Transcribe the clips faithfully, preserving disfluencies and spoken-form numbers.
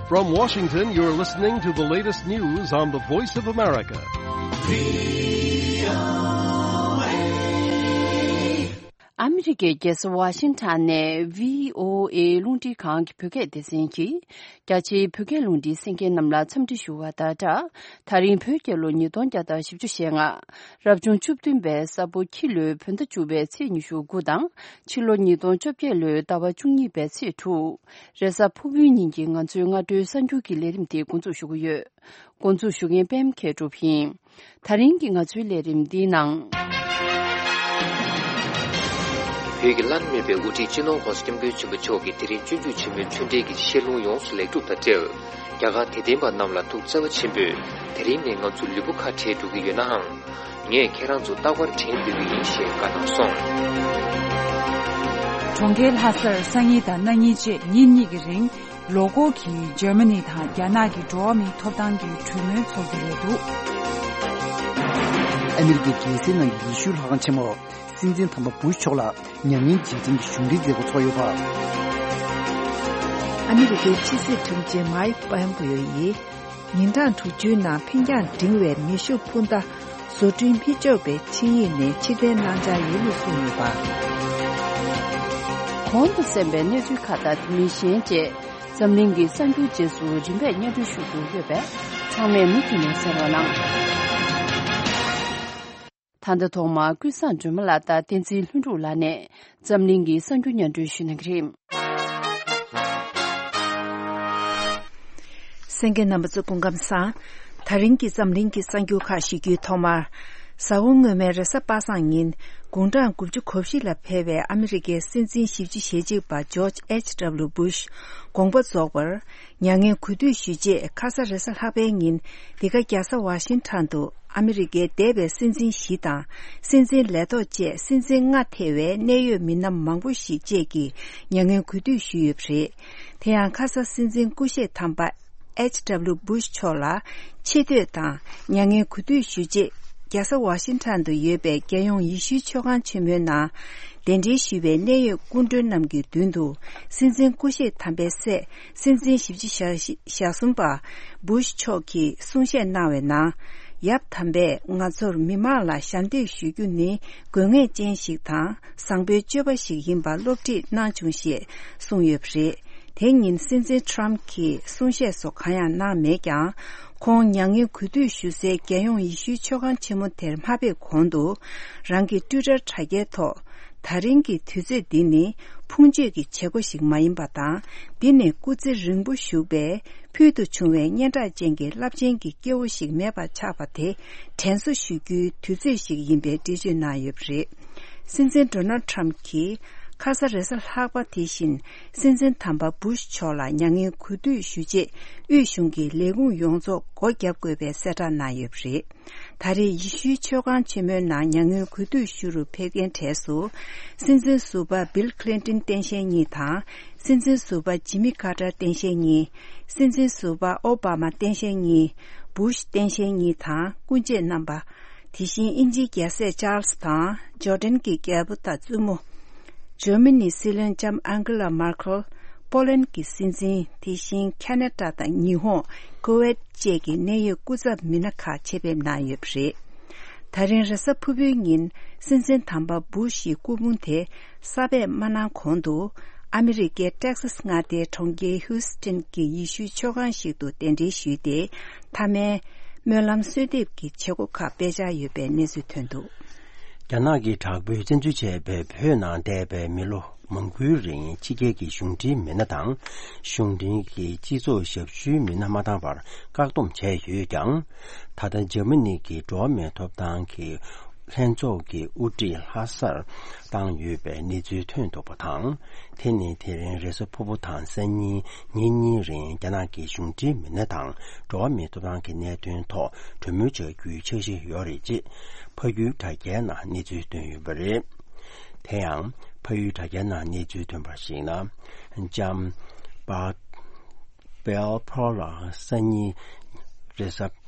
From Washington, you're listening to the latest news on the Voice of America. ཨ་མི་རི་ཀའི་རྒྱལ་ས་ཝ་ཤིང་ཊོན་ནས་བྷི་ཨོ་ཨེ་རླུང་འཕྲིན་ཁང་གི་བོད་སྐད་སྡེ་ཚན་གྱིས། རྒྱ་ཆེའི་བོད་སྐད་རླུང་འཕྲིན་གསན་མཁན་རྣམས་ལ་འཚམས་འདྲི་ཞུ་བ་དང་སྦྲགས། ད་རིང་བོད་རྒྱལ་ལོ་ཉིས་སྟོང་བརྒྱ་དང་བཞི་བཅུ་ཞེ་ལྔ། རབ་བྱུང་བཅུ་བདུན་པའི་ས་ཕོ་ཁྱི་ལོའི་བོད་ཟླ་བཅུ་པའི་ཚེས་ཉི་ཤུ་དགུ་དང་། ཕྱི་ལོ་ཉིས་སྟོང་བཅོ་བརྒྱད་ལོའི་ཟླ་བ་བཅུ་གཉིས་པའི་ཚེས་དྲུག་རེས་གཟའ་ཕུར་བུའི་ཉིན་གྱི་ང་ཚོའི་སྔ་དྲོའི་གསར་འགྱུར་གྱི་ལས་རིམ་དེ་འགོ་འཛུགས་ཞུ་གི་ཡོད། འགོ་འཛུགས་ཞུ་མཁན་པད་མ་མཁས་གྲུབ་ཡིན། ད་རིང་གི་ང་ཚོའི་ལས་རིམ་འདིའི་ནང་། བོད་ཀྱི་བླ་ན་མེད་པའི་དབུ་ཁྲིད་སྤྱི་ནོར་༸གོང་ས་༸སྐྱབས་མགོན་ཆེན་པོ་མཆོག་གིས་དེ་རིང་སྤྱོད་འཇུག་ཆེན་མོའི་ཚུལ་ཁྲིམས་ཀྱི་བཤད་ལུང་ཡོངས་སུ་ལེགས་གྲུབ་དང་འབྲེལ། རྒྱ་གར་དད་ལྡན་པ་རྣམས་ལ་ཐུགས་བརྩེ་བ་ཆེན་པོས་དེ་རིང་ནས་ང་ཚོ་ལུས་པོ་ཁ་བྲལ་འགྲོ་གི་ཡོད་ནའང་། ངས་ཁྱེད་རང་ཚོ་རྟག་པར་དྲན་འདོད་ཀྱི་ཡིན་ཞེས་བཀའ་གནང་སོང་། གྲོང་ཁྱེར་ལྷ་སར་སང་ཉིན་དང་གནངས་ཉིན་བཅས་ཉིན་གཉིས་ཀྱི་རིང་། ལོ་འཁོར་གྱིས་འཇར་མ་ནི་དང་རྒྱ་ནག་གི་འགྲོ་བ་མིའི་ཐོབ་ཐང་གི་གྲོས་མོལ་འཚོགས་ཀྱི་རེད་འདུག་ཨ་མི་རི་ཀའི་རྒྱལ་སའི་ནང་གི་ཡེ་ཤུའི་ལྷ་ཁང་ཆེན་མོར་སྲིད་འཛིན་དམ་པ་བུ་ཤ་མཆོག་ལ་མྱ་ངན་རྗེས་དྲན་གྱི་གཞུང་འབྲེལ་མཛད་སྒོ་ཚོགས་ཡོད་པ། ཨ་མི་རི་ཀའི་ཕྱི་སྲིད་དྲུང་ཆེ་མའིག་པོམ་པེ་ཡོ་ཡིས། ཉིན་གྲངས་དྲུག་ཅུའི་ནང་འཕེན་རྒྱང་འབྲིང་བའི་མེ་ཤུགས་འཕུར་མདའ་བཟོ་སྐྲུན་མི་ཆོག་པའི་ཆིངས་ཡིག་ནས་ཕྱིར་འཐེན་གནང་འཆར་ཡོད་ལུགས་གསུངས་ཡོད་པ། གོང་དུ་གསན་པའི་གནས་ཚུལ་ཁག་དང་དེ་མིན་གཞན་བཅས་འཛམ་གླིང་གི་གསར་འགྱུར་རྗེས་སུ་རིམ་པས་སྙན་སྒྲོན་ཞུ་རྒྱུ་ཡོད་པས་ཚང་མས་མུ་མཐུད་ནས་གསན་རོགས་གནང་། ད་ལྟ་ཐོག་མར་ཀུན་བཟང་སྒྲོལ་མ་ལགས་དང་བསྟན་འཛིན་ལྷུན་གྲུབ་ལགས་ནས་འཛམ་གླིང་གི་གསར་འགྱུར་སྙན་སྒྲོན་ཞུ་གནང་གི་རེད། གསན་མཁན་རྣམ་པ་ཚོ་སྐུ་ཁམས་བཟང་། ད་རིང་གི་འཛམ་གླིང་གི་གསར་འགྱུར་ཁག་ཞུ་རྒྱུའི་ཐོག་མར། གཟའ་འཁོར་སྔོན་མའི་རེས་གཟའ་པ་སངས་ཉིན་དགུང་གྲངས་དགུ་བཅུ་གོ་བཞི་ལ་ཕེབས་པའི་ཨ་མི་རི་ཀའི་སྲིད་འཛིན་བཞི་བཅུ་ཞེ་གཅིག་པ་ཇོརྗ་ཨེཆ་ཌབ་ལུ་བུ་ཤ་དགོངས་པ་རྫོགས་པར། མྱ་ངན་གུས་འདུད་ཞུ་ཆེད་ཁ་ས་རེས་གཟའ་ལྷག་པའི་ཉིན་འདི་ག་རྒྱལ་ས་ཝ་ཤིང་ཊོན་དུ་ཨ་མི་རི་ཀའི་འདས་པའི་སྲིད་འཛིན་བཞི་དང་སྲིད་འཛིན་ལས་ཐོག་བཅས་སྲིད་འཛིན་ལྔ་ཐེ་བའི་གནད་ཡོད་མི་སྣ་མང་པོ་ཞིག་བཅས་ཀྱིས་མྱ་ངན་གུས་འདུད་ཞུས་ཡོད་པ་རེད། དེ་ཡང་ཁ་ས་སྲིད་འཛིན་སྐུ་གཤེགས་དམ་པ་ཨེཆ་ཌབ་ལུ་བུ་ཤ་མཆོག་ལ་ཆེ་བསྟོད་དང་མྱ་ངན་གུས་འདུད་ཞུ་ཆེད་རྒྱལ་ས་ཝ་ཤིང་ཊོན་དུ་ཡོད་པའི་རྒྱལ་ཡོངས་ཡེ་ཤུའི་ཆོས་ཁང་ཆེན་མོའི་ནང་གདན་འདྲེན་ཞུས་པའི་གནད་ཡོད་སྐུ་མགྲོན་རྣམས་ཀྱི་མདུན་དུ་སྲིད་འཛིན་སྐུ་གཤེགས་དམ་པའི་སྲས་སྲིད་འཛིན་བཞི་བཅུ་ཞེ་གསུམ་པ་བུ་ཤ་མཆོག་གིས་གསུང་བཤད་གནང་བའི་ནང་། ཡབ་དམ་པས་ང་ཚོར་མི་མང་ལ་ཞབས་འདེགས་ཞུ་རྒྱུ་ནི་དགོས་ངེས་ཅན་ཞིག་དང་བཟང་པོའི་སྤྱོད་པ་ཞིག་ཡིན་པ་སློབ་ཁྲིད་གནང་བྱུང་ཞེས་གསུངས་ཡོད་པ་རེད། དེ་ཉིན་སྲིད་འཛིན་ཊམ་གྱིས་གསུང་བཤད་སོགས་གང་ཡང་གནང་མེད་ཀྱང་། ཁོང་མྱ་ངན་གུས་འདུད་ཞུ་སའི་རྒྱལ་ཡོངས་ཡེ་ཤུའི་ཆོས་ཁང་ཆེན་མོ་དེར་མ་ཕེབས་གོང་དུ། རང་གི་ཊུའི་ཊར་དྲ་རྒྱའི་ཐོག་ད་རིང་གི་དུས་ཚོད་འདི་ནི་ཕུང་མཆོད་ཀྱི་བྱེད་སྒོ་ཞིག་མ་ཡིན་པ་དང་། འདི་ནི་སྐུ་ཚེ་རིང་པོ་བཞུགས་པའི་ཕུལ་དུ་བྱུང་བའི་སྙན་གྲགས་ཅན་གྱི་རླབས་ཆེན་གྱི་སྐྱེ་བོ་ཞིག་མེད་པ་ཆགས་པ་དེ་དྲན་གསོ་ཞུ་རྒྱུའི་དུས་ཚོད་ཞིག་ཡིན་པའི་འགྲེལ་བརྗོད་གནང་ཡོད་པ་རེད། སྲིད་འཛིན་ཌོ་ནལ་ཊམ་གྱིས་ཁ་ས་རེས་གཟའ་ལྷག་པ་དེ་བཞིན་སྲིད་འཛིན་དམ་པ་བུ་ཤ་མཆོག་ལ་མྱ་ངན་གུས་འདུད་ཞུ་ཆེད་དབུས་གཞུང་གི་ལས་ཁུངས་ཡོངས་རྫོགས་སྒོ་བརྒྱབ་དགོས་པའི་གསལ་བསྒྲགས་གནང་ཡོད་པ་རེད། ད་རེས་ཡེ་ཤུའི་ཆོས་ཁང་ཆེན་མོའི་ནང་མྱ་ངན་གུས་འདུད་ཞུ་རུ་ཕེབས་མཁན་གྲས་སུ། སྲིད་འཛིན་ཟུར་པ་བིལ་ཁི་ལིན་ཏོན་སྟངས་དཔྱལ་གཉིས་དང་། སྲིད་འཛིན་ཟུར་པ་ཇི་མི་ཀར་ཏར་སྟངས་དཔྱལ་གཉིས། སྲིད་འཛིན་ཟུར་པ་ཨོ་བྷ་མ་སྟངས་དཔྱལ་གཉིས། བུ་ཤ་སྟངས་དཔྱལ་གཉིས་དང་སྐུ་མཆེད་རྣམ་པ། དེ་བཞིན་དབྱིན་ཇིའི་རྒྱལ་སྲས་ཅཱལ་སི་དང་ཇོར་ཌན་གྱི་རྒྱལ་པོ་དང་བཙུན་མོ། འཇར་མ་ནིའི་སྲིད་བློན་ལྕམ་ཨན་གྷི་ལ་མར་ཁལ། པོ་ལན་གྱི་སྲིད་འཛིན། དེ་བཞིན་ཁ་ན་ཌ་དང་ཉི་ཧོང་། ཀུ་ཝེད་བཅས་ཀྱི་གནད་ཡོད་སྐུ་ཚབ་མི་སྣ་ཁག་ཆེད་ཕེབས་གནང་ཡོད་པ་རེད། ད་རིང་རེས་གཟའ་ཕུར་བུའི་ཉིན་སྲིད་འཛིན་དམ་པ་བུ་ཤ་ཡི་སྐུ་ཕུང་དེ་གསར་པས་མ་གནང་གོང་དུ། ཨ་མི་རི་ཀའི་ཊེག་སཱས་མངའ་སྡེའི་གྲོང་ཁྱེར་ཧིའུ་སི་ཊོན་གྱི་ཡེ་ཤུའི་ཆོས་ཁང་ཞིག་ཏུ་གདན་འདྲེན་ཞུས་ཏེ། མཐའ་མའི་སྨོན་ལམ་གསོལ་འདེབས་ཀྱི་བྱེད་སྒོ་ཁག་སྤེལ་འཆར་ཡོད་པའི་གནས་ཚུལ་ཐོན་འདུག་རྒྱ་ནག་གི་དྲག་པོས་བཙན་འཛུལ་བྱས་པའི་བོད་ནང་འདས་པའི་མི་ལོ་མང་པོའི་རིང་ཕྱི་རྒྱལ་གྱི་གཞུང་འབྲེལ་མི་སྣ་དང་། གཞུང་འབྲེལ་གྱི་སྤྱི་ཚོགས་ཞབས་ཞུའི་མི་སྣ་མ་འདང་བར་བཀག་སྡོམ་བྱས་ཡོད་ཀྱང་། ད་ལྟ་འཇར་མ་ནི་གི་འགྲོ་བ་མིའི་ཐོབ་ཐང་གི་ལྷན་ཚོགས་ཀྱི་དབུ་ཁྲིད་ལྷ་སར་བཏང་ཡོད་པའི་གནས་ཚུལ་ཐོན་འདུག་པ་དང་། དེ་ནི་དེ་རིང་རེས་གཟའ་ཕུར་བུ་དང་སང་ཉིན་ཉིན་གཉིས་རིང་རྒྱ་ནག་གི་གཞུང་འབྲེལ་མི་སྣ་དང་འགྲོ་བ་མིའི་ཐོབ་ཐང་གི་གནད་དོན་ཐོག་གྲོས་མོལ་བྱ་རྒྱུའི་འཆར་གཞི་ཡོད་རེད་ཅེས་ཕ་ཡུལ་དྲ་རྒྱའི་ནང་གནས་ཚུལ་བཏོན་ཡོད་པ་རེད། དེ་ཡང་ཕ་ཡུལ་དྲ་རྒྱའི་ནང་གནས་ཚུལ་ཐོན་པར་གཞིགས་ན། ལྕམ་པ་པེལ་ཕོ་ལ་སང་ཉིན་རེས་གཟའ་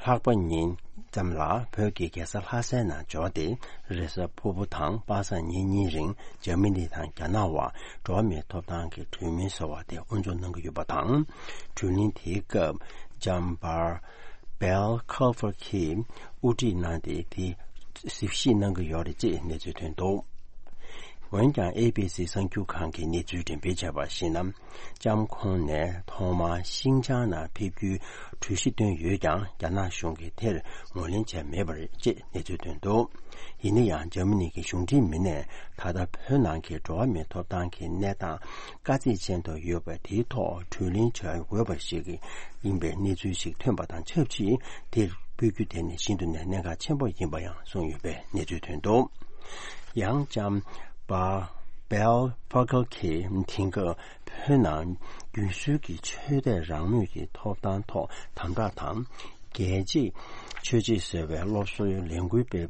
ལྷག་པ་ཉིན་ཙམ་ལ་བོད་ཀྱི་རྒྱལ་ས་ལྷ་སའི་ནང་འབྱོར་ཏེ། རེས་གཟའ་ཕུར་བུ་དང་པ་སངས་ཉིན་གཉིས་རིང་འཇར་མ་ནི་དང་རྒྱ་ནག་བར་འགྲོ་བ་མིའི་ཐོབ་ཐང་གི་གྲོས་མོལ་ཟེར་བ་དེ་དབུ་འཛུགས་གནང་གི་ཡོད་པ་དང་། གྲོས་གླེང་དེའི་སྐབས་ལྕམ་པར་Bel Kofer གྱིས་དབུ་ཁྲིད་གནང་སྟེ། དེ་གཟིགས་ཞིབ་གནང་གི་ཡོད་རེད་ཅེས་གནས་ཚུལ་ཐོན་འདུག་འོན་ཀྱང་། ཨེ་བི་སི་གསར་འགྱུར་ཁང་གིས་གནས་ཚུལ་འགྲེམས་སྤེལ་བྱས་པར་གཞིགས་ན། ལྕམ་ཁོང་ནས་ཐོག་མར་ཤིན་ཅང་ནང་ཕེབས་རྒྱུའི་གྲོས་གཞི་བཏོན་ཡོད་ཀྱང་། རྒྱ་ནག་གཞུང་གིས་དེར་ངོས་ལེན་བྱས་མེད་པ་རེད་ཅེས་གནས་ཚུལ་ཐོན་འདུག་ཡིན་ན་ཡང་། འཇར་མ་ནི་གི་གཞུང་འབྲེལ་མི་སྣས་ད་ལྟ་བོད་ནང་གི་འགྲོ་བ་མིའི་ཐོབ་ཐང་གི་གནས་སྟངས་དཀའ་ཚེགས་ཅན་དུ་ཡོད་པ་དེའི་ཐོག་གྲོས་གླེང་བྱ་དགོས་པ་ཞིག་ཡིན་པའི་གནས་ཚུལ་ཞིག་ཐོན་པ་དང་ཆབས་ཅིག་དེར་སྤོ་རྒྱུ་དེ་ནི་ཤིན་ཏུ་ནས་གནད་འགག་ཆེན་པོ་ཡིན་པ་ཡང་གསུངས་ཡོད་པའི་གནས་ཚུལ་ཐོན་འདུག་ཡང་ལྕམ་པ་Bel Fogle གྱིས་དེང་སྐབས་བོད་ནང་རྒྱུན་སྲོལ་གྱི་ཆོས་དད་རང་མོས་ཀྱི་ཐོབ་ཐང་ཐོག་དམ་དྲག་དང་། རྒྱལ་གཅེས་ཆོས་གཅེས་ཟེར་བའི་སློབ་གསོའི་ལས་འགུལ་སྤེལ་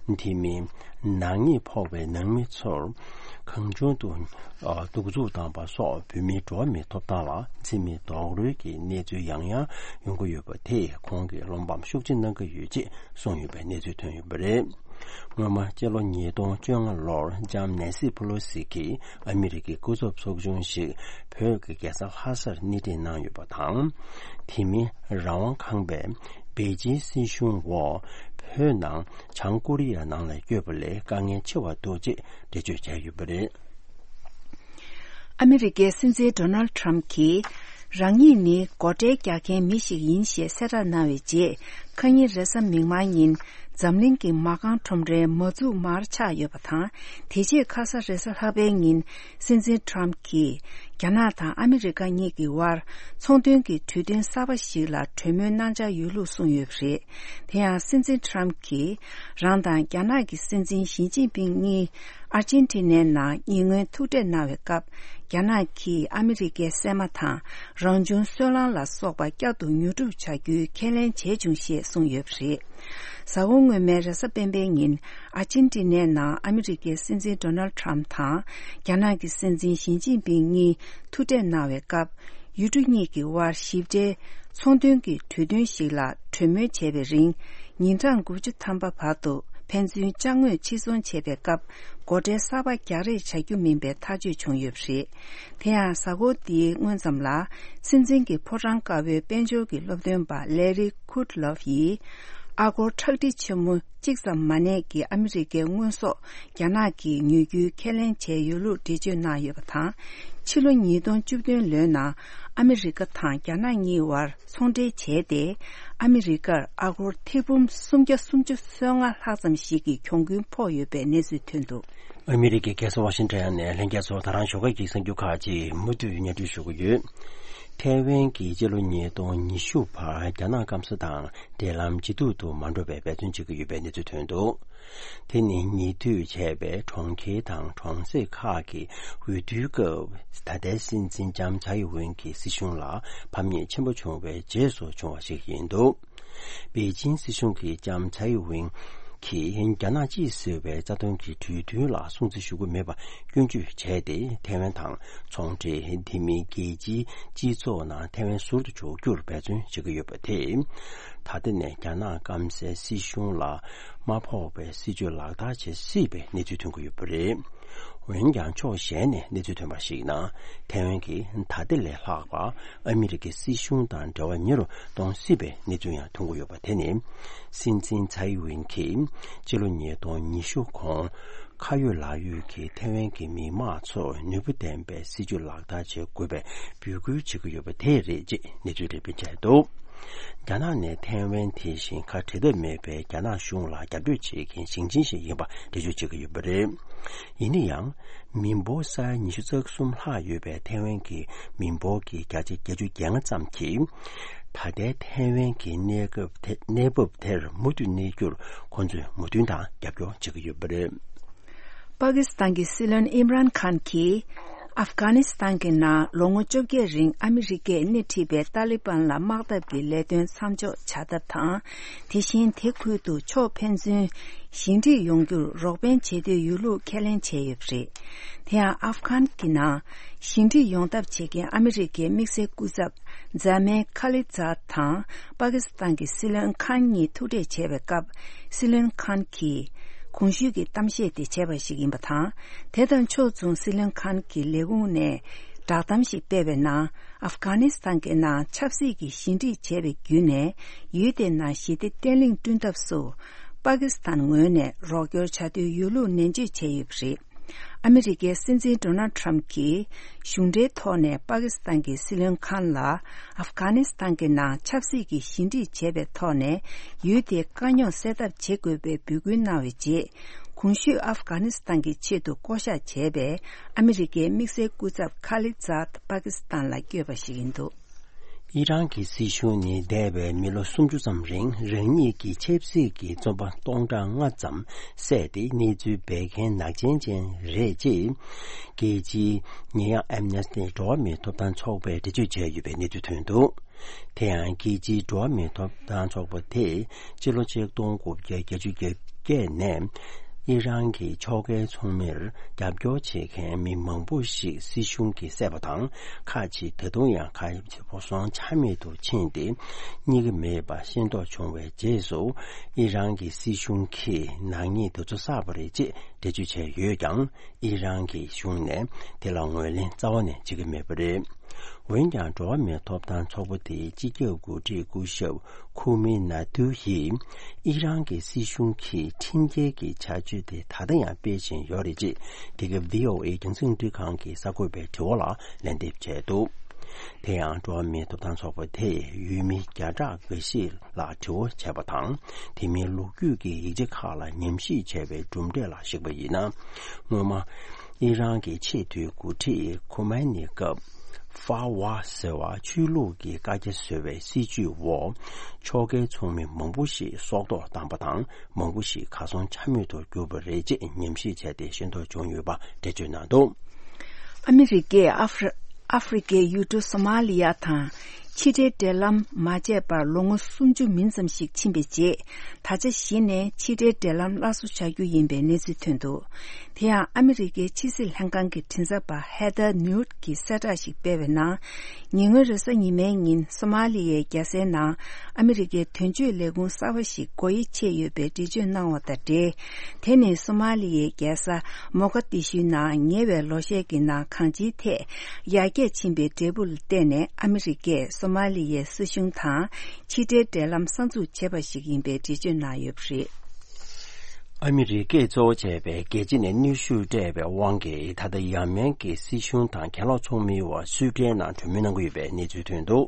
བ། དེ་མིན་ནག་ཉེས་ཕོག་པའི་ནང་མི་ཚོར་གང་བྱུང་དུ་ཨ་གདུག་རྩུབ་བཏང་པ་སོགས་བོད་མིའི་འགྲོ་བ་མིའི་ཐོབ་ཐང་ལ་འཛེམ་མེད་རྡོག་རོལ་གྱི་གནས་ཚུལ་ཡང་ཡང་ཡོང་གི་ཡོད་པ་དེས་ཁོང་གིས་སློབ་འབམ་ཤུགས་ཆེ་གནང་གི་ཡོད་ཅེས་གསུངས་ཡོད་པའི་གནས་ཚུལ་ཐོན་ཡོད་པ་རེད། སྔོན་མ་སྤྱི་ལོ་ཉིས་སྟོང་བཅོ་ལྔ་ལོར་ལྕམ་ནེན་སི་ཕུ་ལོ་སི་གིས་ཨ་མི་རི་ཀའི་སྐུ་ཚབ་ཚོགས་ཆུང་ཞིག་བོད་ཀྱི་རྒྱལ་ས་ལྷ་སར་སྣེ་ཁྲིད་གནང་ཡོད་པ་དང་། དེ་མིན་རང་དབང་ཁང་པས་པེ་ཅིན་སྲིད་གཞུང་འོག་བོད་ནང་བྱང་ཀོ་རི་ཡ་ནང་ལ་བསྐྱོད་པ་ལས་དཀའ་ངལ་ཆེ་བ་འདུག་ཅེས་འགྲེལ་བརྗོད་བྱས་ཡོད་པ་རེད། ཨ་མི་རི་ཀའི་སྲིད་འཛིན་ཌོ་ནལ་ཌི་ཊརམ་ཕི་གྱིས། རང་ཉིད་ནི་སྒོ་ཁྲལ་རྒྱག་མཁན་མི་ཞིག་ཡིན་ཞེས་གསལ་བསྒྲགས་གནང་བའི་རྗེས། ཁ་ཉིན་རེས་གཟའ་མིག་དམར་ཉིན། འཛམ་གླིང་གི་མ་རྐང་ཁྲོམ་རའི་མ་འཛུགས་མར་ཆག་ཡོད་པ་དང་། དེ་རྗེས་ཁ་ས་རེས་གཟའ་ལྷག་པའི་ཉིན། སྲིད་འཛིན་ཊརམ་ཕི་གྱིས། རྒྱ་ནག་དང་ཨ་མི་རི་ཀ་གཉིས་ཀྱི་དབར། ཚོང་དོན་གྱི་གྲོས་མཐུན་གསར་པ་ཞིག་ལ་གྲོས་མོལ་གནང་འཆར་ཡོད་ལུགས་གསུངས་ཡོད་པ་རེད། དེ་ཡང་སྲིད་འཛིན་ཊརམ་ཕི་གྱིས། རང་དང་རྒྱ་ནག་གི་སྲིད་འཛིན་ཞི་ཅིན་ཕིང་གཉིས། ཨར་ཅན་ཊི་ནའི་ནང་ཉེ་སྔོན་ཐུག་འཕྲད་གནང་བའི་སྐབས། རྒྱ་ནག་གིས་ཨ་མི་རི་ཀའི་གསེག་མ་དང་། རང་བྱུང་སོལ་རླངས་ལ་སོགས་པ་བསྐྱར་དུ་ཉོ་སྒྲུབ་བྱ་རྒྱུའི་ཁས་ལེན་བྱས་བྱུང་ཞེས་གསུངས་ཡོད་པ་རེད། གཟའ་འཁོར་སྔོན་མའི་རེས་གཟའ་སྤེན་པའི་ཉིན། ཨར་ཅན་ཊི་ནའི་ནང་ཨ་མི་རི་ཀའི་སྲིད་འཛིན་ཌོ་ནལ་ཌི་ཊརམ་ཕི་དང་། རྒྱ་ནག་གི་སྲིད་འཛིན་ཞི་ཅིན་ཕིང་གཉིས་ཐུག་འཕྲད་གནང་བའི་སྐབས། ཡུལ་གྲུ་གཉིས་ཀྱི་དབར་ཞིབ་ཕྲའི་ཚོང་དོན་གྱི་གྲོས་མཐུན་ཞིག་ལ་གྲོས་མོལ་བྱས་པའི་རིང་། ཉིན་གྲངས་དགུ་བཅུ་ཐམ་པ་བར་དུ་ཕན་ཚུན་ཅ་དངོས་ཕྱིར་ཚོང་བྱས་པའི་སྐབས། སྒོ་ཁྲལ་གསར་པ་རྒྱག་རེས་བྱ་རྒྱུ་མིན་པའི་ཐག་གཅོད་བྱུང་ཡོད་པ་རེད། དེ་ཡང་། གཟའ་འཁོར་འདིའི་སྔོན་ཙམ་ལ། སྲིད་འཛིན་གྱི་ཕོ་བྲང་དཀར་པོའི་དཔལ་འབྱོར་གྱི་སློབ་སྟོན་པ་ལེ་རི་ཁུད་ལོབ་ཡིས། ཨ་སྒོར་ཁྲག་ཁྲིག་ཆེན་མོ་གཅིག་ཙམ་མ་གནས་ཀྱི་ཨ་མི་རི་ཀའི་དངོས་ཟོག་རྒྱ་ནག་གིས་ཉོ་རྒྱུའི་ཁས་ལེན་བྱས་ཡོད་ལུགས་འགྲེལ་བརྗོད་གནང་ཡོད་པ་དང་། ཕྱི་ལོ་ཉིས་སྟོང་བཅུ་བདུན་ལོའི་ནང་ཨ་མི་རི་ཀ་དང་རྒྱ་ནག་གཉིས་བར་ཚོང་འབྲེལ་བྱས་ཏེ། ཨ་མི་རི་ཀར་ཨ་སྒོར་ཐེར་འབུམ་སུམ་བརྒྱ་སུམ་ཅུ་སོ་ལྔ་ལྷག་ཙམ་ཞིག་གི་གྱོང་གུན་ཕོག་ཡོད་པའི་གནས་ཚུལ་ཐོན་འདུག་ཨ་མི་རི་ཀའི་རྒྱལ་ས་ཝ་ཤིང་ཊོན་ནས་ལྷན་རྒྱས་ཚོ་ད་རང་ཞོགས་ཀས་ཀྱི་གསར་འགྱུར་ཁག་ཅིག་མུ་མཐུད་སྙན་སྒྲོན་ཞུ་གི་ཡོད། ཐའེ་ཝན་གྱིས་སྤྱི་ལོ་ཉིས་སྟོང་ཉི་ཤུ་བར་རྒྱ་ནག་སྐམ་ས་དང་འབྲེལ་ལམ་ཇེ་སྡུག་ཏུ་མ་འགྲོ་བའི་འབད་བརྩོན་བྱེད་ཀྱི་ཡོད་པའི་གནས་ཚུལ་ཐོན་འདུག་དེ་ནི་ཉེ་དུས་བྱས་པའི་གྲོང་ཁྱེར་དང་གྲོང་གསེབ་ཁག་གི་འོས་བསྡུའི་སྐབས། ད་ལྟའི་སྲིད་འཛིན་ལྕམ་ཚའེ་ཝེན་གྱི་སྲིད་གཞུང་ལ་ཕམ་ཉེས་ཆེན་པོ་བྱུང་བའི་རྗེས་སུ་བྱུང་བ་ཞིག་ཡིན་འདུག་པེ་ཅིན་སྲིད་གཞུང་གིས་ལྕམ་ཚའེ་ཝེན་གྱིས་རྒྱ་ནག་གཅིག་ཟེར་བའི་རྩ་དོན་གྱི་གྲོས་མཐུན་ལ་སྲུང་བརྩི་ཞུ་གི་མེད་པ་སྐྱོན་བརྗོད་བྱས་ཏེ། ཐའེ་ཝན་དང་ཚོང་འབྲེལ། དེ་མིན་རྒྱལ་སྤྱིའི་སྤྱི་ཚོགས་ནང་ཐའེ་ཝན་ཟུར་དུ་འཇོག་རྒྱུར་འབད་བརྩོན་བྱེད་ཀྱི་ཡོད་པ་དེས། ད་ལྟ་ནས་རྒྱ་ནག་སྐམ་སའི་སྲིད་གཞུང་ལ་མ་ཕོག་པའི་སྲིད་ཇུས་ལག་བསྟར་བྱེད་སྲིད་པའི་གནས་ཚུལ་ཐོན་གྱི་ཡོད་པ་རེད། འོན་ཀྱང་། ཕྱོགས་གཞན་ནས་གནས་ཚུལ་ཐོན་པར་གཞིགས་ན། ཐའེ་ཝན་གྱིས་ད་ལྟ་ལས་ལྷག་པ་ཨ་མི་རི་ཀའི་སྲིད་གཞུང་དང་འབྲེལ་བ་ཉེ་རུ་གཏོང་སྲིད་པའི་གནས་ཚུལ་ཡང་ཐོན་གྱི་ཡོད་པ་དེ་ནི། སྲིད་འཛིན་ཚའེ་ཝེན་གྱིས་སྤྱི་ལོ་ཉིས་སྟོང་ཉི་ཤུ་གོང་ཁ་ཡོད་ལག་ཡོད་ཀྱི་ཐའེ་ཝན་གྱི་མི་དམངས་ཚོར་ནུས་པ་ལྡན་པའི་སྲིད་ཇུས་ལག་བསྟར་བྱེད་དགོས་པའི་འབོད་སྐུལ་བྱེད་ཀྱི་ཡོད་པ་དེ་རེད་ཅེས་གནས་ཚུལ་འགྲེམས་སྤེལ་བྱས་འདུག་རྒྱ་ནག་ནི་ཐའེ་ཝན་དེ་བཞིན་ཁ་བྲལ་ཐབས་མེད་པའི་རྒྱ་ནག་གཞུང་ལ་རྒྱབ་སྐྱོར་བྱེད་མཁན་ཞིང་ཆེན་ཞིག་ཡིན་པ་འགྲེལ་བརྗོད་བྱེད་ཀྱི་ཡོད་པ་རེད། ཡིན་ན་ཡང་། མི་འབོར་ས་ཡ་ཉི་ཤུ་རྩ་གསུམ་ལྷག་ཡོད་པའི་ཐའེ་ཝན་གྱི་མི་འབོར་གྱི་བརྒྱ་ཆ་བརྒྱད་ཅུ་གྱ་ལྔ་ཙམ་གྱིས། ད་ལྟའི་ཐའེ་ཝན་གྱི་གནས་སྐབས་དེ། གནས་བབ་དེར་མུ་མཐུད་གནས་རྒྱུར་ཁོང་ཚོས་མོས་མཐུན་དང་རྒྱབ་སྐྱོར་བྱེད་ཀྱི་ཡོད་པ་རེད། པ་ཀི་སི་ཐན་གྱི་སྲིད་བློན་ཨིམ་རཱན་ཁཱན་གྱིས། ཨབ་གྷ་ནི་སི་ཐན་གྱི་ནང་ལོ་ངོ་བཅོ་བརྒྱད་རིང་ཨ་མི་རི་ཀས་སྣེ་ཁྲིད་པའི་ཏཱ་ལི་བན་ལ་དམག་འཐབ་ཀྱི་ལས་དོན་མཚམས་འཇོག་བྱ་ཐབས་དང་། དེ་བཞིན་དེ་ཁུལ་དུ་ཕྱོགས་ཕན་ཚུན་ཞི་འགྲིག་ཡོང་རྒྱུར་རོགས་ཕན་བྱེད་འདོད་ཡོད་ལུགས་ཁས་ལེན་བྱས་ཡོད་པ་རེད། དེ་ཡང་ཨབ་གྷན་གྱི་ནང་ཞི་འགྲིག་ཡོང་ཐབས་བྱེད་མཁན་ཨ་མི་རི་ཀའི་དམིགས་བསལ་སྐུ་ཚབ་ཛ་མན་ཁ་ལི་ཛཱད་དང་པ་ཀི་སི་ཐན་གྱི་སྲིད་བློན་ཁཱན་གཉིས་ཐུག་འཕྲད་བྱས་པའི་སྐབས། སྲིད་བློན་ཁཱན་གྱིས་གོང་ཞུས་ཀྱི་གཏམ་བཤད་དེ་བྱས་པ་ཞིག་ཡིན་པ་དང་། དེ་དང་ཕྱོགས་མཚུངས་སྲིད་བློན་ཁཱན་གྱི་ལས་ཁུངས་ནས་བསྒྲགས་གཏམ་ཞིག་སྤེལ་བའི་ནང་། ཨབ་གྷ་ནི་སི་ཐན་གྱི་ནང་ཆབ་སྲིད་ཀྱི་ཞི་འགྲིག་བྱས་པའི་བརྒྱུད་ནས། ཡུལ་དེའི་ནང་ཞི་བདེ་བརྟན་ལྷིང་བསྐྲུན་ཐབས་སུ། པ་ཀི་སི་ཐན་ངོས་ནས་རོགས་སྐྱོར་བྱ་འདོད་ཡོད་ལུགས་ནན་བརྗོད་བྱས་ཡོད་པ་རེད། ཨ་མི་རི་ཀའི་སྲིད་འཛིན་ཌོ་ནལ་ཊམ་གྱིས་གཞུང་འབྲེལ་ཐོག་ནས་པ་ཀི་སི་ཐན་གྱི་སྲིད་བློན་ཁཱན་ལ། ཨབ་གྷ་ནི་སི་ཐན་གྱི་ནང་ཆབ་སྲིད་ཀྱི་ཞི་འགྲིག་བྱས་པའི་ཐོག་ནས་ཡུལ་དེའི་དཀའ་རྙོག་སེལ་ཐབས་བྱེད་དགོས་པའི་འབོད་སྐུལ་གནང་བའི་རྗེས། གོང་ཞུས་ཨབ་གྷ་ནི་སི་ཐན་གྱི་ཆེད་དུ་བསྐོ་གཞག་བྱས་པའི་ཨ་མི་རི་ཀའི་དམིགས་བསལ་སྐུ་ཚབ་ཁ་ལི་ཛཱད་པ་ཀི་སི་ཐན་ལ་བསྐྱོད་པ་ཞིག་ཡིན་འདུག། ཨི་རན་གྱི་སྲིད་གཞུང་ནི་འདས་པའི་མི་ལོ་སུམ་ཅུ་ཙམ་རིང་རང་ཉིད་ཀྱི་ཆབ་སྲིད་ཀྱི་བཙོན་པ་སྟོང་ཕྲག་ལྔ་ཙམ་བསད་དེ་གནས་ཚུལ་འབད་མཁན་ནག་ཅན་ཅན་རེད་ཅེས། རྒྱལ་སྤྱིའི་ཉེས་ཡངས་ཨེམ་ནེ་སི་ཊི་འགྲོ་བ་མིའི་ཐོབ་ཐང་ཚོགས་པས་འགྲེལ་བརྗོད་བྱས་ཡོད་པའི་གནས་ཚུལ་ཐོན་འདུག། དེ་ཡང་རྒྱལ་སྤྱིའི་འགྲོ་བ་མིའི་ཐོབ་ཐང་ཚོགས་པ་དེས་སྤྱི་ལོ་ཆིག་སྟོང་དགུ་བརྒྱ་བརྒྱད་ཅུ་གྱ་བརྒྱད་ནས་ཨི་རན་གྱི་ཕྱོགས་འགལ་ཚོགས་མིར་རྒྱབ་སྐྱོར་བྱེད་མཁན་མི་མང་པོ་ཞིག་སྲིད་གཞུང་གིས་བསད་པ་དང་། ཁག་ཅིག་ད་དུང་ཡང་གར་སོང་ཆ་མེད་དུ་ཕྱིན་ཏེ་རྙེད་ཀྱི་མེད་པ་ཤེས་རྟོགས་བྱུང་བའི་རྗེས་སུ། ཨི་རན་གྱི་སྲིད་གཞུང་གིས་ནག་ཉེས་དེ་ཚོ་བསགས་པ་རེད་ཅེས་འགྲེལ་བརྗོད་བྱས་ཡོད་ཀྱང་། ཨི་རན་གྱི་གཞུང་ནས་དེ་ལ་ངོས་ལེན་རྩ་བ་ནས་བྱེད་ཀྱི་མེད་པ་རེད། འོན་ཀྱང་། འགྲོ་བ་མིའི་ཐོབ་ཐང་ཚོགས་པ་དེའི་སྤྱི་ཁྱབ་འགོ་ཁྲིད་སྐུ་ཞབས་ཁུ་མི་ན་ཐུ་ཡིས། ཨི་རན་གྱི་སྲིད་གཞུང་གིས་ཁྲིམས་འགལ་གྱི་བྱ་སྤྱོད་དེ་ད་ལྟ་ཡང་སྤེལ་བཞིན་ཡོད་རེད་ཅེས། འདི་ག་བྷི་ཨོ་ཨེ་རྒྱང་སྲིང་རླུང་འཕྲིན་ཁང་གི་གསར་འགོད་པའི་དྲི་བ་ལ་ལན་འདེབས་བྱས་འདུག། དེ་ཡང་། འགྲོ་བ་མིའི་ཐོབ་ཐང་ཚོགས་པ་དེས་ཡུལ་མི་བརྒྱ་ཕྲག་འགའ་ཤས་ལ་དྲི་བ་བྱས་པ་དང་། དེ་མིན་ལོ་རྒྱུས་ཀྱི་ཡིག་ཆ་ཁག་ལ་ཉམས་ཞིབ་བྱས་པའི་གྲུབ་འབྲས་ལ་གཞིགས་པ་ཡིན་ན། སྔོན་མ། ཨི་རན་གྱི་ཆེས་མཐོའི་འགོ་ཁྲིད་ཁོ་མེ་ནི་སྐབས། ཧྥ་ཝ་ཟེར་བ་ཆོས་ལུགས་ཀྱི་བཀའ་རྒྱ་བཟོ་བའི་སྲིད་བྱུས་འོག་ཕྱོགས་འགལ་ཚོགས་མི་མང་པོ་ཞིག་སྲོག་ཐོག་བཏང་པ་དང་། མང་པོ་ཞིག་གར་སོང་ཆ་མེད་དུ་གྱུར་པ་རེད་ཅེས་ཉམས་ཞིབ་བྱས་ཏེ་ཤེས་རྟོགས་བྱུང་ཡོད་པ་འགྲེལ་བརྗོད་གནང་འདུག། ཨ་མི་རི་ཀས་ཨ་ཧྥི་ཨ་ཧྥི་རི་ཀའི་ཡུལ་གྲུ་སོ་མ་ལི་ཡ་དང་ཕྱི་འབྲེལ་འབྲེལ་ལམ་མ་བཅད་པར་ལོ་ངོ་སུམ་ཅུ་མིན་ཙམ་ཞིག་ཕྱིན་པའི་རྗེས། ད་ཆ་གཞི་ནས་ཕྱི་འབྲེལ་འབྲེལ་ལམ་སླར་གསོ་བྱ་རྒྱུ་ཡིན་པའི་གནས་ཚུལ་ཐོན་འདུག། དེ་ཡང་ཨ་མི་རི་ཀའི་ཕྱི་སྲིད་ལྷན་ཁང་གི་མགྲིན་ཚབ་པ་ཧེ་ཐར་ནིའུཊ་ཀྱིས་གསལ་བསྒྲགས་ཤིག་སྤེལ་བའི་ནང་། ཉེ་སྔོན་རེས་གཟའ་ཉི་མའི་ཉིན་སོ་མ་ལི་ཡའི་རྒྱལ་སའི་ནང་ཨ་མི་རི་ཀའི་དོན་གཅོད་ལས་ཁུངས་གསར་པ་ཞིག་སྒོ་དབྱེ་ཕྱེ་ཡོད་པའི་འགྲེལ་བརྗོད་གནང་བ་དང་འབྲེལ། དེ་ནི་སོ་མ་ལི་ཡའི་རྒྱལ་ས་མོ་ག་དི་ཤུའི་ནང་ཉེ་བའི་ལོ་ཤས་ཀྱི་ནང་གང་ཅིའི་ཐད་ཡར་རྒྱས་ཕྱིན་པའི་འབྲས་བུ་ལ་བརྟེན་ནས། ཨ་མི་རི་ཀས་སོ་མ་ལི་ཡའི་སྲིད་གཞུང་དང་ཕྱི་འབྲེལ་འབྲེལ་ལམ་གསར་འཛུགས་བྱས་པ་ཞིག་ཡིན་པའི་འགྲེལ་བརྗོད་གནང་ཡོད་པ་རེད། ཨ་མི་རི་ཀས་གཙོ་བོ་བྱས་པའི་རྒྱལ་སྤྱི་ནས་གནོན་ཤུགས་སྤྲད་པའི་དབང་གིས། ད་ལྟ་ཡ་མེན་གྱི་སྲིད་གཞུང་དང་གྱེན་ལོག་ཚོགས་མིའི་དབར་སུའེ་ཏེན་ནང་གྲོས་མོལ་གནང་གི་ཡོད་པའི་གནས་ཚུལ་ཐོན་འདུག།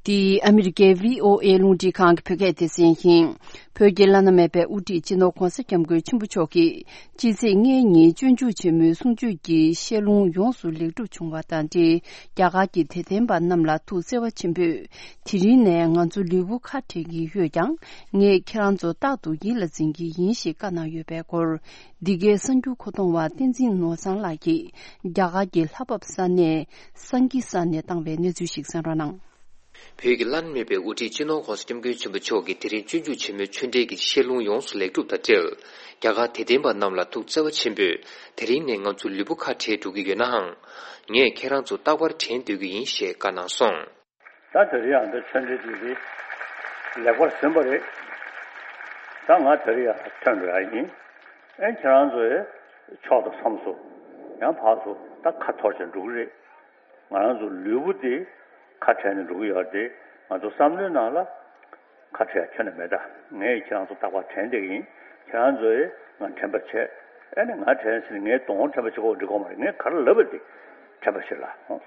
འདི་ཨ་མི་རི་ཀའི་བྷི་ཨོ་ཨེ་རླུང་འཕྲིན་ཁང་གི་བོད་སྐད་སྡེ་ཚན་ཡིན། བོད་ཀྱི་བླ་ན་མེད་པའི་དབུ་ཁྲིད་སྤྱི་ནོར་༧གོང་ས་༧སྐྱབས་མགོན་ཆེན་པོ་མཆོག་གིས། ཕྱི་ཚེས་ལྔའི་ཉིན་སྤྱོད་འཇུག་ཆེན་མོའི་གསུང་ཆོས་ཀྱི་བཤད་ལུང་ཡོངས་སུ་ལེགས་གྲུབ་བྱུང་བ་དང་འབྲེལ། རྒྱ་གར་གྱི་དད་ལྡན་པ་རྣམས་ལ་ཐུགས་བརྩེ་བ་ཆེན་པོས། དེ་རིང་ནས་ང་ཚོ་ལུས་པོ་ཁ་བྲལ་གྱི་ཡོད་ཀྱང་། ངས་ཁྱེད་རང་ཚོ་རྟག་ཏུ་ཡིད་ལ་འཛིན་གྱི་ཡིན་ཞེས་བཀའ་གནང་ཡོད་པའི་སྐོར། འདི་གའི་གསར་འགྱུར་མཁོ་གཏོང་བ་བསྟན་འཛིན་ནོར་བཟང་ལགས་ཀྱིས། རྒྱ་གར་གྱི་ལྷ་བབས་ས་གནས་སང་གི་ས་ནས་བཏང་བའི་གནས་ཚུལ་ཞིག་གསན་རོགས་གནང་། བོད་ཀྱི་བླ་ན་མེད་པའི་དབུ་ཁྲིད་སྤྱི་ནོར་༧གོང་ས་༧སྐྱབས་མགོན་ཆེན་པོ་མཆོག་གིས་དེ་རིང་སྤྱོད་འཇུག་ཆེན་མོའི་ཆོས་འབྲེལ་གྱི་བཤད་ལུང་ཡོངས་སུ་ལེགས་གྲུབ་དང་འབྲེལ། རྒྱ་གར་དད་ལྡན་པ་རྣམས་ལ་ཐུགས་བརྩེ་བ་ཆེན་པོས། དེ་རིང་ནས་ང་ཚོ་ལུས་པོ་ཁ་བྲལ་འགྲོ་གི་ཡོད་ནའང་། ངས་ཁྱེད་རང་ཚོ་རྟག་པར་དྲན་སྡོད་ཀྱི་ཡིན་ཞེས་བཀའ་གནང་སོང་། ད་དེ་རིང་ཡང་འདི་ཆོས་འབྲེལ་འདི་འདི་ལེགས་པར་ཟིན་པ་རེད། ད་ང་དེ་རིང་ཡང་ཐོན་འགྲོ་ཡ་ཡིན། ཨེ་ཁྱེད་རང་ཚོ་ཡི་ཕྱོགས་དང་མཚམས་སུ་ཡང་ཕར་ཚུར་ད་ཁ་འཐོར་བྱས་འགྲོ་གི་རེད། ང་རང་ཚོ་ལུས་པོ་འདི་ཁ་བྲལ་ནས་འགྲོ་གི་ཡོད་རེད་དེ། ང་ཚོ་བསམ་བློའི་ནང་ལ་ཁ་བྲལ་ཁྱོན་ནས་མེད། ད་ངས་ཁྱེད་རང་ཚོ་རྟག་པར་དྲན་བསྡད་ཀྱི་ཡིན། ཁྱེད་རང་ཚོ་ཡི་ང་དྲན་པ་བྱེད། ཨེ་ནས་ང་དྲན་ཟེར་ནས་ངའི་གདོང་དྲན་པ་བྱེད་དགོས་འགྲིག་གོ་མ་རེད། ངས་ག་རེ་ལབ་པ་དེ་དྲན་པ་བྱེད་ལ།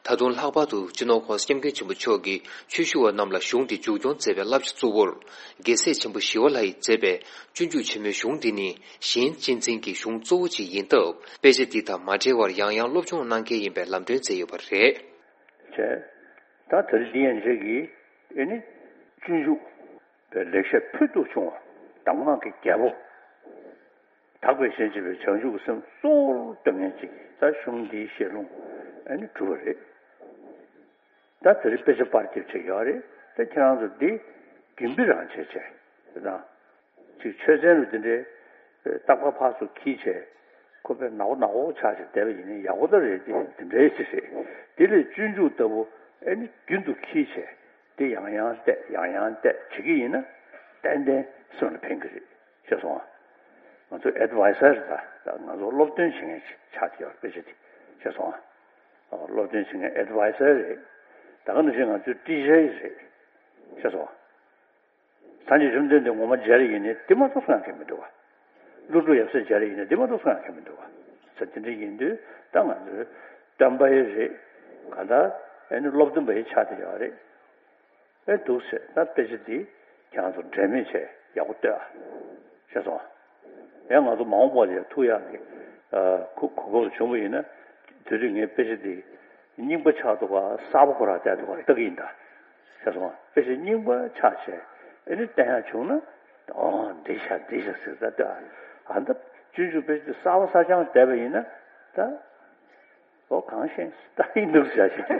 ད་དུང་ལྷག་པར་དུ་སྤྱི་ནོར་༧གོང་ས་༧སྐྱབས་མགོན་ཆེན་པོ་མཆོག་གིས་ཆོས་ཞུ་བ་རྣམས་ལ་གཞུང་འདི་མཇུག་སྐྱོང་མཛད་པའི་བསླབ་བྱ་གཙོ་བོར། རྒྱལ་སྲས་ཆེན་པོ་ཞི་བ་ལྷ་ཡིས་མཛད་པའི་སྤྱོད་འཇུག་ཆེན་མོའི་གཞུང་འདི་ནི་གཞན་གཅེས་འཛིན་གྱི་གཞུང་གཙོ་བོ་གཅིག་ཡིན་སྟབས། དཔེ་ཆ་འདི་དང་མ་བྲལ་བར་ཡང་ཡང་སློབ་སྦྱོང་གནང་གལ་ཡིན་པའི་ལམ་སྟོན་མཛད་ཡོད་པ་རེད། བྱས། ད་དེ་རིང་འདི་ཡན་ཆད་ཀྱི་ཨེ་ནི་སྤྱོད་འཇུག་པའི་ལེགས་བཤད་ཕུལ་དུ་བྱུང་བ། གདམས་ངག་གི་རྒྱལ་པོ། དག་པའི་ཞེན་བྱེད་པའི་བྱང་ཆུབ་ཀྱི་སེམས་གཙོ་བོར་སྟོན་མཁན་ཅིག་གིས་ད་གཞུང་འདིའི་བཤད་ལུང་ཨ་ནི་གྲུབ་པ་རེད། ད་དེ་རིང་དཔེ་ཆ་པར་སྐྱེབས་བྱེད་ཀྱི་ཡོད་རེད། ད་ཁྱེད་རང་ཚོ་འདི་རྒྱུན་སྤེལ་རང་བྱེད་བྱས་དེ་དང་། ཅིག་ཆོས་ཚན་རུ་དེ་འདྲའི་རྟག་པར་ཕར་ཚུར་འཁྱེར་བྱས་ཁོ་པས་ནག་པོ་ནག་པོ་ཆགས་བྱས་བསྡད་པ་ཡིན་ན་ཡག་པོ་ད་རེད། དེ་དེ་འདྲའི་ཅིག་རེད། དེ་ལས་སྤྱོད་འཇུག་ལྟ་བུ་ཨ་ནི་རྒྱུན་དུ་འཁྱེར་བྱས་དེ་ཡང་ཡང་བལྟས་ཡང་ཡང་བལྟས་བྱེད་ཀྱི་ཡིན་ན་ཏན་ཏན་སེམས་ལ་ཕན་གྱི་རེད། ཤེས་སོང་ཨ། ང་ཚོ་ཨེ་ཌི་ཝའི་ཟར་རེད། ད་ང་ཚོ་སློབ་སྟོན་བྱེད་མཁན་ཅིག་ཆགས་བསྡད་ཡོད་རེད། དཔེ་ཆ་དེ་ཤེས་སོང་ཨ། སློབ་སྟོན་བྱེད་མཁན་ཨེ་ཌི་ཝའི་ཟར་རེད། ད་ག་ནང་བཞིན་ང་ཚོའི་ཊི་ཅར་རེད། ཤེས་སོང་ཨ། སངས་རྒྱས་བཅོམ་ལྡན་འདས་ངོ་མ་མཇལ་ཡིན་ནའི་དེ་མ་གཏོགས་སུ་ཡང་མཁྱེན་མི་འདུག་བ། ཀླུ་སྒྲུབ་ཡབ་སྲས་མཇལ་ཡིན་ནའི་དེ་མ་གཏོགས་སུ་ཡང་མཁྱེན་མི་འདུག་བ། ས་དེ་འདྲ་ཡིན་དུས་ད་ང་ཚོའི་སྟོན་པ་ཡི་རེད། ག་ད་ཨེ་ནི་སློབ་སྟོན་པ་ཡི་ཆགས་བསྡད་ཡོད་རེད། ཨེ་འདུག་ཟེར་ད་དཔེ་ཆ་འདི་ཁྱེད་རང་ཚོ་འབྲལ་མེད་བྱས་ཡག་པོ་ལྟོས་ཨ། ཤེས་སོང་ཨ། ཡང་ང་ཚོ་མ་འོངས་པ་ལ་ཡང་ཐུག་ཡག་གི་ཨ་གོ་གོ་སྐབས་བྱུང་བ་ཡིན་ན་དེ་དུས་ངས་དཔེ་ཆ་འདི་རྙིང་པ་ཆགས་འདུག་ག་གསར་པ་ཁོ་རང་བལྟས་འདུག་ག་ལྟ་གི་ཡིན་ད། ཤེས་སོང་ཨ། དཔེ་ཆ་རྙིང་པ་ཆགས་བྱས་ཨེ་ནི་བསྟན་ཡག་བྱུང་ན་ཨོ་འདི་ཤ་འདི་ཤ་ཟེར་ད་ལྟོས་ཨ། ཨ་ད་སྤྱོད་འཇུག་དཔེ་ཆ་གསར་པ་གསར་རྐྱང་བལྟས་པ་ཡིན་ན་ད། ཨོ་གང་ཤེས་ལྟ་ཡིན་འདུག་ཟེར་ཞིག་རྒྱ་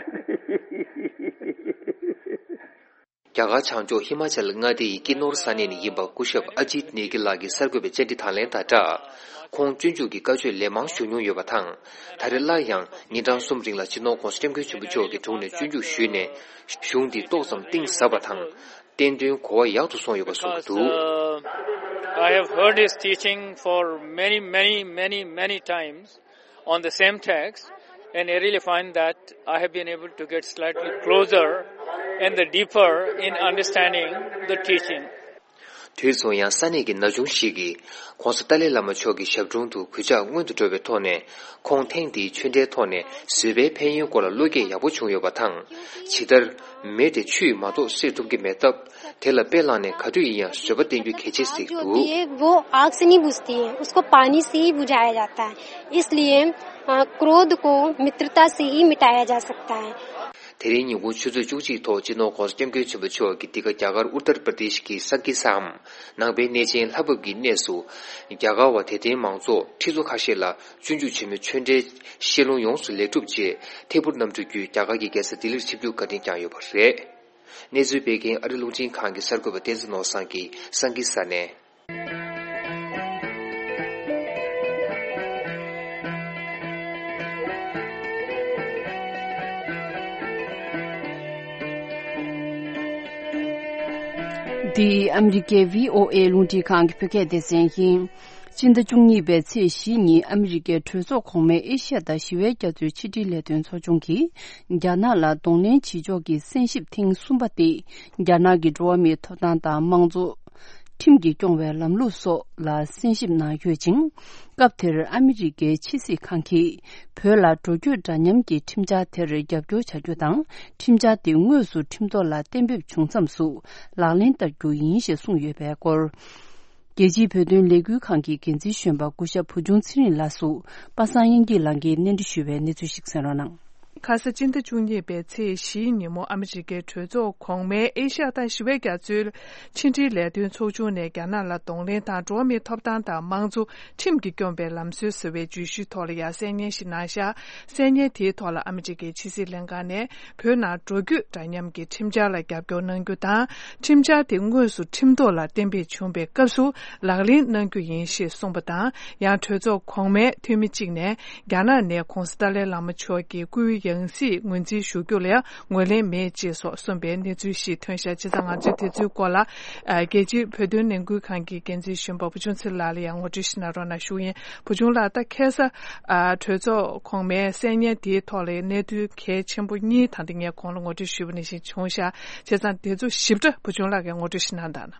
གར་བྱང་ཕྱོགས་ཧི་མ་ཅལ་མངའ་སྡེ་ཡི་ཀི་ནོར་ས་གནས་ནས་ཡིན་པ་སྐུ་ཞབས་ཨ་ཇིད་ནེ་གི་ལགས་ཀྱིས་གསར་འགོད་པའི་བཅར་འདྲི་དང་ལེན་དང་སྦྲགས། ཁོང་སྤྱོད་འཇུག་གི་བཀའ་ཆོས་ལན་མང་ཞུ་མྱོང་ཡོད་པ་དང་། ད་རེས་སླར་ཡང་ཉིན་གྲངས་གསུམ་རིང་ལ་སྤྱི་ནོར་༸གོང་ས་༸སྐྱབས་མགོན་ཆེན་པོ་མཆོག་གི་དྲུང་ནས་སྤྱོད་འཇུག་ཞུས་ནས་གཞུང་འདི་ཏོག་ཙམ་གཏིང་ཟབ་པ་དང་། བསྟན་དོན་གོ་བ་ཡག་ཏུ་སོང་ཡོད་པ་གསུངས་འདུག Because, uh, I have heard his teaching for many, many, many, many times. On the same text, and I really find that I have been able to get slightly closer and the deeper in understanding the teaching. དུས་མཚུངས་ཡང་ས་གནས་ཀྱི་ན་ཆུང་ཞིག་གིས་༸གོང་ས་ཏཱ་ལའི་བླ་མ་མཆོག་གི་ཞབས་དྲུང་དུ་གུས་ཕྱག་སྔོན་དུ་འགྲོ་བའི་ཐོག་ནས་ཁོང་ཐེངས་འདིའི་ཆོས་འབྲེལ་ཐོག་ནས་བཟོད་པའི་ཕན་ཡོན་སྐོར་ལ་བློ་སྐྱེད་ཡག་པོ་བྱུང་ཡོད་པ་དང་། ཇི་ལྟར་མེ་དེ་ཆུས་མ་གཏོགས་སེལ་ཐུབ་ཀྱི་མེད་སྟབས། དེ་ལ་དཔེ་བླངས་ནས་ག་དུས་ཡིན་ཡང་བཟོད་པ་བསྟེན་རྒྱུ་གལ་ཆེ་ཟེར་འདུག जो होती है, वो आग से नहीं बुझती है, उसको पानी से ही बुझाया जाता है। इसलिए, अ, क्रोध को मित्रता से ही मिटाया जा सकता है। དེ་རིང་ཉིན་གུང་ཆུ་ཚོད་བཅུ་གཅིག་ཐོག་སྤྱི་ནོར་༸གོང་ས་༸སྐྱབས་མགོན་ཆེན་པོ་མཆོག་གིས་འདི་ག་རྒྱ་གར་ཨུ་ཏར་པྲ་དེཤ་གི་སན་ཀི་སམ་ནང་པའི་གནས་ཆེན་ལྷ་བབས་ཀྱི་གནས་སུ། རྒྱ་གར་བ་དད་ལྡན་མང་ཚོགས་ཁྲི་ཚོ་ཁ་ཤས་ལ་སྤྱོད་འཇུག་ཆེན་མོའི་ཆོས་འབྲེལ་བཤད་ལུང་ཡོངས་སུ་ལེགས་གྲུབ་རྗེས་ཐད་འཕུར་གནམ་གྲུ་བརྒྱུད་རྒྱ་གར་གྱི་རྒྱལ་ས་ལྡི་ལིར་ཆིབས་བསྒྱུར་བཀའ་དྲིན་བསྐྱངས་ཡོད་པ་རེད། གནས་ཚུལ་སྤེལ་མཁན་ཨ་རི་རླུང་འཕྲིན་ཁང་གི་གསར་འགོད་པ་བསྟན་འཛིན་ནོར་བཟང་གིས་སན་ཀི་ས་ནས། འདི་ཨ་མི་རི་ཀའི་བྷི་ཨོ་ཨེ་རླུང་འཕྲིན་ཁང་གི་བོད་སྐད་སྡེ་ཚན་ཡིན། སྤྱི་ཟླ་བཅུ་གཉིས་པའི་ཚེས་བཞི་ཉིན་ཨ་མི་རི་ཀའི་གྲོས་ཚོགས་གོང་མའི་ཨེ་ཤ་ཡ་དང་ཞི་བའི་རྒྱ་མཚོའི་ཕྱི་འབྲེལ་ལས་དོན་ཚོགས་ཆུང་གིས་རྒྱ་ནག་ལ་གདོང་ལེན་བྱེད་ཕྱོགས་ཀྱི་གསན་ཞིབ་ཐེངས་གསུམ་པ་དེ་རྒྱ་ནག་གི་འགྲོ་བ་མིའི་ཐོབ་ཐང་དང་དམངས་གཙོ། ཁྲིམས་ཀྱིས་སྐྱོང་བའི་ལམ་ལུགས་སོགས་ལ་གསན་ཞིབ་གནང་ཡོད་ཅིང་། སྐབས་དེར་ཨ་མི་རི་ཀའི་ཕྱི་སྲིད་ཁང་གིས་བོད་ལ་འགྲོ་སྐྱོད་འདྲ་མཉམ་གྱི་ཁྲིམས་འཆར་དེར་རྒྱབ་སྐྱོར་བྱ་རྒྱུ་དང་། ཁྲིམས་འཆར་དེ་དངོས་སུ་ཁྲིམས་ཐོག་ལ་གཏན་འབེབས་བྱུང་མཚམས་སུ་ལག་ལེན་བསྟར་རྒྱུ་ཡིན་ཞེས་གསུངས་ཡོད་པའི་སྐོར། རྒྱལ་སྤྱིའི་བོད་དོན་ལས་འགུལ་ཁང་གི་འགན་འཛིན་གཞོན་པ་སྐུ་ཞབས་བུ་ཆུང་ཚེ་རིང་ལགས་སུ་པ་སངས་དབྱངས་སྐྱིད་ལགས་ཀྱིས་གནས་འདྲི་ཞུས་པའི་གནས་ཚུལ་ཞིག་གསན་རོགས་གནང་། ཁ་ས་སྤྱི་ཟླ་བཅུ་གཉིས་པའི་ཚེས་བཞིའི་ཉིན་མོ་ཨ་མི་རི་ཀའི་གྲོས་ཚོགས་གོང་མའི་ཨེ་ཤ་ཡ་དང་ཞི་བའི་རྒྱ་མཚོའི་ཕྱི་འབྲེལ་ལས་དོན་ཚོགས་ཆུང་ནས་རྒྱ་ནག་ལ་གདོང་ལེན་དང་འགྲོ་བ་མིའི་ཐོབ་ཐང་དང་དམངས་གཙོ། ཁྲིམས་ཀྱིས་སྐྱོང་བའི་ལམ་སྲོལ་ཟེར་བའི་བརྗོད་གཞིའི་ཐོག་ལ་ཡང་གསན་སྙན་ཞིག་གནང་ཤག་གསན་སྙན་དེའི་ཐོག་ལ་ཨ་མི་རི་ཀའི་ཕྱི་སྲིད་ལྷན་ཁང་ནས་བོད་ནང་འགྲོ་སྐྱོད་འདྲ་མཉམ་གྱི་ཁྲིམས་འཆར་ལ་རྒྱབ་སྐྱོར་གནང་རྒྱུ་དང་། ཁྲིམས་འཆར་དེ་དངོས་སུ་ཁྲིམས་ཐོག་ལ་གཏན་འབེབས་བྱུང་བའི་སྐབས་སུ་ལག་ལེན་གནང་རྒྱུ་ཡིན་ཞེས་གསུངས་པ་དང་། ཡང་གྲོས་ཚོགས་གོང་མའི་འཐུས་མི་གཅིག་ནས་རྒྱ་ནག་ནས་༸གོང་ས་ཏཱ་ལའི་བླ་མ་མཆོག་གི་སྐུའི་ཡང་སྲིད་ངོས་འཛིན་ཞུ་རྒྱུ་ལ་ཡང་ངོས་ལེན་མེད་ཅེས་སོགས་གསུངས་པའི་གནས་ཚུལ་ཞིག་ཐོན་ཤག་བྱས་ཙང་ང་ཚོས་དེ་ཚོའི་སྐོར་ལ་ཨ་རྒྱལ་སྤྱིའི་བོད་དོན་ལས་འགུལ་ཁང་གི་འགན་འཛིན་གཞོན་པ་བུ་ཆུང་ཚེ་རིང་ལགས་ལ་ཡང་ངོ་སྤྲོད་ཞུ་གནང་རོགས་གནང་ཞུ་ཡིན། བུ་ཆུང་ལགས། ད་ཁ་ས་ཨ་གྲོས་ཚོགས་གོང་མའི་གསན་སྙན་དེའི་ཐོག་ལ་གནད་དོན་གལ་ཆེན་པོ་གཉིས་ད་ལྟ་ངས་གོང་ལ་ངོ་སྤྲོད་ཞུས་པ་ནང་བཞིན་བྱུང་ཤག་བྱས་ཙང་དེ་ཚོ་ཞིབ་ཕྲ་བུ་ཆུང་ལགས་ཀྱིས་ངོ་སྤྲོད་ཞུ་གནང་དང་།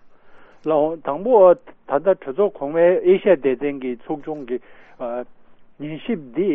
ལགས་འོང་། དང་པོ་ད་ལྟ་གྲོས་ཚོགས་གོང་མའི་ཨེ་ཤ་ཡ་སྡེ་ཚན་གྱི་ཚོགས་ཆུང་གི་ཨ་ཉན་ཞིབ་འདི་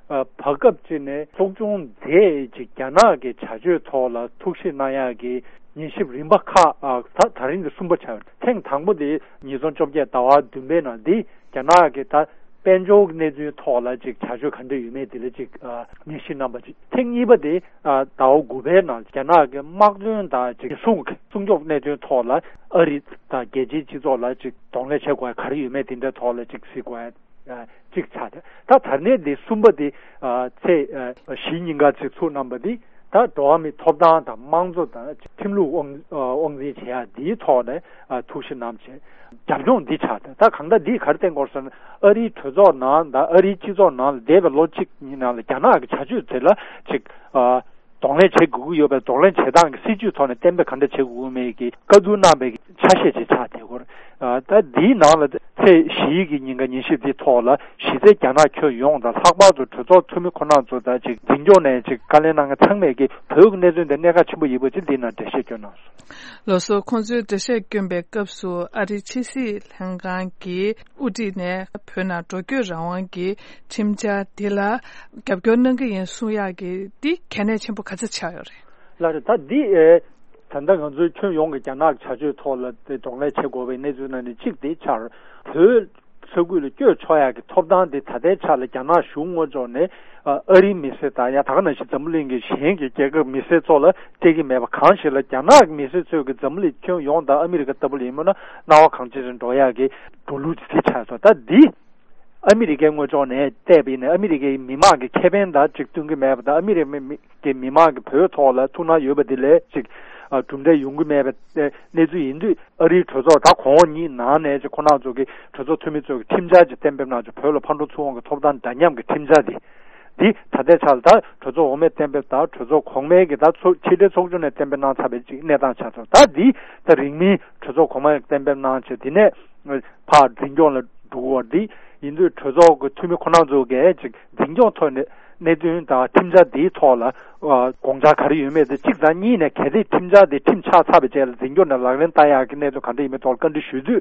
ཨ་བར་སྐབས་ཅིག་ནས་ཚོགས་ཆུང་མཛད་ཅིག་རྒྱ་ནག་གི་བྱ་སྤྱོད་ཐོག་ལ་ཐུགས་ཞིབ་གནང་ཡག་གི་ཉན་ཞིབ་རིམ་པ་ཁག་ཨ་ད་ད་རིང་གི་གསུམ་པ་ཆགས། ཐེངས་དང་པོ་དེ་ཉིས་སྟོང་བཅོ་བརྒྱད་ཟླ་བ་བདུན་པའི་ནང་འདི་རྒྱ་ནག་གི་ད་ དཔལ་འབྱོར་གྱི་གནས་ཚུལ་ཐོག་ལ་ཅིག་བྱ་སྤྱོད་ག་འདྲ་ཡོད་མེད་དེ་ལ་ཅིག་ཨ་ཉན་ཞིབ་གནང་པ་ཅིག་ཐེངས་གཉིས་པ་དེ་ཨ་ཟླ་བ་དགུ་པའི་ནང་རྒྱ་ནག་གི་དམག་དོན་དང་ཅིག་སྲུང་སྲུང་སྐྱོབ་གནད་དོན་ཐོག་ལ་ཨ་རི་དང་རྒྱལ་སྤྱིའི་སྤྱི་ཚོགས་ལ་ཅིག་གདོང་ལེན་བྱེད་དགོས་ཡ་ག་རེ་ཡོད་མེད་དེ་འདྲའི་ཐོག་ལ་ཅིག་གཟིགས་དགོས་ཡ། ཨ་གཅིག་ཆགས་ཏེ། ད་ད་ནས་འདི་གསུམ་པ་འདི་ཨ་ཚེས་ཨ་བཞི་ཉིན་ག་ཚིག་ཚུགས་གནང་པ་འདི་ད་འགྲོ་བ་མིའི་ཐོབ་ཐང་དང་དམངས་གཙོ་དང་ཁྲིམས་ལུགས་དབང་ཨ་དབང་འཛིན་བྱེད་ཡ་འདིའི་ཐོག་ནས་ཨ་ཐུགས་ཞིབ་གནང་བྱས་རྒྱབ་ལྗོངས་འདི་ཆགས་ཏེ། ད་གང་ལྟར་འདིས་ག་རེ་བསྟན་དགོས་ཟེར་ན། ཨ་རིའི་གྲོས་ཚོགས་ནང་དང་ཨ་རིའི་སྤྱི་ཚོགས་ནང་ལ་འདས་པའི་ལོ་གཅིག་གཉིས་ནང་ལ་རྒྱ་ནག་གི་བྱ་སྤྱོད་དེ་ལ་ཅིག་ཨ། གདོང་ལེན་བྱེད་དགོས་ཀྱི་ཡོད་པའི་གདོང་ལེན་བྱེད་སྟངས་ཀྱི་སྲིད་ཇུས་ཐོག་ནས་གཏན་འབེབས་ག་འདྲ་བྱེད་དགོས་མེད་ཀྱི་བཀའ་བསྡུར་གནང་པའི་ཆ་ཤས་ཅིག་ཆགས་བསྡད་ཡོད། ཨ་ད་འདིའི་ནང་ལ་ཚེས་བཞི་ཡི་གི་ཉིན་ཀ་ཉན་ཞིབ་འདིའི་ཐོག་ལ་གཞི་རྩའི་རྒྱ་ནག་ཁྱོན་ཡོངས་དང་ལྷག་པར་དུ་གྲོས་ཚོགས་འཐུས་མི་ཁོ་རང་ཚོ་དང་ཅིག་འཛིན་སྐྱོང་ནས་ཅིག་བཀའ་ལན་གནང་མཁན་ཚང་མས་ཀྱི་བོད་ཀྱི་གནད་དོན་དེ་གནད་འགག་ཆེན་པོ་ཡིན་པ་ཅིག་འདིའི་ནང་འགྲེལ་བཤད་བསྐྱོན་གནང་སོང་། ལགས་སོ། ཁོང་ཚོས་འགྲེལ་བཤད་བསྐྱོན་པའི་སྐབས་སུ་ཨ་རིའི་ཕྱི་སྲིད་ལྷན་ཁང་གི་དབུ་ཁྲིད་ནས་བོད་ནང་འགྲོ་སྐྱོད་རང་དབང་གི་ཁྲིམས་འཆར་འདི་ལ་རྒྱབ་སྐྱོར་གནང་གི་ཡིན་གསུང་ཡག་གི་འདི་གལ་གནད་ཆེན་པོ་ག་ཚོད་ཆགས་ཡོད་རེད། ལགས་རེད། ད་འདི་ཨེ་ད་ལྟ་ང་ཚོའི་ཁྱོན་ཡོངས་ཀྱི་རྒྱ་ནག་གི་བྱ་སྤྱོད་ཐོག་ལ་དེ་གདོང་ལེན་བྱེད་དགོས་པའི་གནས་ཚུལ་ནང་ནས་གཅིག་དེ་ཆགས། བོད་ས་ཁུལ་ལ་བསྐྱོད་ཆོག་ཡག་གི་ཐོབ་ཐང་དེ་ད་ལྟའི་ཆ་ལ་རྒྱ་ནག་གཞུང་ངོས་ཕྱོགས་ནས་ཨ་ཨ་རིའི་མི་སེར་དང་ཡང་ད་ག་ནང་བཞིན་འཛམ་བུ་གླིང་གི་གཞན་གྱི་རྒྱལ་ཁབ་མི་སེར་ཚོ་ལ་སྤྲད་ཀྱི་མེད་པ་གང་ཞིག་ལ་རྒྱ་ནག་གི་མི་སེར་ཚོས་ཀྱི་འཛམ་བུ་གླིང་ཁྱོན་ཡོངས་དང་ཨ་མི་རི་ཀ་ལྟ་བུ་ལ་ཡིན་མིན་ན་སྣང་བ་གང་ཅི་ཞིག་འགྲོ་ཡག་གི་འགྲོ་ལུགས་ཅིག་དེ་ཆགས་སོང་། ད་འདི་ཨ་མི་རི་ཀའི་ངོས་ཕྱོགས་ནས་བལྟས་པ་ཡིན་ན་ཨ་མི་རི་ཀའི་མི་མང་གི་ཁེ་ཕན་དང་ཅིག་བསྟུན་གྱི་མེད་པ་དང་ཨ་མི་རི་ཀའི་མི་མི་གི་མི་མང་གི་བོད་ཐོག་ལ་ཐུགས་སྣང་ཡོད་པ་དེ་ལས་ཅིག་ཨ་གྲུབ་འབྲས་ཡོང་གི་མེད་པའི་གནས་ཚུལ་ཡིན་དུས་ཨ་རིའི་གྲོས་ཚོགས་ད་གོང་འོག་གཉིས་ནང་ནས་ཅིག་ཁོ་རང་ཚོ་གི་གྲོས་ཚོགས་འཐུས་མི་ཚོ་གི་ཁྲིམས་འཆར་ཅིག་གཏན་འབེབས་གནང་ཅིག་བོད་ལ་ཕར་འགྲོ་ཚུར་འོང་གི་ཐོབ་ཐང་འདྲ་མཉམ་གི་ཁྲིམས་འཆར་དེ་འདི་ད་ལྟའི་ཆར་ད་གྲོས་ཚོགས་འོག་མས་གཏན་འབེབས་དང་གྲོས་ཚོགས་གོང་མའི་གི་ད་ཚོགས་ཕྱི་དྲིལ་ཚོགས་ཆུང་ནས་གཏན་འབེབས་གནང་ཚར་བའི་ཅིག་གནས་སྟངས་ཆགས་ཚར། ད་འདི་ད་རིང་མིན་གྲོས་ཚོགས་གོང་མས་གཏན་འབེབས་གནང་ཆེད་དེ་ནས་ཕར་འཛིན་སྐྱོང་ལ་འགྲོ་གི་ཡོད་རེད། འདི་ཡིན་དུས་གྲོས་ཚོགས་ཀྱི་འཐུས་མི་ཁོ་རང་ཚོ་གིས་ཅིག་འཛིན་སྐྱོང་ཐོག་ནས་གནད་དོན་དང་ཁྲིམས་འཆར་འདིའི་ཐོག་ལ་ཨ་དགོངས་འཆར་ག་རེ་ཡོད་མེད་དེ་གཅིག་དང་གཉིས་ནས་གལ་ཏེ་ཁྲིམས་འཆར་འདི་ཁྲིམས་ཆགས་ཚར་བའི་རྗེས་ལ་འཛིན་སྐྱོང་ནས་ལག་ལེན་བསྟར་ཡག་གི་གནད་དོན་ག་འདྲ་ཡིན་མིན་ཐོག་ལ་བཀའ་འདྲི་ཞུས་དུས་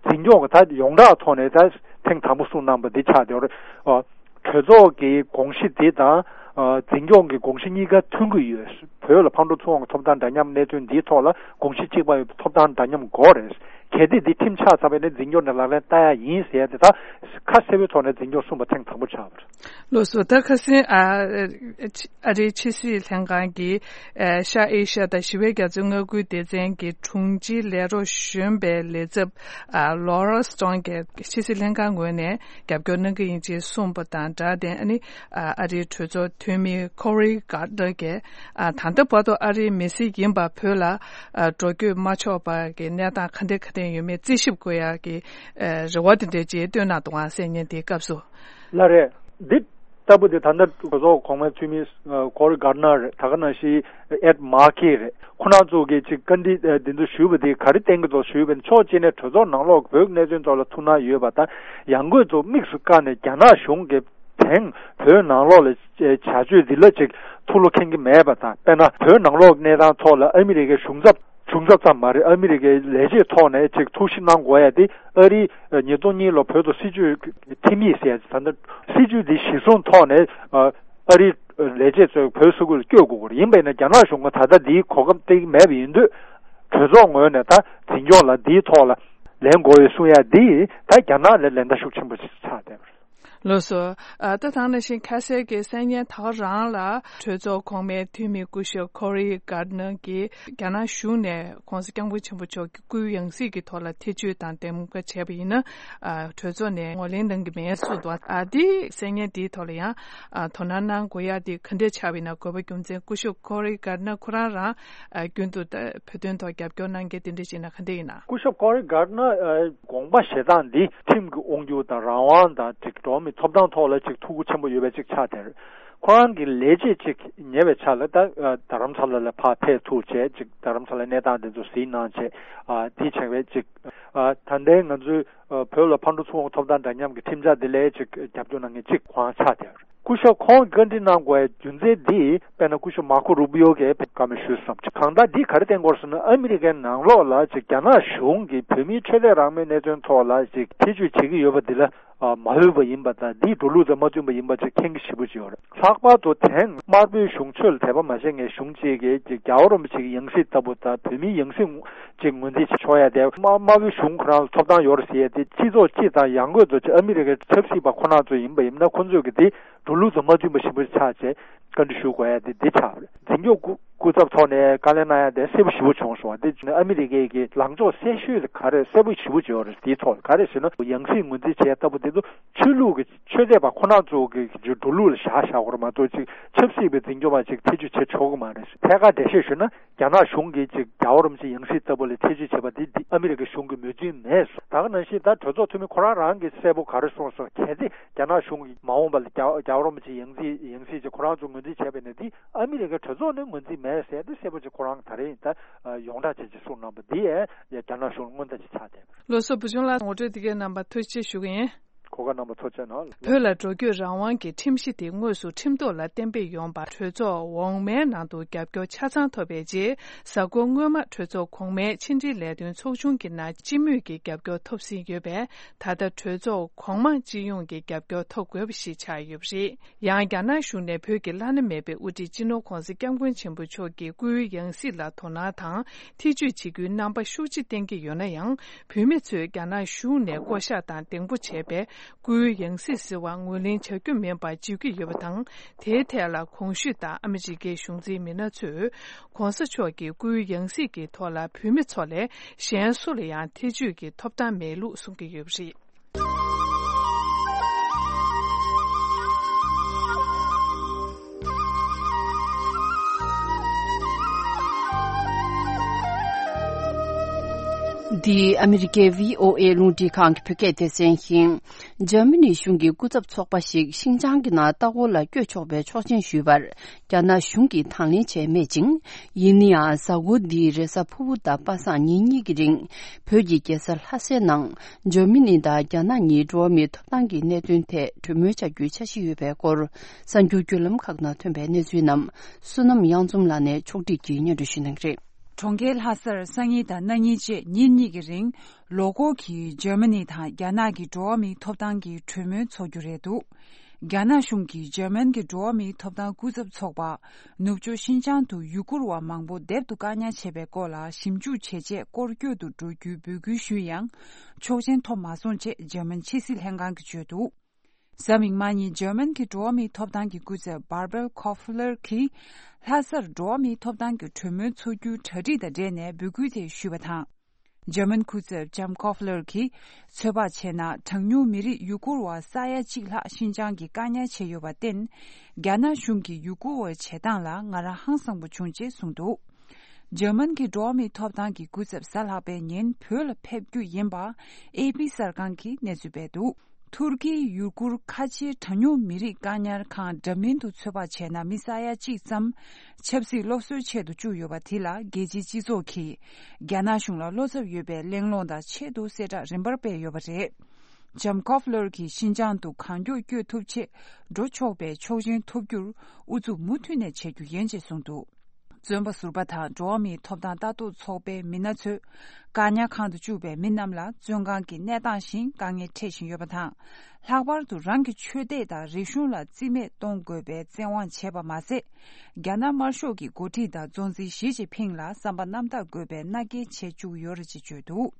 འཛིན་སྐྱོང་གི་ད་ཡོངས་གྲགས་ཐོག་ནས་ད་ཐེངས་དང་པོ་གསུངས་གནང་པ་འདི་ཆགས་ཡོད་རེད། ཨ་གྲོས་ཚོགས་ཀྱི་དགོངས་གཞི་འདི་དང་ཨ་འཛིན་སྐྱོང་གི་དགོངས་གཞི་གཉིས་ཀ་མཐུན་གྱི་ཡོད། བོད་ལ་ཕར་འགྲོ་ཚུར་འོང་གི་ཐོབ་ཐང་འདྲ་མཉམ་གནད་དོན་འདིའི་ཐོག་ལ་དགོངས་གཞི་གཅིག་པ་ཡོད་པའི་ཐོབ་ཐང་འདྲ་མཉམ་དགོས་རེད། གལ་ཏེ་འདི་ཁྲིམས་ཆགས་ཚར་བ་ཡིན་ན་འཛིན་སྐྱོང་ནས་ལག་ལེན་བསྟར་ཡག་ཡིན་ཟེར་ཡ་དེ་ད་ཁ་གསལ་པོའི་ཐོག་ནས་འཛིན་སྐྱོང་གསུངས་པ་ཐེངས་དང་པོ་ཆགས་པ་རེད། ལགས་སོ། ད་ཁ་སང་ཨ་ཨ་རིའི་ཕྱི་སྲིད་ལྷན་ཁང་གི་ཨ་ཤར་ཨེ་ཤ་དང་ཞི་བའི་རྒྱ་མཚོའི་མངའ་ཁུལ་སྡེ་ཚན་གྱི་དྲུང་ཆེའི་ལས་རོགས་གཞོན་པའི་ལས་ཚབ་ཨ་ལོ་ར་སི་ཊོན་གྱིས་ཕྱི་སྲིད་ལྷན་ཁང་ངོས་ནས་རྒྱབ་སྐྱོར་གནང་གི་ཡིན་ཅེས་གསུངས་པ་དང་སྦྲགས་ཏེ། ཨ་ནི་ཨ་ཨ་རིའི་གྲོས་ཚོགས་འཐུས་མི་ཁོ་རི་གྷར་ནར་གྱིས་ཨ་ད་ལྟ་བར་དུ་ཨ་རིའི་མི་སེར་ཡིན་པ་བོད་ལ་ཨ་འགྲོ་སྐྱོད་མ་ཆོག་པ་གི་གནས་སྟངས་ག་འདྲ་ག་འདྲ་ཡོད་མེད་རྩད་ཞིབ་དགོས་ཡག་གི་ཨ་རེ་བ་དེ་འདྲ་ཅིག་བཏོན་གནང་འདུག་ཨང་། གསན་མཁན་དེའི་སྐབས་སུ། ལགས་རེད། འདི་ལྟ་བུ་དེ་ད་ལྟ་གྲོས་ཚོགས་གོང་མའི་འཐུས་མི་ཨ་ཁོ་རི་གྷར་ནར་རེད། ད་ག་ནང་བཞིན་ཨེད་མར་ཀེ་རེད། ཁོ་རང་ཚོ་གིས་ཅིག་བཀའ་འདྲི་ཨ་འདི་ཚོ་ཞུས་པ་དེ་ག་རེ་བསྟན་གྱི་འདུག་ཞུས་པ་ཡིན་ན། ཕྱོགས་གཅིག་ནས་གྲོས་ཚོགས་ནང་ལོགས་བོད་ཀྱི་གནད་དོན་ཐོག་ལ་ཐུགས་སྣང་ཡོད་པ་དང་ཡང་སྒོས་ཚུར་དམིགས་སུ་བཀར་ནས་རྒྱ་ནག་གཞུང་གིས་དེང་བོད་ནང་ལོགས་ལ་བྱ་སྤྱོད་འདི་ལ་ཅིག་ཐུགས་བློ་འཁེལ་གྱི་མེད་པ་དང་། དཔེར་ན་བོད་ནང་ལོགས་གནས་སྟངས་ཐོག་ལ་ཨ་མི་རི་ཀའི་གཞུང་ཚབ་གཞུང་ཚབ་ཙམ་མ་རེད། ཨ་མི་རི་ཀའི་ལས་བྱེད་ཐོག་ནས་ཅིག་ཐུགས་ཞིབ་གནང་དགོས་ཡ་དེ་ཨ་རིའི་ཉིས་སྟོང་གཉིས་ལོ་བོད་དུ་སྲིད་ཇུས་ཁྲིམས་ཡིག་ཟེར་ཡ་ད་ལྟ་སྲིད་ཇུས་འདི་གཞིར་བཟུང་ཐོག་ནས་ཨ་རིའི་ལས་བྱེད་ཚོས་བོད་ས་ཁུལ་ལ་བསྐྱོད་དགོས་ཀྱི་རེད། ཡིན་པས་ན་རྒྱ་ནག་གཞུང་གིས་ད་ལྟ་འདིའི་གོ་སྐབས་སྟེར་གྱི་མེད་པ་ཡིན་དུས་གྲོས་ཚོགས་ངོས་ནས་ད་འཛིན་སྐྱོང་ལ་འདིའི་ཐོག་ལ་ལན་དགོས་ཡོད་གསུང་ཡ་འདི་ད་རྒྱ་ནག་ལ་ལན་བརྡ་ཤུགས་ཆེན་པོ་ཞིག་ཆགས་བསྡད་པ་རེད། ལགས་སོ། ཨ་ད་ཐང་ནང་བཞིན་ཁ་གསལ་གྱི་གསན་མཁན་ད་ག་རང་ལ་གྲོས་ཚོགས་གོང་མའི་འཐུས་མི་སྐུ་ཞབས་ཁོ་རི་གྷར་ནར་གྱིས་རྒྱ་ནག་གཞུང་ནས་༸གོང་ས་༸སྐྱབས་མགོན་ཆེན་པོ་མཆོག་གི་སྐུའི་ཡང་སྲིད་ཀྱི་ཐོག་ལ་ཐེ་བྱུས་དང་འདེམས་ཀ་བྱས་པ་ཡིན་ན། ཨ་གྲོས་ཚོགས་ནས་ངོས་ལེན་གནང་གི་མེད་གསུངས་འདུག་ཨ་འདི་གསན་མཁན་དེའི་ཐོག་ལ་ཡང་ཨ་དོ་སྣང་གནང་དགོས་ཡ་དེ་ག་འདྲས་ཆགས་པ་ཡིན་ན། དགོས་པ་རྒྱུ་མཚན་སྐུ་ཞབས་ཁོ་རི་གྷར་ནར་ཁོ་རང་རང་ཨ་རྒྱུན་དུ་ད་བོད་དོན་ཐོག་རྒྱབ་སྐྱོར་གནང་མཁན་དེ་འདྲས་ཅིག་ན་ག་འདྲས་ཡིན་ན། སྐུ་ཞབས་ཁོ་རི་གྷར་ནར་ཨ་དགོངས་པ་བཞེས་སྟངས་འདི་ཁྲིམས་ཀྱི་དབང་སྒྱུར་དང་རང་དབང་དང་ཅིག་འགྲོ་བ་མིའི་ཐོབ་ཐང་ཐོག་ལ་ཅིག་ཐུགས་ཁུར་ཆེན་པོ་ཡོད་པའི་ཅིག་ཆགས་དེར། ཁོ་རང་གི་ལས་བྱེད་ཅིག་ཉེ་བའི་ཆར་ལ་ད་ཨ་རྡ་རམ་ས་ལ་ལ་ཕར་ཕེབས་ཐུབ་བྱས་ཅིག་རྡ་རམ་ས་ལའི་གནས་སྟངས་དེ་ཚོ་གཟིགས་གནང་བྱས། ཨ་དེ་བྱས་པའི་ཅིག་ཨ་ད་ལྟའི་ང་ཚོའི་ཨ་བོད་ལ་ཕར་འགྲོ་ཚུར་འོང་ཐོབ་ཐང་འདྲ་མཉམ་གྱི་ཁྲིམས་འཆར་དེ་ལ་ཅིག་རྒྱབ་སྐྱོར་གནང་མཁན་གཅིག་ཁོ་རང་ཆགས་བསྡད་ཡོད་རེད། སྐུ་ཞབས་ཁོང་གིས་བཀའ་འདྲི་གནང་དགོས་པའི་རྒྱུ་མཚན་འདི་དཔེར་ན་སྐུ་ཞབས་མར་ཁོ་རུ་པི་ཡོ་གིས་བཀའ་མོལ་ཞུས་སོང་། གང་ལྟར་འདི་ག་རེ་བསྟན་དགོས་ཟེར་ན། ཨ་མི་རི་ཀའི་ནང་ལོགས་ལ་ཅིག་རྒྱ་ནག་གཞུང་གིས་བོད་མིའི་ཆོས་དད་རང་མོས་གནད་དོན་ཐོག་ལ་ཅིག་ཐེ་བྱུས་བྱེད་ཀྱི་ཡོད་པ་འདི་ལ། མ་འོས་པ་ཡིན་པ་དང་འདིས་འགྲོ་ལུགས་དང་མ་མཐུན་པ་ཡིན་པ་ཅིག་མཁྱེན་གྱི་ཞེ་པོ་ཅིག་ཡོད་རེད། ལྷག་པར་དུ་དེང་དམར་པོའི་གཞུང་ཆོས་ལ་དད་པ་མ་བྱེད་མཁན་གཞུང་གཅིག་གིས་རྒྱལ་བ་རིན་པོ་ཆེ་གི་ཡང་སྲིད་ལྟ་བུ་དང་བོད་མིའི་ཡང་སྲིད་ཅིག་ངོས་འཛིན་བྱེད་ཆོག་ཡ་དེ་དམར་དམར་པོའི་གཞུང་ཁོ་རང་ལ་ཐོབ་ཐང་ཡོད་རེད་ཟེར་ཡ་དེ། སྤྱི་ཚོགས་སྤྱི་དང་ཡང་སྒོས་སུ་ཨ་མི་རི་ཀའི་ཆབ་སྲིད་པ་ཁོ་རང་ཚོ་ཡིན་པ་ཡིན་ན་ཁོ་ཚོས་ཀྱི་དེ་འགྲོ་ལུགས་དང་མ་མཐུན་པ་ཞེ་པོ་ཆགས་བྱས་བཀའ་འདྲི་ཞུ་དགོས་ཡ་དེ་འདི་ཆགས་པ་རེད། འཛིན་སྐྱོང་སྐུ་སྐུ་ཚབ་ཐོག་ནས་བཀའ་ལན་གནང་ཡ་དེ་གསལ་པོ་ཞེ་པོ་བྱུང་སོང་བ། དེ་བྱས་ན་ཨ་མི་རི་ཀའི་གི་ལངས་ཕྱོགས་གསལ་ཤོས་དེ་ག་རེ་གསལ་པོ་ཞེ་པོ་ཅིག་ཡོད་རེད། དེའི་ཐོག་ག་རེ་ཟེར་ན་ཡང་སྲིད་ངོས་འཛིན་བྱེད་ཡ་ལྟ་བུ་དེ་ཚོ་ཆོས་ལུགས་ཀྱི་ཆོས་དད་པ་ཁོ་རང་ཚོ་གི་འགྲོ་ལུགས་ལ་བཞག་བཞག་དགོས་རེད་མ་གཏོགས་ཅིག་ཆབ་སྲིད་པའི་འཛིན་སྐྱོང་པ་ཅིག་ཐེ་བྱུས་བྱེད་ཆོག་གི་མ་རེད། ཐད་ཀར་འགྲེལ་བཤད་ཞུས་ན། རྒྱ་ནག་གཞུང་གིས་ཅིག་རྒྱལ་བ་རིན་པོ་ཆེ་ཡང་སྲིད་ལྟ་བུ་ལ་ཐེ་བྱུས་བྱེད་པ་འདི་འདི་ཨ་མི་རི་ཀའི་གཞུང་གིས་མོས་མཐུན་མེད། ད་ག་ནང་བཞིན་ད་གྲོས་ཚོགས་འཐུས་མི་ཁོ་རང་རང་གིས་གསལ་པོ་ག་རེ་གསུངས་སོང་། གལ་ཏེ་རྒྱ་ནག་གཞུང་གིས་མ་འོངས་པ་ལ་རྒྱལ་རྒྱལ་བ་རིན་པོ་ཆེ་ཡང་སྲིད་ཡང་སྲིད་ཅིག་ཁོ་རང་ཚོ་ངོས་འཛིན་བྱས་པ་ཡིན་ན་འདི་ཨ་མི་རི་ཀའི་གྲོས་ཚོགས་ནས་ངོས་འཛིན་མེད་ཟེར་ཏེ་གསལ་པོ་ཅིག་ཁོ་རང་ད་རེས་ད་ཡོངས་གྲགས་བྱས་ཅིག་གསུངས་གནང་བ་འདི་ཡང་རྒྱ་ནག་གཞུང་ལ་སྔོན་བརྡ་ཅིག་ཆགས་བསྡད། ལགས་སོ། བུ་ཆུང་ལགས་ངོ་སྤྲོད་དེ་གའི་རྣམ་པ་ཐུགས་རྗེ་ཆེ་ཞུ་གི་ཡིན། གོ་སྐབས་གནང་བ་ཐུགས་རྗེ་གནང་། བོད་ལ་འགྲོ་སྐྱོད་རང་དབང་གི་ཁྲིམས་གཞི་དེ་དངོས་སུ་ཁྲིམས་ཐོག་ལ་གཏན་འབེབས་ཡོང་བར་གྲོས་ཚོགས་འོག་མའི་ནང་དུ་རྒྱབ་སྐྱོར་ཆ་ཚང་ཐོབ་པའི་རྗེས། གཟའ་འཁོར་སྔོན་མ་གྲོས་ཚོགས་གོང་མའི་ཕྱི་འབྲེལ་ལས་དོན་ཚོགས་ཆུང་གི་ནང་སྤྱི་མོས་ཀྱི་རྒྱབ་སྐྱོར་ཐོབ་ཟིན་ཡོད་པས། ད་ལྟ་གྲོས་ཚོགས་གོང་མ་སྤྱི་ཡོངས་ཀྱི་རྒྱབ་སྐྱོར་ཐོབ་དགོས་པ་ཞིག་ཆགས་ཡོད་པ་རེད། ཡང་རྒྱ་ནག་གཞུང་ནས་བོད་ཀྱི་བླ་ན་མེད་པའི་དབུ་ཁྲིད་སྤྱི་ནོར་༧གོང་ས་༧སྐྱབས་མགོན་ཆེན་པོ་མཆོག་གི་སྐུའི་ཡང་སྲིད་ལ་དོ་སྣང་དང་ཐེ་བྱུས་བྱེད་རྒྱུའི་རྣམ་པ་ཤུགས་ཆེ་བསྟན་གྱི་ཡོད་ན་ཡང་། བོད་མི་ཚོས་རྒྱ་ནག་གཞུང་ནས་བསྐོ་གཞག་དང་གདེང་སྤོ་བྱས་པའི་སྐུའི་ཡང་སྲིད་ཟེར་བ་ངོས་ལེན་བྱ་རྒྱུ་མིན་པར་བརྗོད་ཀྱི་ཡོད་པ་དང་། དེའི་ཐད་ལ་གོང་ཞུས་ལྟར་ཨ་མི་རི་ཀའི་གཞུང་འཛིན་མི་སྣ་ཚོས་༧གོང་ས་མཆོག་གི་སྐུའི་ཡང་སྲིད་ཀྱི་ཐོག་ལ་བོད་མི་ཚོ་ལས་གཞན་སུ་ལ་ཡང་ཐེ་བྱུས་ཀྱི་ཐོབ་ཐང་མེད་ལུགས་གསུང་གི་ཡོད་པ་རེད། འདི་ཨ་མི་རི་ཀའི་བྷི་ཨོ་ཨེ་རླུང་འཕྲིན་ཁང་གི་བོད་སྐད་སྡེ་ཚན་ཡིན། འཇར་མ་ནི་གཞུང་གི་སྐུ་ཚབ་ཚོགས་པ་ཞིག་ཤིན་ཅང་གི་ནང་ལྟ་སྐོར་ལ་བསྐྱོད་ཆོག་པའི་ཆོག་མཆན་ཞུས་པར། རྒྱ་ནག་གཞུང་གིས་དང་ལེན་བྱས་མེད་ཅིང་། ཡིན་ན་ཡང་གཟའ་འཁོར་འདིའི་རེས་གཟའ་ཕུར་བུ་དང་པ་སངས་ཉིན་གཉིས་ཀྱི་རིང་། བོད་ཀྱི་རྒྱལ་ས་ལྷ་སའི་ནང་། འཇར་མ་ནི་དང་རྒྱ་ནག་གཉིས་འགྲོ་བ་མིའི་ཐོབ་ཐང་གི་གནད་དོན་ཐད་གྲོས་མོལ་བྱ་རྒྱུའི་འཆར་གཞི་ཡོད་པའི་སྐོར། གསར་འགྱུར་བརྒྱུད་ལམ་ཁག་ནང་ཐོན་པའི་གནས་ཚུལ་རྣམས། བསོད་ནམས་གཡང་འཛོམས་ལགས་ནས་ཕྱོགས་སྒྲིག་གིས་སྙན་སྒྲོན་ཞུ་གནང་གི་རེད། གྲོང་ཁྱེར་ལྷ་སར་སང་ཉིན་དང་གནངས་ཉིན་བཅས་ཉིན་གཉིས་ཀྱི་རིང་། ལོ་འཁོར་གྱི་འཇར་མ་ནི་དང་རྒྱ་ནག་གི་འགྲོ་བ་མིའི་ཐོབ་ཐང་གི་གྲོས་མོལ་འཚོགས་རྒྱུ་རེད་འདུག་རྒྱ་ནག་གཞུང་གིས་འཇར་མན་གྱི་འགྲོ་བ་མིའི་ཐོབ་ཐང་སྐུ་ཚབ་ཚོགས་པ། ནུབ་ཕྱོགས་ཤིན་ཅང་དུ་ཡུ་གུར་བ་མང་པོ་སྡེབ་ཏུ་བཀག་ཉར་བྱས་པའི་སྐོར་ལ་ཞིབ་འཇུག་བྱས་རྗེས་སྐོར་སྐྱོད་དུ་འགྲོ་རྒྱུའི་འབོད་སྐུལ་ཞུས་ཡང་། ཆོག་མཆན་ཐོབ་མ་སོང་ཅེས་འཇར་མན་ཕྱི་སྲིད་ལྷན་ཁང་གིས་བརྗོད་འདུག་གཟའ་མིག་དམར་ཉིན་འཇར་མན་གྱི་འགྲོ་བ་མིའི་ཐོབ་ཐང་གི་སྐུ་ཚབ་བྷར་བེལ་ཁོ་ཧྥུ་ལར་གྱིས། ལྷ་སར་འགྲོ་བ་མིའི་ཐོབ་ཐང་གི་གྲོས་མོལ་འཚོགས་རྒྱུའི་གྲ་སྒྲིག་དང་འབྲེལ་ནས་འབོད་སྐུལ་དེ་ཞུས་པ་དང་། འཇར་མན་སྐུ་ཚབ་ཇམ་ཁོ་ཧྥུ་ལར་གྱིས། ཚོད་དཔག་བྱས་ན། གྲངས་ཉུང་མི་རིགས་ཡུ་གུར་བ་ས་ཡ་གཅིག་ལྷག་ཤིན་ཅང་གིས་བཀག་ཉར་བྱས་ཡོད་པར་བརྟེན། རྒྱ་ནག་གཞུང་གིས་ཡུ་གུར་བའི་བྱེད་སྟངས་ལ་ང་རང་ཧང་སངས་པོ་བྱུང་ཅེས་གསུངས་འདུག་འཇར་མན་གྱི་འགྲོ་བ་མིའི་ཐོབ་ཐང་གི་སྐུ་ཚབ་གཟའ་ལྷག་པའི་ཉིན་བོད་ལ་ཕེབས་རྒྱུ་ཡིན་པ། ཨེ་པི་གསར་ཁང་གིས་གནས་ཚུལ་སྤེལ་འདུག་ཐུར་ཀིའི་ཡུ་གུར་ཁ་ཆེའི་གྲངས་ཉུང་མི་རིགས་བཀག་ཉར་ཁང་འདྲ་མིན་དུ་ཚོད་དཔག་བྱས་ན་མི་ས་ཡ་གཅིག་ཙམ། ཆབ་སྲིད་སློབ་གསོའི་ཆེད་དུ་བཅུག་ཡོད་པ་དེ་ལ་རྒྱལ་སྤྱིའི་སྤྱི་ཚོགས་ཀྱིས། རྒྱ་ནག་གཞུང་ལ་བློ་འཚབ་ཡོད་པའི་གླེང་སློང་དང་ཆེད་དུ་གསལ་བསྒྲགས་རིམ་པར་སྤེལ་ཡོད་པ་རེད། ཇམ་ཁོ་ཧྥུ་ལར་གྱིས་ཤིན་ཅང་དུ་གང་མགྱོགས་བསྐྱོད་ཐུབ་ཆེད་འགྲོ་ཆོག་པའི་ཆོག་མཆན་ཐོབ་རྒྱུར་ཨུ་ཚུགས་མུ་མཐུད་ནས་བྱེད་རྒྱུ་ཡིན་ཅེས་གསུངས་འདུག་བཙོན་པ་ཟུར་པ་དང་འགྲོ་བ་མིའི་ཐོབ་ཐང་ལྟ་རྟོག་ཚོགས་པའི་མི་སྣ་ཚོས། བཀག་ཉར་ཁང་དུ་བཅུག་པའི་མི་རྣམས་ལ་བཙོན་ཁང་གི་གནས་སྟངས་བཞིན་དཀའ་ངལ་འཕྲད་བཞིན་ཡོད་པ་དང་། ལྷག་པར་དུ་རང་གི་ཆོས་དད་དང་རིག་གཞུང་ལ་རྩིས་མེད་གཏོང་དགོས་པའི་བཙན་དབང་བྱས་པ་མ་ཟད། རྒྱ་ནག་དམར་ཤོག་གི་འགོ་ཁྲིད་དང་གཙོ་འཛིན་ཞི་ཅིན་ཕིང་ལ་བསམ་པ་རྣམ་དག་དགོས་པའི་མནའ་སྐྱེལ་བྱེད་བཅུག་ཡོད་རེད་ཅེས་བརྗོད་འདུག་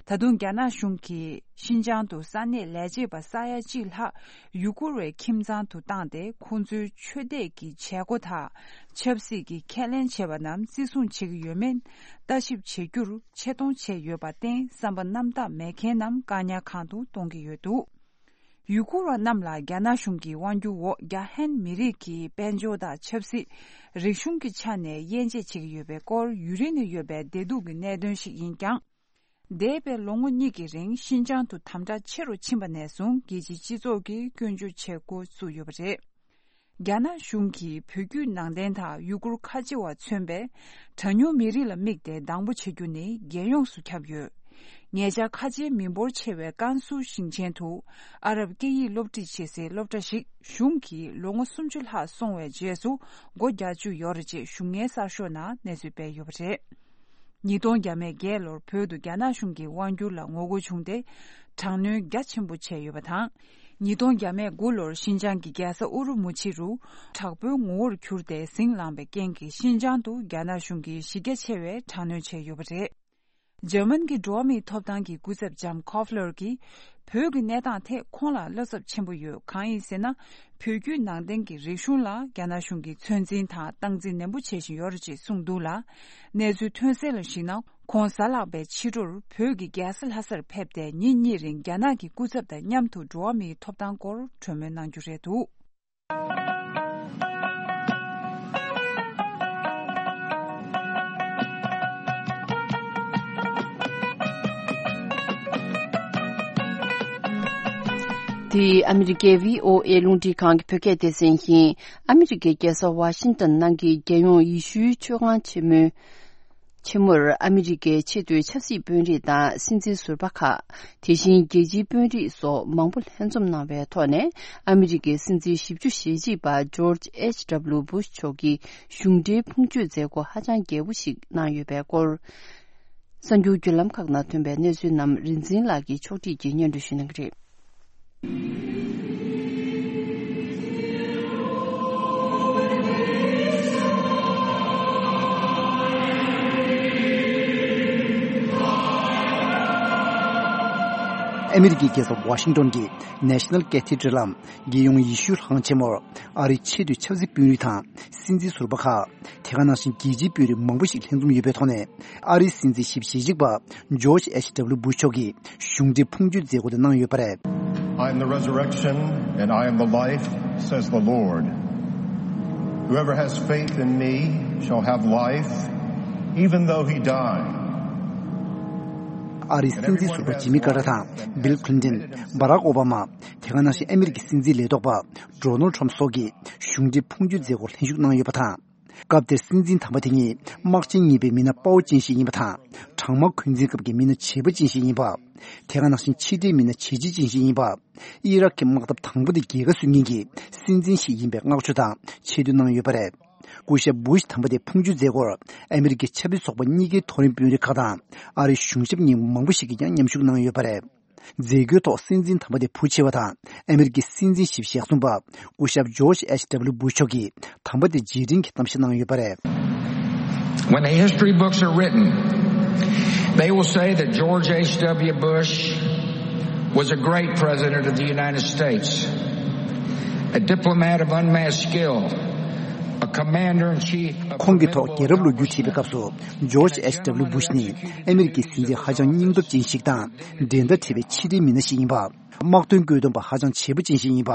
ད་དུང་རྒྱ་ནག་གཞུང་གིས་ཤིན་ཅང་དུ་ས་གནས་ལས་བྱེད་པ་ས་ཡ་གཅིག་ལྷག་ཡུ་གུར་བའི་ཁྱིམ་ཚང་དུ་བཏང་སྟེ། ཁོང་ཚོའི་ཆོས་དད་ཀྱི་བྱེད་སྒོ་དང་ཆབ་སྲིད་ཀྱི་ཁས་ལེན་བྱས་པ་རྣམས་བརྩི་སྲུང་བྱེད་ཀྱི་ཡོད་མེད་ལྟ་ཞིབ་བྱེད་རྒྱུར་ཆེ་མཐོང་བྱས་ཡོད་པར་བརྟེན། བསམ་པ་རྣམ་དག་མེད་མཁན་རྣམས་བཀག་ཉར་ཁང་དུ་གཏོང་གི་ཡོད་འདུག་ཡུ་གུར་བ་རྣམས་ལ་རྒྱ་ནག་གཞུང་གི་དབང་སྒྱུར་འོག་རྒྱ་ཧན་མི་རིགས་ཀྱི་དཔལ་འབྱོར་དང་ཆབ་སྲིད། རིག་གཞུང་གི་ཆ་ནས་དབྱེ་འབྱེད་བྱེད་ཀྱི་ཡོད་པའི་སྐོར་ཡུན་རིང་ནས་ཡོད་པའི་བདེ་སྡུག་གི་གནད་དོན་ཞིག་ཡིན་ཀྱང་། འདས་པའི་ལོ་ངོ་གཉིས་ཀྱི་རིང་ཤིན་ཅང་དུ་དམ་དྲག་ཆེ་རུ་ཕྱིན་པ་ནས་བཟུང་རྒྱལ་སྤྱིའི་སྤྱི་ཚོགས་ཀྱིས་སྐྱོན་བརྗོད་བྱེད་འགོ་བཙུགས་ཡོད་པ་རེད། རྒྱ་ནག་གཞུང་གིས་བོད་བརྒྱུད་ནང་བསྟན་དང་ཡུ་གུར་ཁ་ཆེ་བ་མཚོན་པའི་གྲངས་ཉུང་མི་རིགས་ལ་དམིགས་ཏེ་སྡང་པོ་བྱེད་རྒྱུ་ནི་རྒྱལ་ཡོངས་སུ་ཁྱབ་ཡོད། ཉེ་ཆར་ཁ་ཆེའི་མི་འབོར་ཆེ་བའི་ཀན་སུའུ་ཞིང་ཆེན་དུ་ཨ་རབ་སྐད་ཡིག་སློབ་ཁྲིད་བྱེད་སའི་སློབ་གྲྭ་ཞིག་གཞུང་གིས་ལོ་ངོ་སུམ་ཅུ་ལྷག་སོང་བའི་རྗེས་སུ་སྒོ་རྒྱག་བཅུག་ཡོད་རེད་ཅེས་གཞུང་ངའི་གསར་ཤོག་ནང་གནས་ཚུལ་སྤེལ་ཡོད་པ་རེད། ཉིས་སྟོང་བརྒྱ་མེད་བརྒྱད་ལོར་བོད་དུ་རྒྱ་ནག་གཞུང་གི་དབང་སྒྱུར་ལ་ངོ་རྒོལ་བྱུང་སྟེ། དྲག་གནོན་རྒྱ་ཆེན་པོ་བྱས་ཡོད་པ་དང་། ཉིས་སྟོང་བརྒྱ་མེད་དགུ་ལོར་ཤིན་ཅང་གི་རྒྱལ་ས་ཨུ་རུ་མུ་ཆི་རུ་དྲག་པོའི་ངོ་བོར་གྱུར་ཏེ་ཟིང་ལངས་པའི་རྐྱེན་གྱིས་ཤིན་ཅང་དུ་རྒྱ་ནག་གཞུང་གིས་གཞི་རྒྱ་ཆེ་བའི་དྲག་གནོན་བྱས་ཡོད་པ་རེད། འཇར་མན་གྱི་འགྲོ་བ་མིའི་ཐོབ་ཐང་གི་སྐུ་ཚབ་ལྕམ་ཁོ་ཕ་ལར་གྱིས། བོད་ཀྱི་གནས་སྟངས་ཐད་ཁོང་ལ་བློ་འཚབ་ཆེན་པོ་ཡོད། གང་ཡིན་ཟེར་ན། བོད་བརྒྱུད་ནང་བསྟན་གྱི་རིག་གཞུང་ལ་རྒྱ་ནག་གཞུང་གིས་ཚོད་འཛིན་དང་སྟངས་འཛིན་ནན་པོ་བྱེད་བཞིན་ཡོད་རེད་ཅེས་གསུངས་འདུག་ལ། གནས་ཚུལ་ཐོན་གསལ་ལ་གཞིགས་ན། ཁོང་གཟའ་ལྷག་པའི་ཕྱི་དྲོར་བོད་ཀྱི་རྒྱལ་ས་ལྷ་སར་ཕེབས་ཏེ། ཉིན་གཉིས་རིང་རྒྱ་ནག་གི་སྐུ་ཚབ་དང་མཉམ་དུ་འགྲོ་བ་མིའི་ཐོབ་ཐང་སྐོར་གྲོས་མོལ་གནང་རྒྱུ་རེད་འདུག། འདི་ཨ་མི་རི་ཀའི་བྷི་ཨོ་ཨེ་རླུང་འཕྲིན་ཁང་གི་བོད་སྐད་སྡེ་ཚན་ཡིན། ཨ་མི་རི་ཀའི་རྒྱལ་ས་ཝ་ཤིང་ཏོན་ནང་གི་རྒྱལ་ཡོངས་ཡེ་ཤུའི་ཆོས་ཁང་ཆེན་མོའི་ཆེན་མོར་ཨ་མི་རི་ཀའི་ཆེས་མཐོའི་ཆབ་སྲིད་དཔོན་རིགས་དང་སྲིད་འཛིན་ཟུར་པ་ཁག། དེ་བཞིན་རྒྱལ་སྤྱིའི་དཔོན་རིགས་སོགས་མང་པོ་ལྷན་འཛོམས་གནང་བའི་ཐོག་ནས། ཨ་མི་རི་ཀའི་སྲིད་འཛིན་བཞི་བཅུ་ཞེ་གཅིག་པ་ཇོརྗ་ཨེཆ་ཌབ་ལུ་བུ་ཤ་མཆོག་གིས་གཞུང་འབྲེལ་ཕུང་མཆོད་མཛད་སྒོ་ཧ་ཅང་རྒྱས་པོ་ཞིག་གནང་ཡོད་པའི་སྐོར། གསར་འགྱུར་བརྒྱུད་ལམ་ཁག་ནང་ཐོན་པའི་གནས་ཚུལ་རྣམས་རིག་འཛིན་ལགས་ཀྱིས་ཕྱོགས་སྒྲིག་གིས་སྙན་སྒྲོན་ཞུ་གནང་གི་རེད། ཨ་མི་རི་ཀའི་རྒྱལ་ས་ཝ་ཤིང་ཏོན་གྱི་National Cathedral་ལམ་རྒྱལ་ཡོངས་ཡེ་ཤུའི་ལྷ་ཁང་ཆེན་མོར་ཨ་རིའི་ཆེས་མཐོའི་ཆབ་སྲིད་དཔོན་རིགས་དང་སྲིད་འཛིན་ཟུར་པ་ཁག། དེ་ག་ནང་བཞིན་རྒྱལ་སྤྱིའི་དཔོན་རིགས་མང་པོ་ཞིག་ལྷན་འཛོམས་ཡོད་པའི་ཐོག་ནས། ཨ་རིའི་སྲིད་འཛིན་བཞི་བཅུ་ཞེ་གཅིག་པ་ཇོརྗ་ཨེཆ་ཌབ་ལུ་བུ་ཤ་མཆོག་གིས་གཞུང་འབྲེལ་ཕུང་མཆོད་མཛད་སྒོ་དེ་གནང་ཡོད་པ་རེད། I am the resurrection and I am the life, says the Lord. Whoever has faith in me shall have life, even though he die. ཨ་རིའི་སྲིད་འཛིན་ཟུར་པ་ཇི་མི་ཀར་ཏར་དང་། བྷིལ་ཁི་ལིན་ཏོན། བྷ་རག་ཨོ་བྷ་མ། དེ་ག་ནང་བཞིན་ཨ་མི་རི་ཀའི་སྲིད་འཛིན་ལས་ཐོག་པ་ཌོ་ནལ་ཊམ་སོགས་ཀྱིས་གཞུང་འབྲེལ་ཕུང་མཆོད་མཛད་སྒོར་ལྷན་ཞུགས་གནང་ཡོད་པ་དང་། སྐབས་དེར་སྲིད་འཛིན་དམ་པ་དེ་ཉིད་དམག་ཆེན་གཉིས་པའི་མི་སྣ་དཔའ་བོ་ཅན་ཞིག་ཡིན་པ་དང་། གྲང་དམག་འཁོན་འཛིན་སྐབས་ཀྱི་མི་སྣ་བྱེད་པོ་ཅན་ཞིག་ཡིན་པ། དེ་ག་ནང་བཞིན་ཕྱི་འབྲེལ་མི་སྣ་བྱེད་ཅན་ཞིག་ཡིན་པ། ཨི་རག་གི་དམག་འཐབ་དང་པོ་དེ་རྒྱལ་ཁ་སོན་མཁན་གྱི་སྲིད་འཛིན་ཞིག་ཡིན་པའི་བསྔགས་བརྗོད་དང་ཆེ་བསྟོད་གནང་ཡོད་པ་རེད། སྐུ་ཞབས་བུ་ཤ་དམ་པ་དེ་ཕུང་མཆོད་མཛད་སྒོར་ཨ་མི་རི་ཀའི་ཆབ་སྲིད་ཚོགས་པ་གཉིས་ཀའི་མཐོ་རིམ་དཔོན་རིགས་ཁག་དང་ཨ་རིའི་གཞུང་ཞབས་གཉིས་མང་པོ་ཞིག་གིས་ཀྱང་མཉམ་ཞུགས་གནང་ཡོད་པ་རེད། མཛད་སྒོའི་ཐོག་སྲིད་འཛིན་དམ་པ་དེ་བུ་ཆེ་བ་དང་ཨ་མི་རི་ཀའི་སྲིད་འཛིན་བཞི་བཅུ་ཞེ་གསུམ་པ་སྐུ་ཞབས་ཇོརྗ་ཨེཆ་ཌབ་ལུ་བུ་ཤ་མཆོག་གིས་དམ་པ་དེར་རྗེས་དྲན་གྱི་གཏམ་བཤད་གནང་ཡོད་པ་རེད། When the history books are written, they will say that George H W. Bush was a great president of the United States, a diplomat of unmatched skill, a commander in chief of ཁོང་གི་ཐོག་རྒྱལ་རབས་ལོ་རྒྱུས་བྲིས་པའི་སྐབས་སུ། ཇོརྗ་ཨེཆ་ཌབ་ལུ་བུ་ཤ་ནི་ཨ་མི་རི་ཀའི་སྲིད་འཛིན་ཧ་ཅང་སྙིང་སྟོབས་ཅན་ཞིག་དང་། འགྲན་ཟླ་བྲལ་བའི་ཕྱི་འབྲེལ་མི་སྣ་ཞིག་ཡིན་པ། དམག་དོན་བཀོད་འདོམས་པ་ཧ་ཅང་བྱེད་པོ་ཅན་ཞིག་ཡིན་པ།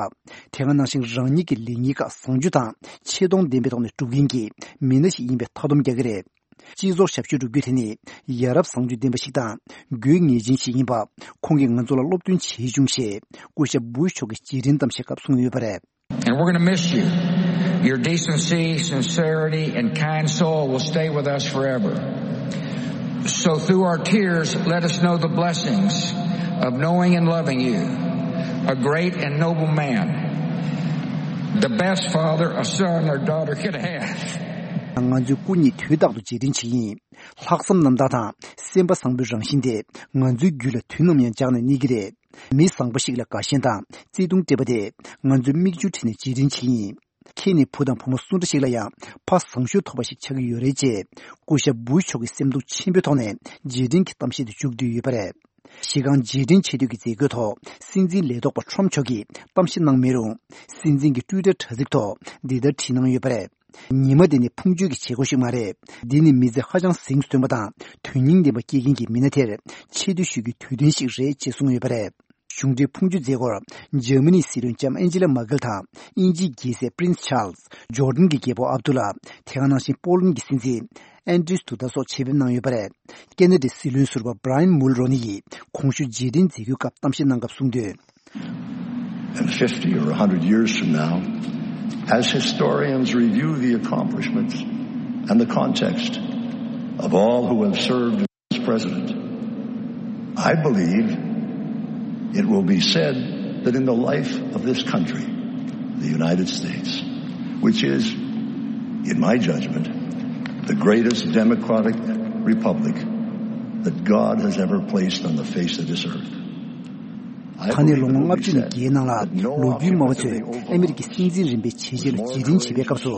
དེ་ག་ནང་བཞིན་རང་ཉིད་ཀྱི་ལེགས་ཉེས་ཁག་བཟང་སྤྱོད་དང་ཆེ་མཐོང་ལྡན་པའི་ཐོག་ནས་སྒྲུབ་མཁན་གྱི་མི་སྣ་ཞིག་ཡིན་པའི་མཐའ་སྡོམ་རྒྱག་གི་རེད། སྤྱི་ཚོགས་ཞབས་ཞུ་སྒྲུབ་རྒྱུ་དེ་ནི་ཡ་རབས་བཟང་སྤྱོད་ལྡན་པ་ཞིག་དང་དགོས་ངེས་ཅན་ཞིག་ཡིན་པ། ཁོང་གིས་ང་ཚོ་ལ་སློབ་སྟོན་བྱེད་བྱུང་ཞེས་སྐུ་ཞབས་བུ་ཤ་མཆོག་གིས་རྗེས་དྲན་གཏམ་བཤད་སྐབས་གསུངས་ཡོད་པ་རེད། And we're going to miss you. Your decency, sincerity, and kind soul will stay with us forever. So through our tears, let us know the blessings of knowing and loving you, a great and noble man, the best father a son or daughter could have. ང་ཚོས་སྐུ་ཉིད་དུས་རྟག་ཏུ་རྗེས་དྲན་བྱེད་ཀྱི་ཡིན། ལྷག་བསམ་རྣམ་དག་དང་སེམས་པ་བཟང་པོའི་རང་བཞིན་དེ་ང་ཚོའི་རྒྱུད་ལ་དུས་ནམ་ཡང་འཇགས་ནས་གནས་ཀྱི་རེད། མི་བཟང་པོ་ཞིག་ལ་དགའ་ཞེན་དང་བརྩེ་དུང་སྤྲད་པ་དེ་ང་ཚོས་མིག་ཆུ་བྲིས་ནས་རྗེས་དྲན་བྱེད་ཀྱི་ཡིན། ཁྱེད་ནི་བུ་དང་བུ་མོ་སུ་འདྲ་ཞིག་ལ་ཡང་ཕ་བཟང་ཤོས་ཐོབ་པ་ཞིག་ཆགས་ཀྱི་ཡོད་རེད་ཅེས་སྐུ་ཞབས་བུ་ཤ་མཆོག་གིས་སེམས་སྡུག་ཆེན་པོའི་ཐོག་ནས་རྗེས་དྲན་གྱི་གཏམ་བཤད་དུ་མཇུག་བསྡུས་ཡོད་པ་རེད། གཞི་རྐང་རྗེས་དྲན་ཆེ་བསྟོད་ཀྱི་མཛད་སྒོའི་ཐོག་སྲིད་འཛིན་ལས་ཐོག་པ་ཊམ་མཆོག་གིས་གཏམ་བཤད་གནང་མེད་རུང་། སྲིད་འཛིན་གྱི་ཊུའི་ཊར་དྲ་ཚིགས་ཐོག་འདི་ལྟར་བྲིས་གནང་ཡོད་པ་རེད། ཉི་མ་འདི་ནི་ཕུང་མཆོད་ཀྱི་བྱེད་སྒོ་ཞིག་མ་རེད། འདི་ནི་མི་ཚེ་ཧ་ཅང་གཟེངས་སུ་ཐོན་པ་དང་དོན་སྙིང་ལྡན་པ་སྐྱེལ་མཁན་གྱི་མི་སྣ་དེར་ཆེ་བསྟོད་ཞུ་རྒྱུའི་དུས་སྟོན་ཞིག་རེད་ཅེས་གསུངས་ཡོད་པ་རེད། གཞུང་འབྲེལ་ཕུང་མཆོད་མཛད་སྒོར་འཇར་མ་ནིའི་སྲིད་བློན་ལྕམ་ཨན་ཇི་ལ་མར་ཀེལ་དང་དབྱིན་ཇིའི་རྒྱལ་སྲས་པི་རིན་སི་ཆཱལ་སི། ཇོར་ཌན་གྱི་རྒྱལ་པོ་ཨབ་དུ་ལ། དེ་ག་ནང་བཞིན་པོ་ལན་གྱི་སྲིད་འཛིན་ཨན་ཌྲིས་དུ་ད་སོགས་ཆེད་ཕེབས་གནང་ཡོད་པ་རེད། ཁེ་ན་ཌའི་སྲིད་བློན་ཟུར་པ་བྷ་ར་ཡན་མུལ་རོ་ནི་ཡིས་གོང་ཞུས་རྗེས་དྲན་མཛད་སྒོའི་སྐབས་གཏམ་བཤད་གནང་སྐབས་གསུངས་དོན། And fifty or a hundred years from now, as historians review the accomplishments and the context of all who have served as president, I believe it will be said that in the life of this country, the United States, which is, in my judgment, the greatest democratic republic that God has ever placed on the face of this earth, ད་ནས་ལོ་ངོ་ལྔ་བཅུ་ནས་བརྒལ་གནང་ལ། ལོ་རྒྱུས་སྨྲ་བ་ཚོས་ཨ་མི་རི་ཀའི་སྲིད་འཛིན་རིམ་པའི་བྱས་རྗེས་ལ་རྗེས་དྲན་བྱེད་པའི་སྐབས་སུ།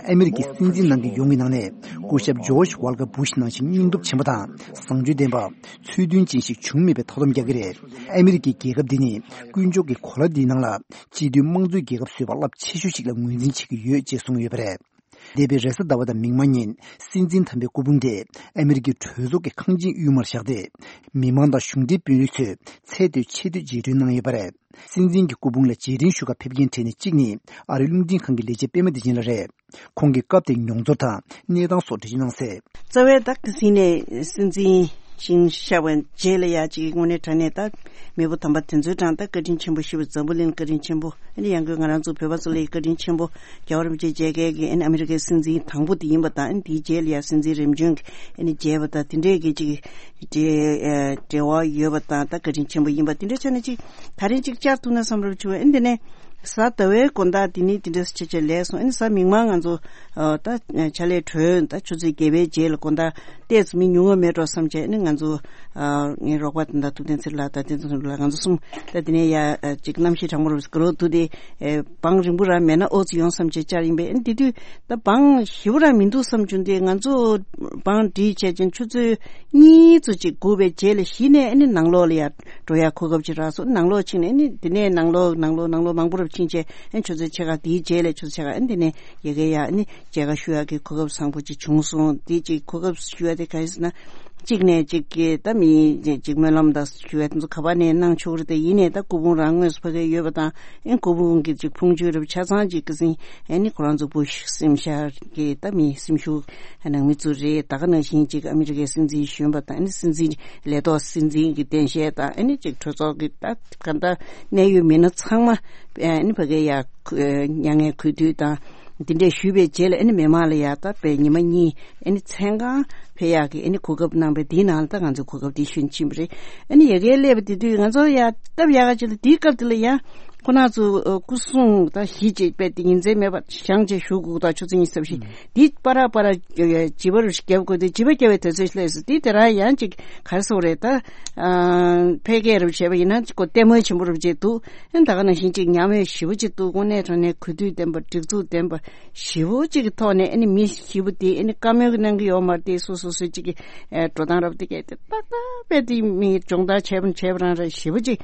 ཨ་མི་རི་ཀའི་སྲིད་འཛིན་གནང་མཁན་ཡོངས་ཀྱི་ནང་ནས་སྐུ་ཞབས་ཇོརྗ་ཝལ་ཀར་བུ་ཤ་ནང་བཞིན་སྙིང་སྟོབས་ཆེན་པོ་དང་བཟང་སྤྱོད་ལྡན་པ། ཚུལ་མཐུན་ཅན་ཞིག་བྱུང་མེད་པའི་མཐོང་སྣང་རྒྱག་གི་རེད། ཨ་མི་རི་ཀའི་རྒྱལ་ཁབ་འདི་ནི་དཀོན་མཆོག་གི་གོ་ལ་འདིའི་ནང་ལ་སྤྱི་མཐུན་དམངས་གཙོའི་རྒྱལ་ཁབ་བཟོས་པ་རླབས་ཆེ་ཤོས་ཤིག་ལ་ངོས་འཛིན་བྱེད་ཀྱི་ཡོད་ཅེས་གསུངས་ཡོད་པ་རེད། འདས་པའི་རེས་གཟའ་ཟླ་བ་དང་མིག་དམར་ཉིན་སྲིད་འཛིན་དམ་པའི་སྐུ་ཕུང་དེ་ཨ་མི་རི་ཀའི་གྲོས་ཚོགས་ཀྱི་ཁང་ཆེན་དབུས་མར་བཞག་སྟེ། མི་མང་དང་གཞུང་འབྲེལ་དཔོན་རིགས་ཚོས་ཚད་མཐོའི་ཆེ་བསྟོད་རྗེས་དྲན་གནང་ཡོད་པ་རེད། སྲིད་འཛིན་གྱི་སྐུ་ཕུང་ལ་རྗེས་དྲན་ཞུ་གར་ཕེབས་མཁན་གྲས་ནས་གཅིག་ནི་ཨ་རིའི་རླུང་འཕྲིན་ཁང་གི་ལས་བྱེད་པད་མ་བདེ་ཆེན་ལགས་རེད། ཁོང་གིས་སྐབས་དེའི་མྱོང་ཚོར་དང་གནས་སྟངས་སོགས་འགྲེལ་བརྗོད་གནང་གསལ། རྩ་བའི་ད་ག་ཟིན་ནས་སྲིད་འཛིན་ཞིང་གཤེགས་པའི་རྗེས་ལ་ཡ་གཅིག་དངོས་གནས་དྲང་གནས་ད་མེས་པོ་དམ་པ་དེ་ཚོའི་གྲངས་ད་བཀའ་དྲིན་ཆེན་པོ་ཞེས་པ་འཛམ་བུ་གླིང་བཀའ་དྲིན་ཆེན་པོ། ཨ་ནི་ཡང་སྒོས་ང་རང་ཚོ་བོད་པ་ཚོ་ལ་ཡི་བཀའ་དྲིན་ཆེན་པོ། རྒྱལ་བ་རིན་པོ་ཆེ་མཇལ་མཁན་གྱི་ཨ་ནི་ཨ་མི་རི་ཀའི་སྲིད་འཛིན་དང་པོ་དེ་ཡིན་པ་དང་། ཨ་ནི་དེའི་རྗེས་ལ་ཡ་སྲིད་འཛིན་རིམ་བྱོན་གྱི་ཨ་ནི་མཇལ་བ་དང་དེ་འདྲས་ཀྱི་ཅིག་འབྲེལ་འབྲེལ་བ་ཡོད་པ་དང་ད་བཀའ་དྲིན་ཆེན་པོ་ཡིན་པ་དེ་འདྲས་ཆ་ནས་ཅིག་ད་རིང་ཅིག་བཅར་ཐུབ་ན་བསམ་རབས་བྱུང་། ཨ་ནི་དེ་ནས་གཟའ་ཟླ་བའི་དགོང་དག་དེ་ནི་དེ་འདྲས་ཆེ་ཆེ་ལས་སོང་། ཨ་ནི་གཟའ་མིག་དམར་ང་ཚོ་ད་ཕྱག་ལས་གྲོལ་ད་ཆུ་ཚོད་བརྒྱད་པའི་རྗེས་ལ་དགོང་དག་ཏོག་ཙམ་མི་ཉུང་བ་མེད་འགྲོ་བསམ་བྱས། ཨ་ནི་ང་ཚོ་ངའི་རོགས་པ་དེ་འདྲ་ཐུབ་བསྟན་ཚེ་རིང་ལགས་དང་བསྟན་འཛིན་ལགས་ང་ཚོ་གསུམ་ད་དེ་ནས་ཡ་ཅིག་གནམ་གཤིས་གྲང་མོ་རུ་སྐུ་རོགས་དུ་དེ་བང་རིང་པོ་རང་མེད་ན་ཨོ་ཙི་ཡོང་བསམ་བྱས་བཅར་ཡིན་པས། ཨ་ནི་དེ་དུས་ད་བང་ཞེ་པོ་རང་མི་འདུག་བསམ་བྱུང་སྟེ། ང་ཚོ་བང་སྒྲིག་བྱས་ཅིང་ཆུ་ཚོད་གཉིས་ཙམ་ཅིག་སྒུག་པའི་རྗེས་ལ་གཞི་ནས་ཨ་ནི་ནང་ལོགས་ལ་ཡ་འགྲོ་ཡ་གོ་སྐབས་ཅིག་རག་སོང་། ནང་ལོགས་ཕྱིན་ནས་ཨ་ནི་དེ་ནས་ནང་ལོགས་ནང་ལོགས་ནང་ལོགས་མང་པོ་རུ་ཕྱིན་བྱས། ཨ་ནི་ཆུ་ཚོད་ཕྱེད་ཀ་དེའི་རྗེས་ལ་ཆུ་ཚོད་ཕྱེད་ཀ་ཨ་ནི་དེ་ནས་ཡ་གི་ཡ་ཨ་ནི་མཇལ་ཁ་ཞུ་ཡག་གི་གོ་སྐབས་བཟང་པོ་ཅིག་བྱུང་སོང་། དེ་ཅིག་གོ་སྐབས་ཞུ་ཡག་དེ་ག་རེ་ཟེར་ན། གཅིག་ནས་གཅིག་གི་ད་མི་གཅིག་སྨོན་ལམ་དང་ཞུ་ཡག་དེ་ཚོ་ག་པ་ནས་གནང་ཆོག་རེད། དེ་ཡིན་ནས་ད་སྐུ་ཕུང་རང་དངོས་སུ་ཕ་གིར་ཡོད་པ་དང་། ཨེ་སྐུ་ཕུང་གི་ཅིག་ཕུང་མཆོད་རབ་ཆ་ཚང་ཅིག་གི་ཟིན་ཨེ་ནི་ཁོ་རང་ཚོ་བུ་ཤ་སེམས་ཤར་གི་ད་མི་སེམས་ཤུགས་ནང་མི་ཚོ་རེད། ད་ག་ནང་བཞིན་ཅིག་ཨ་མི་རི་ཀའི་སྲིད་འཛིན་གཞོན་པ་དང་། ཨེ་ནི་སྲིད་འཛིན་ལས་ཐོག་སྲིད་འཛིན་གྱི་གདན་ཞལ་དང་། ཨེ་ནི་ཅིག་གྲོས་ཚོགས་ཀྱི་ད་ག་ད་གནད་ཡོད་མི་སྣ་ཚང་མ་ཨེ་ནི་ཕ་གིར་ཡ་མྱ་ངན་གུས་འདུད་དང་། འདི་འདྲས་ཞུས་པའི་རྗེས་ལ་ཨ་ནི་མི་མང་ལ་ཡ་ད་དཔེ་ཉི་མ་གཉིས་ཨ་ནི་མཚན་གང་ཕེབས་ཡག་གི་ཨ་ནི་གོ་སྐབས་གནང་བས། དེའི་ནང་ལ་ད་ང་ཚོས་གོ་སྐབས་དེ་ཞུས་ཕྱིན་པ་རེད། ཨ་ནི་ཡ་གིར་སླེབས་པ་དེ་དུས་ང་ཚོ་ཡ་སྟབས་ཡག་ག་ཅིག་ལ་དེའི་སྐབས་དེ་ལ་ཡ་ཁོ་རང་ཚོ་སྐུ་སྲུང་ད་གཞི་ཅིག་དཔེ་དེ་ཉིན་མཚན་མེད་པར་བཞེངས་བྱས་བཞུགས་དགོས་ད། ཆུ་ཚོད་ཉི་ཤུ་རྩ་བཞི་དེ་པ་ར་པ་ར་བྱིས་པ་རུ་བརྒྱབ་དགོས་དེ། བྱིས་པ་བརྒྱབ་པའི་དུས་ཚོད་སླེབས་སོང་། དེ་དེ་རང་ཡང་ཅིག་ག་རེ་ཟེར་དགོས་རེད། ད་འཕེལ་རྒྱས་རུ་བྱས་པ་ཡིན་ན་ཅིག་གོ་ལྟད་མོ་ཆེན་པོ་རུ་བྱས་འདུག་ཨ་ནི་ད་ག་ནང་བཞིན་ཅིག་ཉམས་མྱོང་ཞེ་པོ་ཅིག་འདུག་དངོས་གནས་དྲང་གནས་གུས་འདུད་ལྡན་པ་སྒྲིག་འཛུགས་ལྡན་པ་ཞེ་པོ་ཅིག་གི་ཐོག་ནས། ཨ་ནི་མི་ཞེ་པོ་དེ་ཨ་ནི་བཀའ་མོལ་གནང་གི་ཡོད་མ་རེད་དེ། སོ་སོ་སོ་ཅིག་གི་ཨེ་འགྲོ་སྟངས་རབ་དེ་གས་དེ་ཏག་ཏག་དཔེ་དེ་མི་སྦྱོང་བརྡར་བྱས་པ་བྱས་པ་རང་རེད། ཞེ་པོ་ཅིག་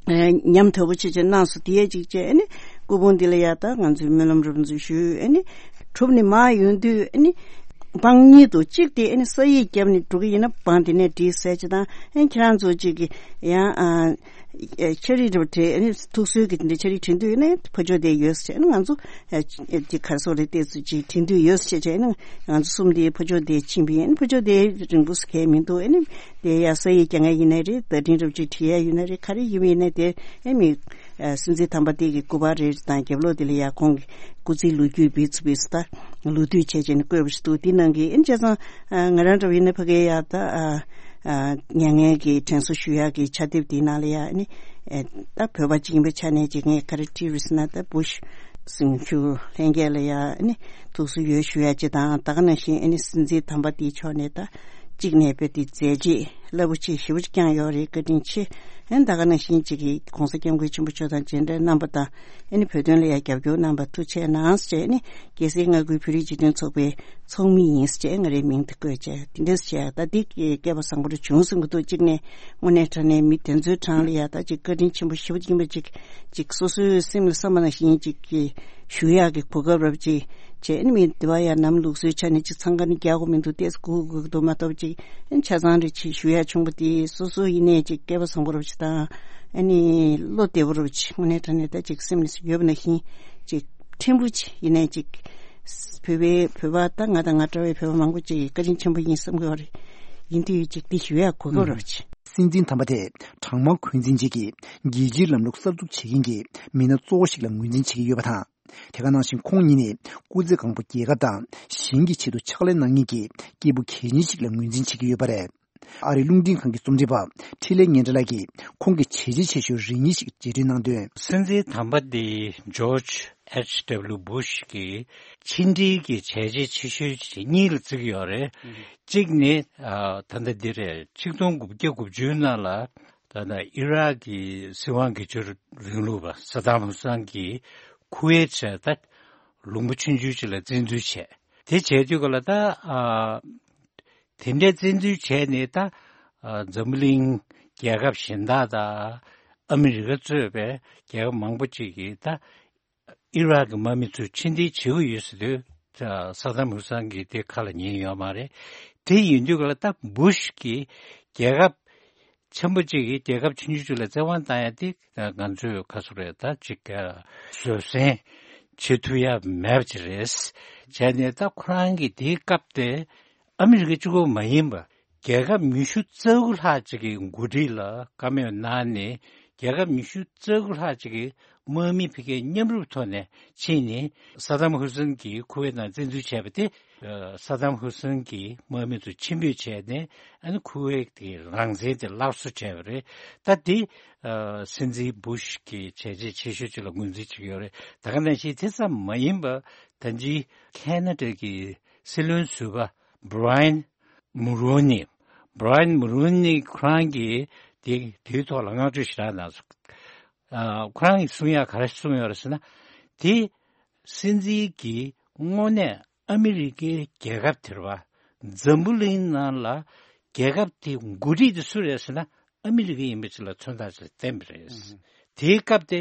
ཨེ་ཉམས་དོད་པོ་ཆེ་ཆེ་གནང་སོང་། དེ་ཡས་ཅིག་བྱས་ཨ་ནི་སྐུ་ཕུང་འདི་ལ་ཡ་ད་ང་ཚོས་སྨོན་ལམ་རབ་འཛུགས་ཞུས། ཨ་ནི་གྲུབ་ནས་མར་ཡོང་དུས་ཨ་ནི་བང་གཉིས་འདུག་གཅིག་དེ་ཨ་ནི་ས་ཡིག་བརྒྱབ་ནས་འགྲོ་གི་ཡིན་ན་བང་དེ་ནས་སྒྲིག་ཟེར་ཅིག་དང་། ཨ་ནི་ཁྱེད་རང་ཚོ་ཅིག་གི་ཡང་ཨ། ཨེ་ཆ་རིགས་འདྲ་པོ་དེ་ཨ་ནི་ཐུགས་གསོའི་གི་དེ་འདྲ་ཆ་རིགས་བྲིས་འདོད་ཡོད་ན་ཕ་ཇོ་དེ་ཡོད་ཟེར་བྱས། ཨ་ནི་ང་ཚོ་ཨེ་དེ་ག་རེ་ཟེར་དགོས་རེད། དེ་ཚོ་ཅིག་བྲིས་འདོད་ཡོད་ཟེར་བྱས་བྱས། ཨ་ནི་ང་ཚོ་གསུམ་དེ་ཕ་ཇོ་དེ་ཕྱིན་པ་ཡིན། ཨ་ནི་ཕ་ཇོ་དེ་རིང་པོ་སུ་གས་མི་འདུག་ཨ་ནི་དེ་ཡ་ས་ཡིག་རྒྱག་མཁན་ཡིན་ན་རེད། བརྡ་འཕྲིན་འདྲ་པོ་ཅིག་བྲིས་ཡ་ཡོད་ན་རེད། ག་རེ་ཡིན་པ་ཡིན་ན་དེ་ཨ་མི་ཨེ་སྲིད་འཛིན་དམ་པ་དེ་གི་སྐུ་པར་རེ་དང་རྒྱབ་ལོགས་དེ་ལ་ཡ་ཁོང་གི་སྐུ་ཚེའི་ལོ་རྒྱུས་བེད་ཚུ་བེད་ཚུ་ད་ལོ་དུས་བྱས་བྱས་ནས་བཀོད་པ་ཞིག་འདུག་དེ་ནང་གི་ཨ་ནི་བྱས་ཙང་ཨ་ང་རང་འདྲ་བོ་ཡིན་ན་ཕ་གིར་ཡ་ད་ཨ། ཨ་མྱ་ངན་གྱི་དྲན་གསོ་ཞུ་ཡག་གི་ཕྱག་དེབ་དེའི་ནང་ལ་ཡ་ཨ་ནི་ཨེ་ད་བོད་པ་གཅིག་ཡིན་པའི་ཆ་ནས་ཅིག་ངས་ག་རེ་བྲིས་རེད་ཟེར་ན། ད་བུ་ཤ་སེམས་ཤུགས་ལྷན་རྒྱས་ལ་ཡ་ཨ་ནི་ཐུགས་གསོ་ཡོད་ཞུ་ཡག་ཅིག་དང་། ད་ག་ནང་བཞིན་ཨ་ནི་སྲིད་འཛིན་དམ་པ་དེའི་ཕྱོགས་ནས་ད་གཅིག་ནས་དཔེ་དེ་མཛད་རྗེས་རླབས་པོ་ཆེ་ཞེ་པོ་ཅིག་བསྐྱངས་ཡོད་རེད། བཀའ་དྲིན་ཆེ། ཨ་ནི་ད་ག་ནང་བཞིན་ཅིག་གི་༸གོང་ས་༸སྐྱབས་མགོན་ཆེན་པོ་མཆོག་དང་མཇལ་འཕྲད་གནང་པ་དང་། ཨ་ནི་བོད་དོན་ལ་ཡང་རྒྱབ་སྐྱོར་གནང་བར་ཐུགས་རྗེ་གནང་ཟེར་བྱས། ཨ་ནི་རྒྱལ་སྲས་མངའ་ཁུལ་བོད་རིགས་སྤྱི་མཐུན་ཚོགས་པའི་ཚོགས་མི་ཡིན་ཟེར་བྱས་ང་རའི་མིང་དེ་བཀོད་བྱས། དེ་འདྲ་ཟེར་བྱས་ད་འདི་སྐལ་པ་བཟང་པོ་རུ་བྱུང་ཟིན་གྱི་འདུག་གཅིག་ནས་དངོས་གནས་དྲང་གནས་མི་དེ་ཚོའི་གྲས་ལ་ཡ་ད་ཅིག་བཀའ་དྲིན་ཆེན་པོ་ཞེ་པོ་ཅིག་ཡིན་པ་ཅིག་ཅིག་སོ་སོའི་སེམས་ལ་བསམ་པ་ནང་བཞིན་ཅིག་གི་ཞུ་ཡག་གི་གོ་སྐབས་རབ་ཅིག་བྱས། ཨ་ནི་མི་དེ་བ་ཡ་ནམ་ལུགས་སྲོལ་ཆ་ནས་ཅིག་འཚང་ཁ་ནི་རྒྱག་དགོས་མི་འདུག་ཏོག་ཙམ་སྒུག་དགོས་ཀྱི་འདུག་མ་གཏོགས་ཅིག་ཨ་ནི་ཆ་ཚང་རེ་ཅིག་ཞུ་ཡག་བྱུང་བ་དེ་སོ་སོ་ཡིན་ནའི་ཅིག་སྐལ་པ་བཟང་པོ་རབ་ཅིག་དང་། ཨ་ནི་བློ་བདེ་པོ་རུ་ཅིག་དངོས་གནས་དྲང་གནས་ད་ཅིག་སེམས་ནས་ཡོད་པ་ནང་བཞིན་ཅིག་ཕྲན་བུ་ཅིག་ཡིན་ནའི་ཅིག་བོད་པའི་བོད་པ་ད་ང་དང་ང་འདྲ་བའི་བོད་པ་མང་པོ་ཅིག་བཀའ་དྲིན་ཆེན་པོ་ཡིན་བསམ་གྱི་ཡོད་རེད། ཡིན་དུས་ཅིག་འདི་ཞུ་ཡག་གོ་སྐབས་རུ་ཅིག་སྲིད་འཛིན་དམ་པ་དེ་གྲངས་མང་འཁོན་འཛིན་བྱེད་ཀྱི་རྒྱལ་སྤྱིའི་ལམ་ལུགས་གསར་འཛུགས་བྱེད་མཁན་གྱི་མི་སྣ་གཙོ་བོ་ཞིག་ལ་ངོས་འཛིན་བྱེད་ཀྱི་ཡོད་པ་དང་། དེ་ག་ནང་བཞིན་ཁོང་ཉིད་ནི་སྐུ་ཚེ་གང་པོ་རྒྱལ་ཁབ་དང་གཞན་གྱི་ཆེད་དུ་ཕྱག་ལས་གནང་མཁན་གྱི་སྐྱེས་བུ་གལ་ཆེན་ཞིག་ལ་ངོས་འཛིན་བྱེད་ཀྱི་ཡོད་པ་རེད། ཨ་རིའི་རླུང་འཕྲིན་ཁང་གི་རྩོམ་སྒྲིག་པ་འཕྲིན་ལས་སྙན་གྲགས་ལགས་ཀྱིས་ཁོང་གི་བྱས་རྗེས་ཆེ་ཤོས་རེ་གཉིས་ཤིག་རྗེས་དྲན་གནང་དོན། སྲིད་འཛིན་དམ་པ་འདི་ཇོརྗ་ཨེཆ་ཌབ་ལིའུ་བུ་ཤ་གི་ཕྱི་འབྲེལ་གྱི་བྱས་རྗེས་ཆེ་ཤོས་གཉིས་ལ་བརྩི་གི་ཡོད་རེད། གཅིག་ནི་ཨ་ད་ལྟ་འདི་རེད། ཆིག་སྟོང་དགུ་བརྒྱ་དགུ་བཅུའི་ནང་ལ་ ད་ལྟ་ཨི་རག་གི་སྲིད་དབང་སྒེར་གཅོད་རིང་ལུགས་པ་སད་དམ་ཧུ་སན་གྱིས་ཁུ་ཝེད་བྱས་ད་ལུང་པ་ཆུང་ཆུང་ཅིག་ལ་བཙན་འཛུལ་བྱས། དེ་བྱས་དུས་ག་ལ་ད་ཨ་དེ་འདྲའི་བཙན་འཛུལ་བྱས་ནས་ད་ཨ་འཛམ་བུ་གླིང་རྒྱལ་ཁབ་གཞན་དག་དང་ཨ་མི་རི་ཀ་གཙོས་པའི་རྒྱལ་ཁབ་མང་པོ་ཅིག་གིས་ད་ཨི་རག་གི་དམག་མི་ཚོ་ཕྱིར་འཐེན་བྱེད་ཀྱི་ཡོད་ཟེར་དུས། ས་དམ་ཧུ་སན་གྱིས་དེ་ཁ་ལ་ཉན་ཡོད་མ་རེད། དེ་ཡིན་དུས་ག་ལ་ད་བུ་ཤ་གི་རྒྱལ་ཁབ་ཆེན་པོ་གཅིག་གིས་རྒྱལ་ཁབ་ཆུང་ཆུང་གཅིག་ལ་བཙན་དབང་བཏང་ཡ་དེ་ང་ཚོས་ག་ཚོད་རེད། ད་ཅིག་བཟོད་བསྲན་བྱེད་ཐུབ་ཡ་མེད་པ་ཅིག་རེད། བྱས་ནས་ད་ཁོ་རང་གིས་དེའི་སྐབས་དེ་ཨ་མི་རི་ཀ་གཅིག་པོ་མ་ཡིན་པ། རྒྱལ་ཁབ་ཉི་ཤུ་རྩ་དགུ་ལྷག་ཅིག་གི་འགོ་ཁྲིད་ལ་བཀའ་མོལ་གནང་ནས། རྒྱལ་ཁབ་ཉི་ཤུ་རྩ་དགུ་ལྷག་ཅིག་གི་དམག་མི་ཕ་གིའི་མཉམ་རུབ་ཐོག་ནས་ཕྱིན་ནས། ས་དམ་ཧུ་སན་གྱིས་ཁུ་ཝེད་ནང་བཙན་འཛུལ་བྱས་པ་དེ། ས་དམ་ཧུ་སན་གྱིས་དམག་མི་ཚོ་ཕྱིར་འབུད་བྱས་ནས། ཨ་ནི་ཁུ་ཝེད་ཀྱི་རང་བཙན་དེ་སླར་གསོ་བྱས་པ་རེད། ད་དེ་སྲིད་འཛིན་བུ་ཤ་གི་བྱས་རྗེས་ཆེ་ཤོས་ཅིག་ལ་ངོས་འཛིན་བྱེད་ཀྱི་ཡོད་རེད། ད་ག་ནང་བཞིན་དེ་ཙམ་མ་ཡིན་པ། ད་ཅི་ཁེ་ན་ཌ་གི་སྲིད་བློན་ཟུར་པ་བྷི་ར་ཡན་མུ་རོ་ནི། བྷི་ར་ཡན་མུ་རོ་ནི་ཁོ་རང་གིས་དེ་དེའི་ཐོག་ལ་བསྔགས་བརྗོད་ཞེ་དྲག་གནང་སོང་། ཨ་ཁོ་རང་གིས་གསུང་ཡག་ག་རེ་གསུངས་ཡོད་རེད་ཟེར་ན། དེ་སྲིད་འཛིན་གྱིས་དངོས་གནས་ཨ་མི་རི་ཀའི་རྒྱལ་ཁབ་དེ་རེད་པ། འཛམ་བུ་གླིང་ནང་ལ་རྒྱལ་ཁབ་དེ་འགོ་ཁྲིད་དེ་སུ་རེད་ཟེར་ན། ཨ་མི་རི་ཀ་ཡིན་པ་ཅིག་ལ་མཚོན་རྟགས་ཅིག་བསྟན་པ་རེད། དེའི་སྐབས་དེ།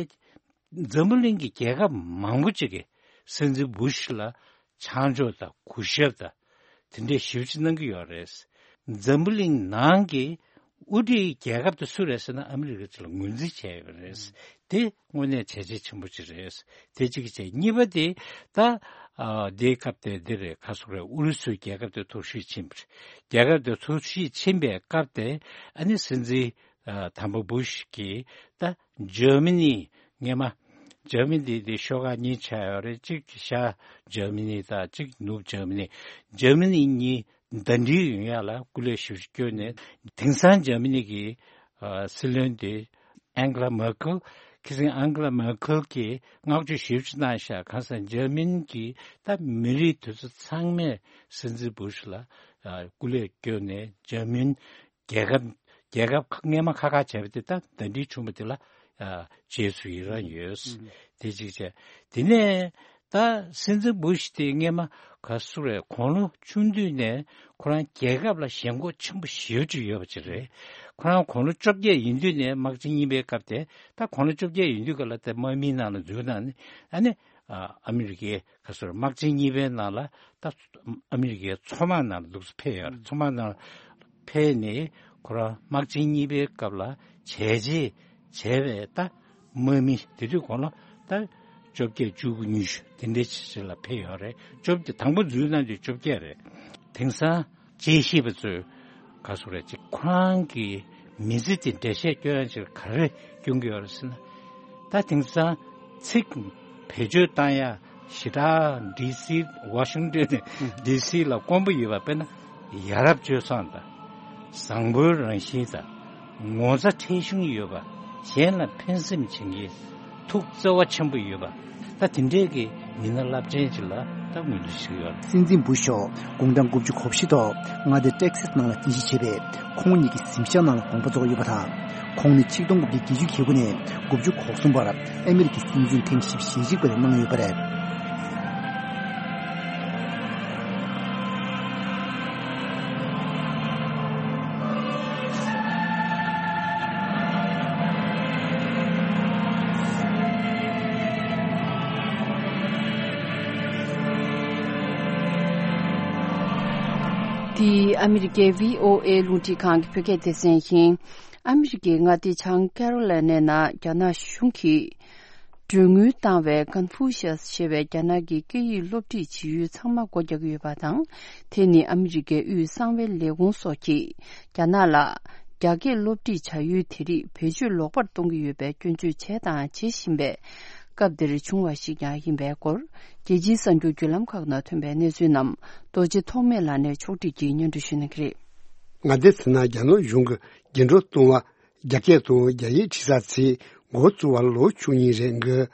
འཛམ་བུ་གླིང་གི་རྒྱལ་ཁབ་མང་པོ་ཅིག་གིས་སྲིད་འཛིན་བུ་ཤ་ལ་ཆ་འཇོག་དང་གུས་ཞབས་དང་དེ་འདྲའི་ཞེ་པོ་ཅིག་གནང་གི་ཡོད་རེད། འཛམ་བུ་གླིང་ནང་གི་དབུ་ཁྲིད་རྒྱལ་ཁབ་དེ་སུ་རེད་ཟེར་ན། ཨ་མི་རི་ཀ་ཅིག་ལ་ངོས་འཛིན་བྱས་ཡོད་རེད། དེ་དངོས་གནས་བྱས་རྗེས་ཆེན་པོ་ཅིག་རེད། དེ་གཅིག་བྱས། གཉིས་པ་དེ་ད་ཨ་དེའི་སྐབས་དེ་འདི་རེད། ག་སོག་རེད། ཨུ་རུ་སུའི་རྒྱལ་ཁབ་དེ་འཐོར་ཞིག་ཕྱིན་པ་རེད། རྒྱལ་ཁབ་དེ་འཐོར་ཞིག་ཕྱིན་པའི་སྐབས་དེ། ཨ་ནི་སྲིད་འཛིན་ཨ་དམ་པ་བུ་ཤ་གིས་ད་འཇར་མ་ནི། སྔས་མ་འཇར་མ་ནི་དེ་ཤོག་ཁག་གཉིས་ཆགས་ཡོད་རེད། གཅིག་ཤར་འཇར་མ་ནི་དང་གཅིག་ནུབ་འཇར་མ་ནི། འཇར་མ་ནི་གཉིས་ཟླ་སྒྲིལ་ཡོང་ཡག་ལ་སྐུ་ལས་ཞེ་པོ་ཅིག་བསྐྱོན་ནས། དེང་སང་འཇར་མ་ནི་གི་ཨ་སྲིད་བློན་དེ་ཨན་གྷི་ལ་མེར་ཁེལ། ཁ་སང་ཨན་གྷི་ལ་མེར་ཁེལ་གྱིས་བསྔགས་བརྗོད་ཞེ་པོ་ཅིག་གནང་ཤག་གང་ཟེར་ན། འཇར་མ་ནི་གི་ད་མི་རིགས་དེ་ཚོ་ཚང་མས་སྲིད་འཛིན་བུ་ཤ་ལ་ཨ་སྐུ་ལས་བསྐྱོན་ནས། འཇར་མ་ནི་རྒྱལ་ཁབ་རྒྱལ་ཁབ་སྔས་མ་ཁ་ཁ་བྱས་པ་དེ་ད་ཟླ་སྒྲིལ་བྱུང་བ་དེ་ལ་ཨ་རྗེས་སུ་ཡི་རང་ཡོད། དེ་གཅིག་བྱས། དེ་ནས་ད་སྲིད་འཛིན་བུ་ཤ་དེ་སྔས་མ་ག་སུ་རེད། དགུང་ལོ་ཆུང་དུས་ནས་ཁོ་རང་རྒྱལ་ཁབ་ལ་ཞེན་ཁོག་ཆེན་པོ་ཞེ་པོ་ཅིག་ཡོད་པ་ཅིག་རེད། ཁོ་རང་དགུང་ལོ་བཅོ་བརྒྱད་ཡིན་དུས་ནས་དམག་ཆེན་གཉིས་པའི་སྐབས་དེ། ད་དགུང་ལོ་བཅོ་བརྒྱད་ཡིན་དུས་ག་ལ་དེ་དམག་མིའི་ནང་ལ་འཛུལ་གནང་ནས། ཨ་ནི་ཨ་ཨ་མི་རི་ཀའི་ག་སོ་རེད། དམག་ཆེན་གཉིས་པའི་ནང་ལ་ད་ཨ་མི་རི་ཀའི་མཚོ་དམག་ནང་ལ་འདུག་སེ་ཕེབས་ཡོད་རེད། མཚོ་དམག་ནང་ཕེབས་ནས་ཁོ་རང་དམག་ཆེན་གཉིས་པའི་སྐབས་ལ་བྱས་རྗེས་བྱས་པའི་ད་དམག་མི། དེ་དུས་དགུང་ལོ་ད་བཅོ་བརྒྱད་བཅུ་དགུ་ཉི་ཤུ་དེ་འདྲའི་ཆ་ལ་ཕེབས་ཡོད་རེད། བཅོ་བརྒྱད། དང་པོ་འཛུལ་གནང་དུས་བཅོ་བརྒྱད་རེད། དེང་སང་དཔྱད་ཞིབ་པ་ཚོས་ག་སོ་རེད། ཅིག་ཁོ་རང་གི་མི་ཚེ་དེ་འགྲེལ་བཤད་སྐྱོན་ཡག་ཅིག་ག་རེ་སྐྱོན་གྱི་ཡོད་རེད་ཟེར་ན། ད་དེང་སང་ཚིག་བེད་སྤྱོད་བཏང་ཡ་ཞེ་དྲག་ཌི་སི། ཝ་ཤིང་ཊོན་ཌི་སི་ལ་དཀོན་པོ་ཡོད་པ། དཔེར་ན་ཡ་རབས་སྤྱོད་བཟང་དང་། བཟང་པོའི་རང་བཞིན་དང་། ངོ་ཚ་ཁྲེལ་གཞུང་ཡོད་པ། གཞན་ལ་ཕན་སེམས་བྱེད་མཁན། ཐུགས་བརྩེ་བ་ཆེན་པོ་ཡོད་པ། ད་དེ་འདྲས་ཀྱི་མི་སྣ་རླབས་ཆེན་ཅིག་ལ་ད་ངོས་འཛིན་ཞུ་གི་ཡོད། སྲིད་འཛིན་བུ་ཤ་མཆོག་དགུང་གྲངས་དགུ་བཅུ་གོ་བཞི་ཐོག་མངའ་སྡེ་ཊེག་སཱས་ནང་ལ་རྟེན་གཞི་བྱས་པའི་ཁོང་ཉིད་ཀྱི་གཟིམ་ཤག་ནང་ལ་དགོངས་པ་རྫོགས་ཡོད་པ་དང་། ཁོང་ནི་ཆིག་སྟོང་དགུ་བརྒྱ་བརྒྱད་ཅུ་གྱ་དགུ་ནས་དགུ་བཅུ་གོ་གསུམ་བར་ཨ་མི་རི་ཀའི་སྲིད་འཛིན་ཐེངས་བཞི་བཅུ་ཞེ་གཅིག་པ་རེད་གནང་ཡོད་པ་རེད། འདི་ཨ་མི་རི་ཀའི་བྷི་ཨོ་ཨེ་རླུང་འཕྲིན་ཁང་གི་བོད་སྐད་སྡེ་ཚན་ཡིན། ཨ་མི་རི་ཀའི་མངའ་སྡེ་བྱང་ཀེ་རོ་ལེ་ནའི་ནང་རྒྱ་ནག་གཞུང་གིས་གྲོན་དངུལ་བཏང་བའི་ཀོན་ཧྥུ་ཤི་ཡས་ཞེས་པའི་རྒྱ་ནག་གི་སྐད་ཡིག་སློབ་ཁྲིད་བྱེད་ཡུལ་ཚང་མ་སྒོ་རྒྱག་གི་ཡོད་པ་དང་། དེ་ནི་ཨ་མི་རི་ཀའི་དབུས་གསང་བའི་ལས་ཁུངས་སོགས་ཀྱིས་རྒྱ་ནག་ལ་རྒྱ་སྐད་སློབ་ཁྲིད་བྱ་ཡུལ་དེ་རིགས་བེད་སྤྱོད་ལོག་པར་གཏོང་གི་ཡོད་པའི་སྐྱོན་བརྗོད་བྱས་དང་བྱེད་བཞིན་པའི་སྐབས་འདིར་བྱུང་བ་ཞིག་ཀྱང་ཡིན་པའི་སྐོར། རྒྱལ་སྤྱིའི་གསར་འགྱུར་བརྒྱུད་ལམ་ཁག་ནང་ཐོན་པའི་གནས་ཚུལ་རྣམས་རྡོ་རྗེ་ཐོགས་མེད་ལགས་ནས་ཕྱོགས་སྒྲིག་གིས་སྙན་སྒྲོན་ཞུ་གནང་གི་རེད། མངའ་སྡེ་དེ་ནང་རྒྱ་ནག་གཞུང་གིས་འགྱུར་འགྲོས་གཏོང་བ། རྒྱ་སྐད་དང་རྒྱ་ཡིག་ཁྲིད་ས་ཚིག་འགོ་བཙུགས་པར་ལོ་བཅུ་གཉིས་རེ་འགོར།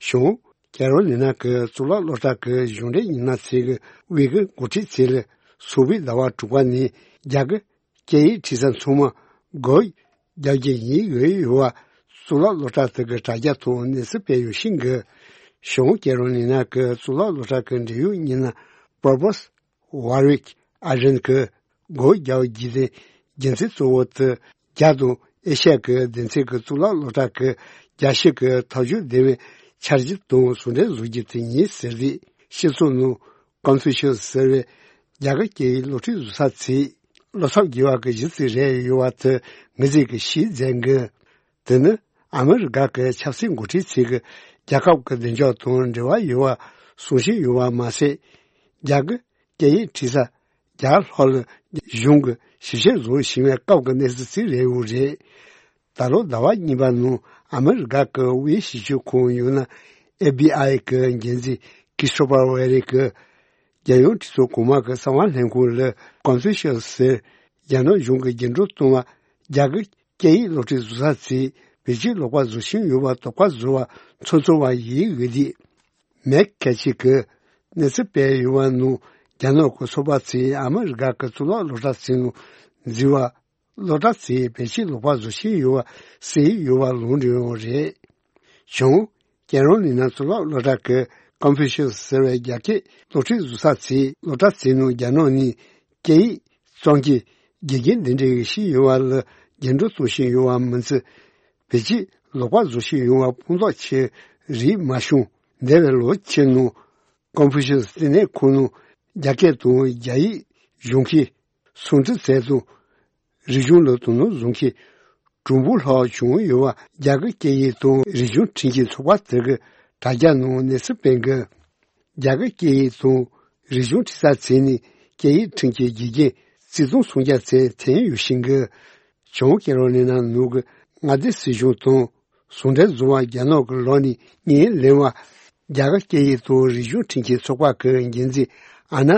བྱུང་། ཀེ་རོ་ལི་ན་གི་གཙུག་ལག་སློབ་གྲྭ་གི་གཞུང་འབྲེལ་ཉི་ན་ཚེ་གི་དབུས་ཀྱི་འགོ་ཁྲིད་ཚེ་ལ་སུ་བི་ཟླ་བ་དྲུག་པ་ནས་རྒྱ་གི་སྐད་ཡིག་ཁྲིད་ས་ཚང་མ་སྒོ་ རྒྱག་རྒྱུ་ཡིན་ཡོད་ཡོད་པ། གཙུག་ལག་སློབ་གྲྭ་དེ་གི་དྲ་རྒྱ་ཐོག་གནས་ཚུལ་སྤེལ་ཡོད་ཤིང་གི། གཞུང་ཀེ་རོ་ལི་ན་གི་གཙུག་ལག་སློབ་གྲྭ་གི་འབྲེལ་ཡོད་མི་སྣ་པར་པོས་ཝར་ཝིག་ཨ་རན་གི་སྒོ་རྒྱག་རྒྱུ་དེ་རྒྱུ་མཚན་གཙོ་བོ་དེ། རྒྱ་དང་ཨེ་ཤ་ཡ་གི་སྡེ་ཚན་གི་གཙུག་ལག་སློབ་གྲྭ་གི་རྒྱ་ཞིབ་གི་ཐབས་ཇུས་ལྡན་པའི་འཆར་གཞི་དང་ཟུང་འབྲེལ་བཟོ་རྒྱུ་དེ་ཡིན་ཟེར་ཏེ། སྤྱི་ཚོགས་ནང་ཀོན་ཕུ་ཤུས་ཟེར་བའི་རྒྱ་གར་སྐད་ཡིག་སློབ་ཁྲིད་བཟོ་ས་ཚིག་སློབ་ཚབ་དགེ་བ་གི་གཞི་རྩའི་རེད་ཡོད་པ་དེ་ངོས་འཛིན་གྱི་ཤིས་ཙེང་གིས། དེ་ནི་ཨ་མི་རི་ཀ་གི་ཆབ་སྲིད་འགོ་ཁྲིད་ཚོས་ཀྱི་རྒྱལ་ཁབ་ཀྱི་བདེ་འཇགས་དང་འབྲེལ་བ་ཡོད་པ་གསུང་བཞིན་ཡོད་པ་མ་ཟད། རྒྱ་གི་སྐད་ཡིག་ཁྲིད་ས་རྒྱ་ལྷོ་ལ་གཞུང་གི་ཞིབ་བཤེར་བཟོ་བཞིན་པའི་སྐབས་ཀྱི་གནས་ཚུལ་ཅིག་རེད་འོ་རེད། ད་ལོ་ཟླ་བ་གཉིས་པ་ནང་ཨ་མི་རི་ཀ་གི་དབུས་ཞིབ་དཔྱོད་ཁང་ཡང་ན་ཨེཕ་བི་ཨའི་གི་འགན་འཛིན་ཀི་སི་ཊོ་ཕར་ཝེ་རི་གིས། རྒྱལ་ཡོངས་གྲོས་ཚོགས་གོང་མ་གི་གསང་བ་ལྷན་ཁང་ལ་ཀོན་ཕུ་ཤུས་ཟེར་རྒྱ་ནག་གཞུང་གི་རྒྱུན་སྒྲོག་གཏོང་བ་རྒྱ་གི་སྐད་ཡིག་སློབ་ཁྲིད་བཟོ་ས་ཚོས་བེད་སྤྱོད་ལོག་པ་བཟོ་བཞིན་ཡོད་པ་དོགས་པ་བཟོ་བ་ཚོར་ཚོར་བ་ཡིན་ཡོད་དེ། མེག་ཁེ་ཆི་གིས་གནས་ཚུལ་སྤེལ་ཡོད་པ་ནང་རྒྱ་ནག་གི་ཚོགས་པ་ཚོས་ཨ་མི་རི་ཀ་གི་གཙུག་ལག་སློབ་གྲྭ་ཚོའི་ནང་འཛུལ་བ། སློབ་གྲྭ་ཚོས་བེད་སྤྱོད་ལོག་པ་བཟོ་བཞིན་ཡོད་པ་གསལ་ཡོད་པ་ལུང་འདྲེན་ཡོད་རེད། བྱུང་། ཀེ་རོ་ལི་ན་གཙུག་ལག་སློབ་གྲྭ་གི་ཀོན་ཕུ་ཤུས་ཟེར་བའི་རྒྱ་སྐད་སློབ་ཁྲིད་བཟོ་ས་ཚོས་སློབ་གྲྭ་ཚོའི་ནང་རྒྱ་ནག་ནས་སྐད་ཡིག་གཙང་སྐྱེས་དགེ་རྒན་འདི་འདྲའི་ཞིག་ཡོད་པ་ལ་རྒྱུན་སྒྲོག་གཏོང་བཞིན་ཡོད་པ་མིན་ཚེ། བེད་སྤྱོད་ལོག་པ་བཟོ་བཞིན་ཡོད་པ་ཕུང་ཐོག་ཆེ་རིགས་མ་བྱུང་། འདས་པའི་ལོ་ཕྱེད་ནང་ཀོན་ཕུ་ཤུས་ལྟེ་གནས་ཁང་ནང་རྒྱ་སྐད་དང་རྒྱ་ཡིག་སྦྱོང་མཁན་སུང་ཀྲི་ཚེ་དང་རིག་གཞུང་ལ་དོ་སྣང་བཟུང་མཁན་གྲུང་པོ་ལྷག་བྱུང་ཡོད་པ་རྒྱ་གར་སྐད་ཡིག་དང་རིག་གཞུང་ཁྲིད་མཁན་ཚོགས་པ་དེ་གི་དྲ་རྒྱ་ནང་གནས་ཚུལ་སྤེལ་གི། རྒྱ་གར་སྐད་ཡིག་དང་རིག་གཞུང་ཁྲིད་ས་ཚོ་ནས་སྐད་ཡིག་ཁྲིད་མཁན་དགེ་རྒན་རྩིས་སྟོང་སུམ་བརྒྱ་ཙམ་ཐོན་ཡོད་བཞིན་གི། བྱང་ཀེ་རོ་ལི་ན་ནང་གི་མངའ་སྡེ་སྲིད་གཞུང་དང་ཟུང་འབྲེལ་བཟོ་བར་རྒྱ་ནག་གི་ལོགས་ནས་བརྙན་ལེན་པ། རྒྱ་གར་སྐད་ཡིག་དང་རིག་གཞུང་ཁྲིད་མཁན་ཚོགས་པ་གི་འགན་འཛིན་ཨ་ན་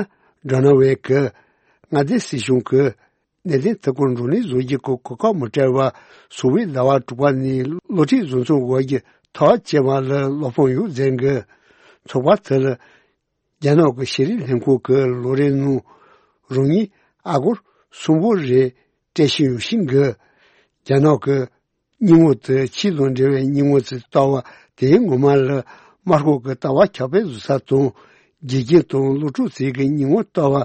ཌོ་ན་ཝེ་གིས་མངའ་སྡེ་སྲིད་གཞུང་གིས་གནད་དོན་དེ་སྐོར་བགྲོ་གླེང་བཟོ་རྒྱུ་གི་གོ་སྐབས་མི་སྤྲད་པར་སོ་པའི་ཟླ་བ་དྲུག་པ་ནས་སློབ་ཁྲིད་བཟོ་ཚོང་འོག་གི་ཐག་བཅད་པ་ལ་བློ་ཕམ་ཡོད་ཟེར་གི། ཚོགས་པ་དེ་ལ་རྒྱ་ནག་གི་ཤེས་རིག་ལྷན་ཁང་གི་ལོ་རེའི་ནང་རང་ཉིད་ཨ་སྒོར་གསུམ་པོ་རེ་སྤྲད་བཞིན་ཡོད་བཞིན་གི། རྒྱ་ནག་གི་སྙིང་བོ་དེ་ཆོས་དང་འབྲེལ་བའི་སྙིང་བོ་ཚོས་ལྟ་བ་དེའི་ངོ་མ་ལ་དམར་ཤོག་གི་ལྟ་བ་ཁྱབ་སྤེལ་བཟོ་ས་དང་། དགེ་རྒན་དང་སློབ་ཕྲུག་ཚོས་ཀྱི་སྙིང་བོ་ལྟ་བ་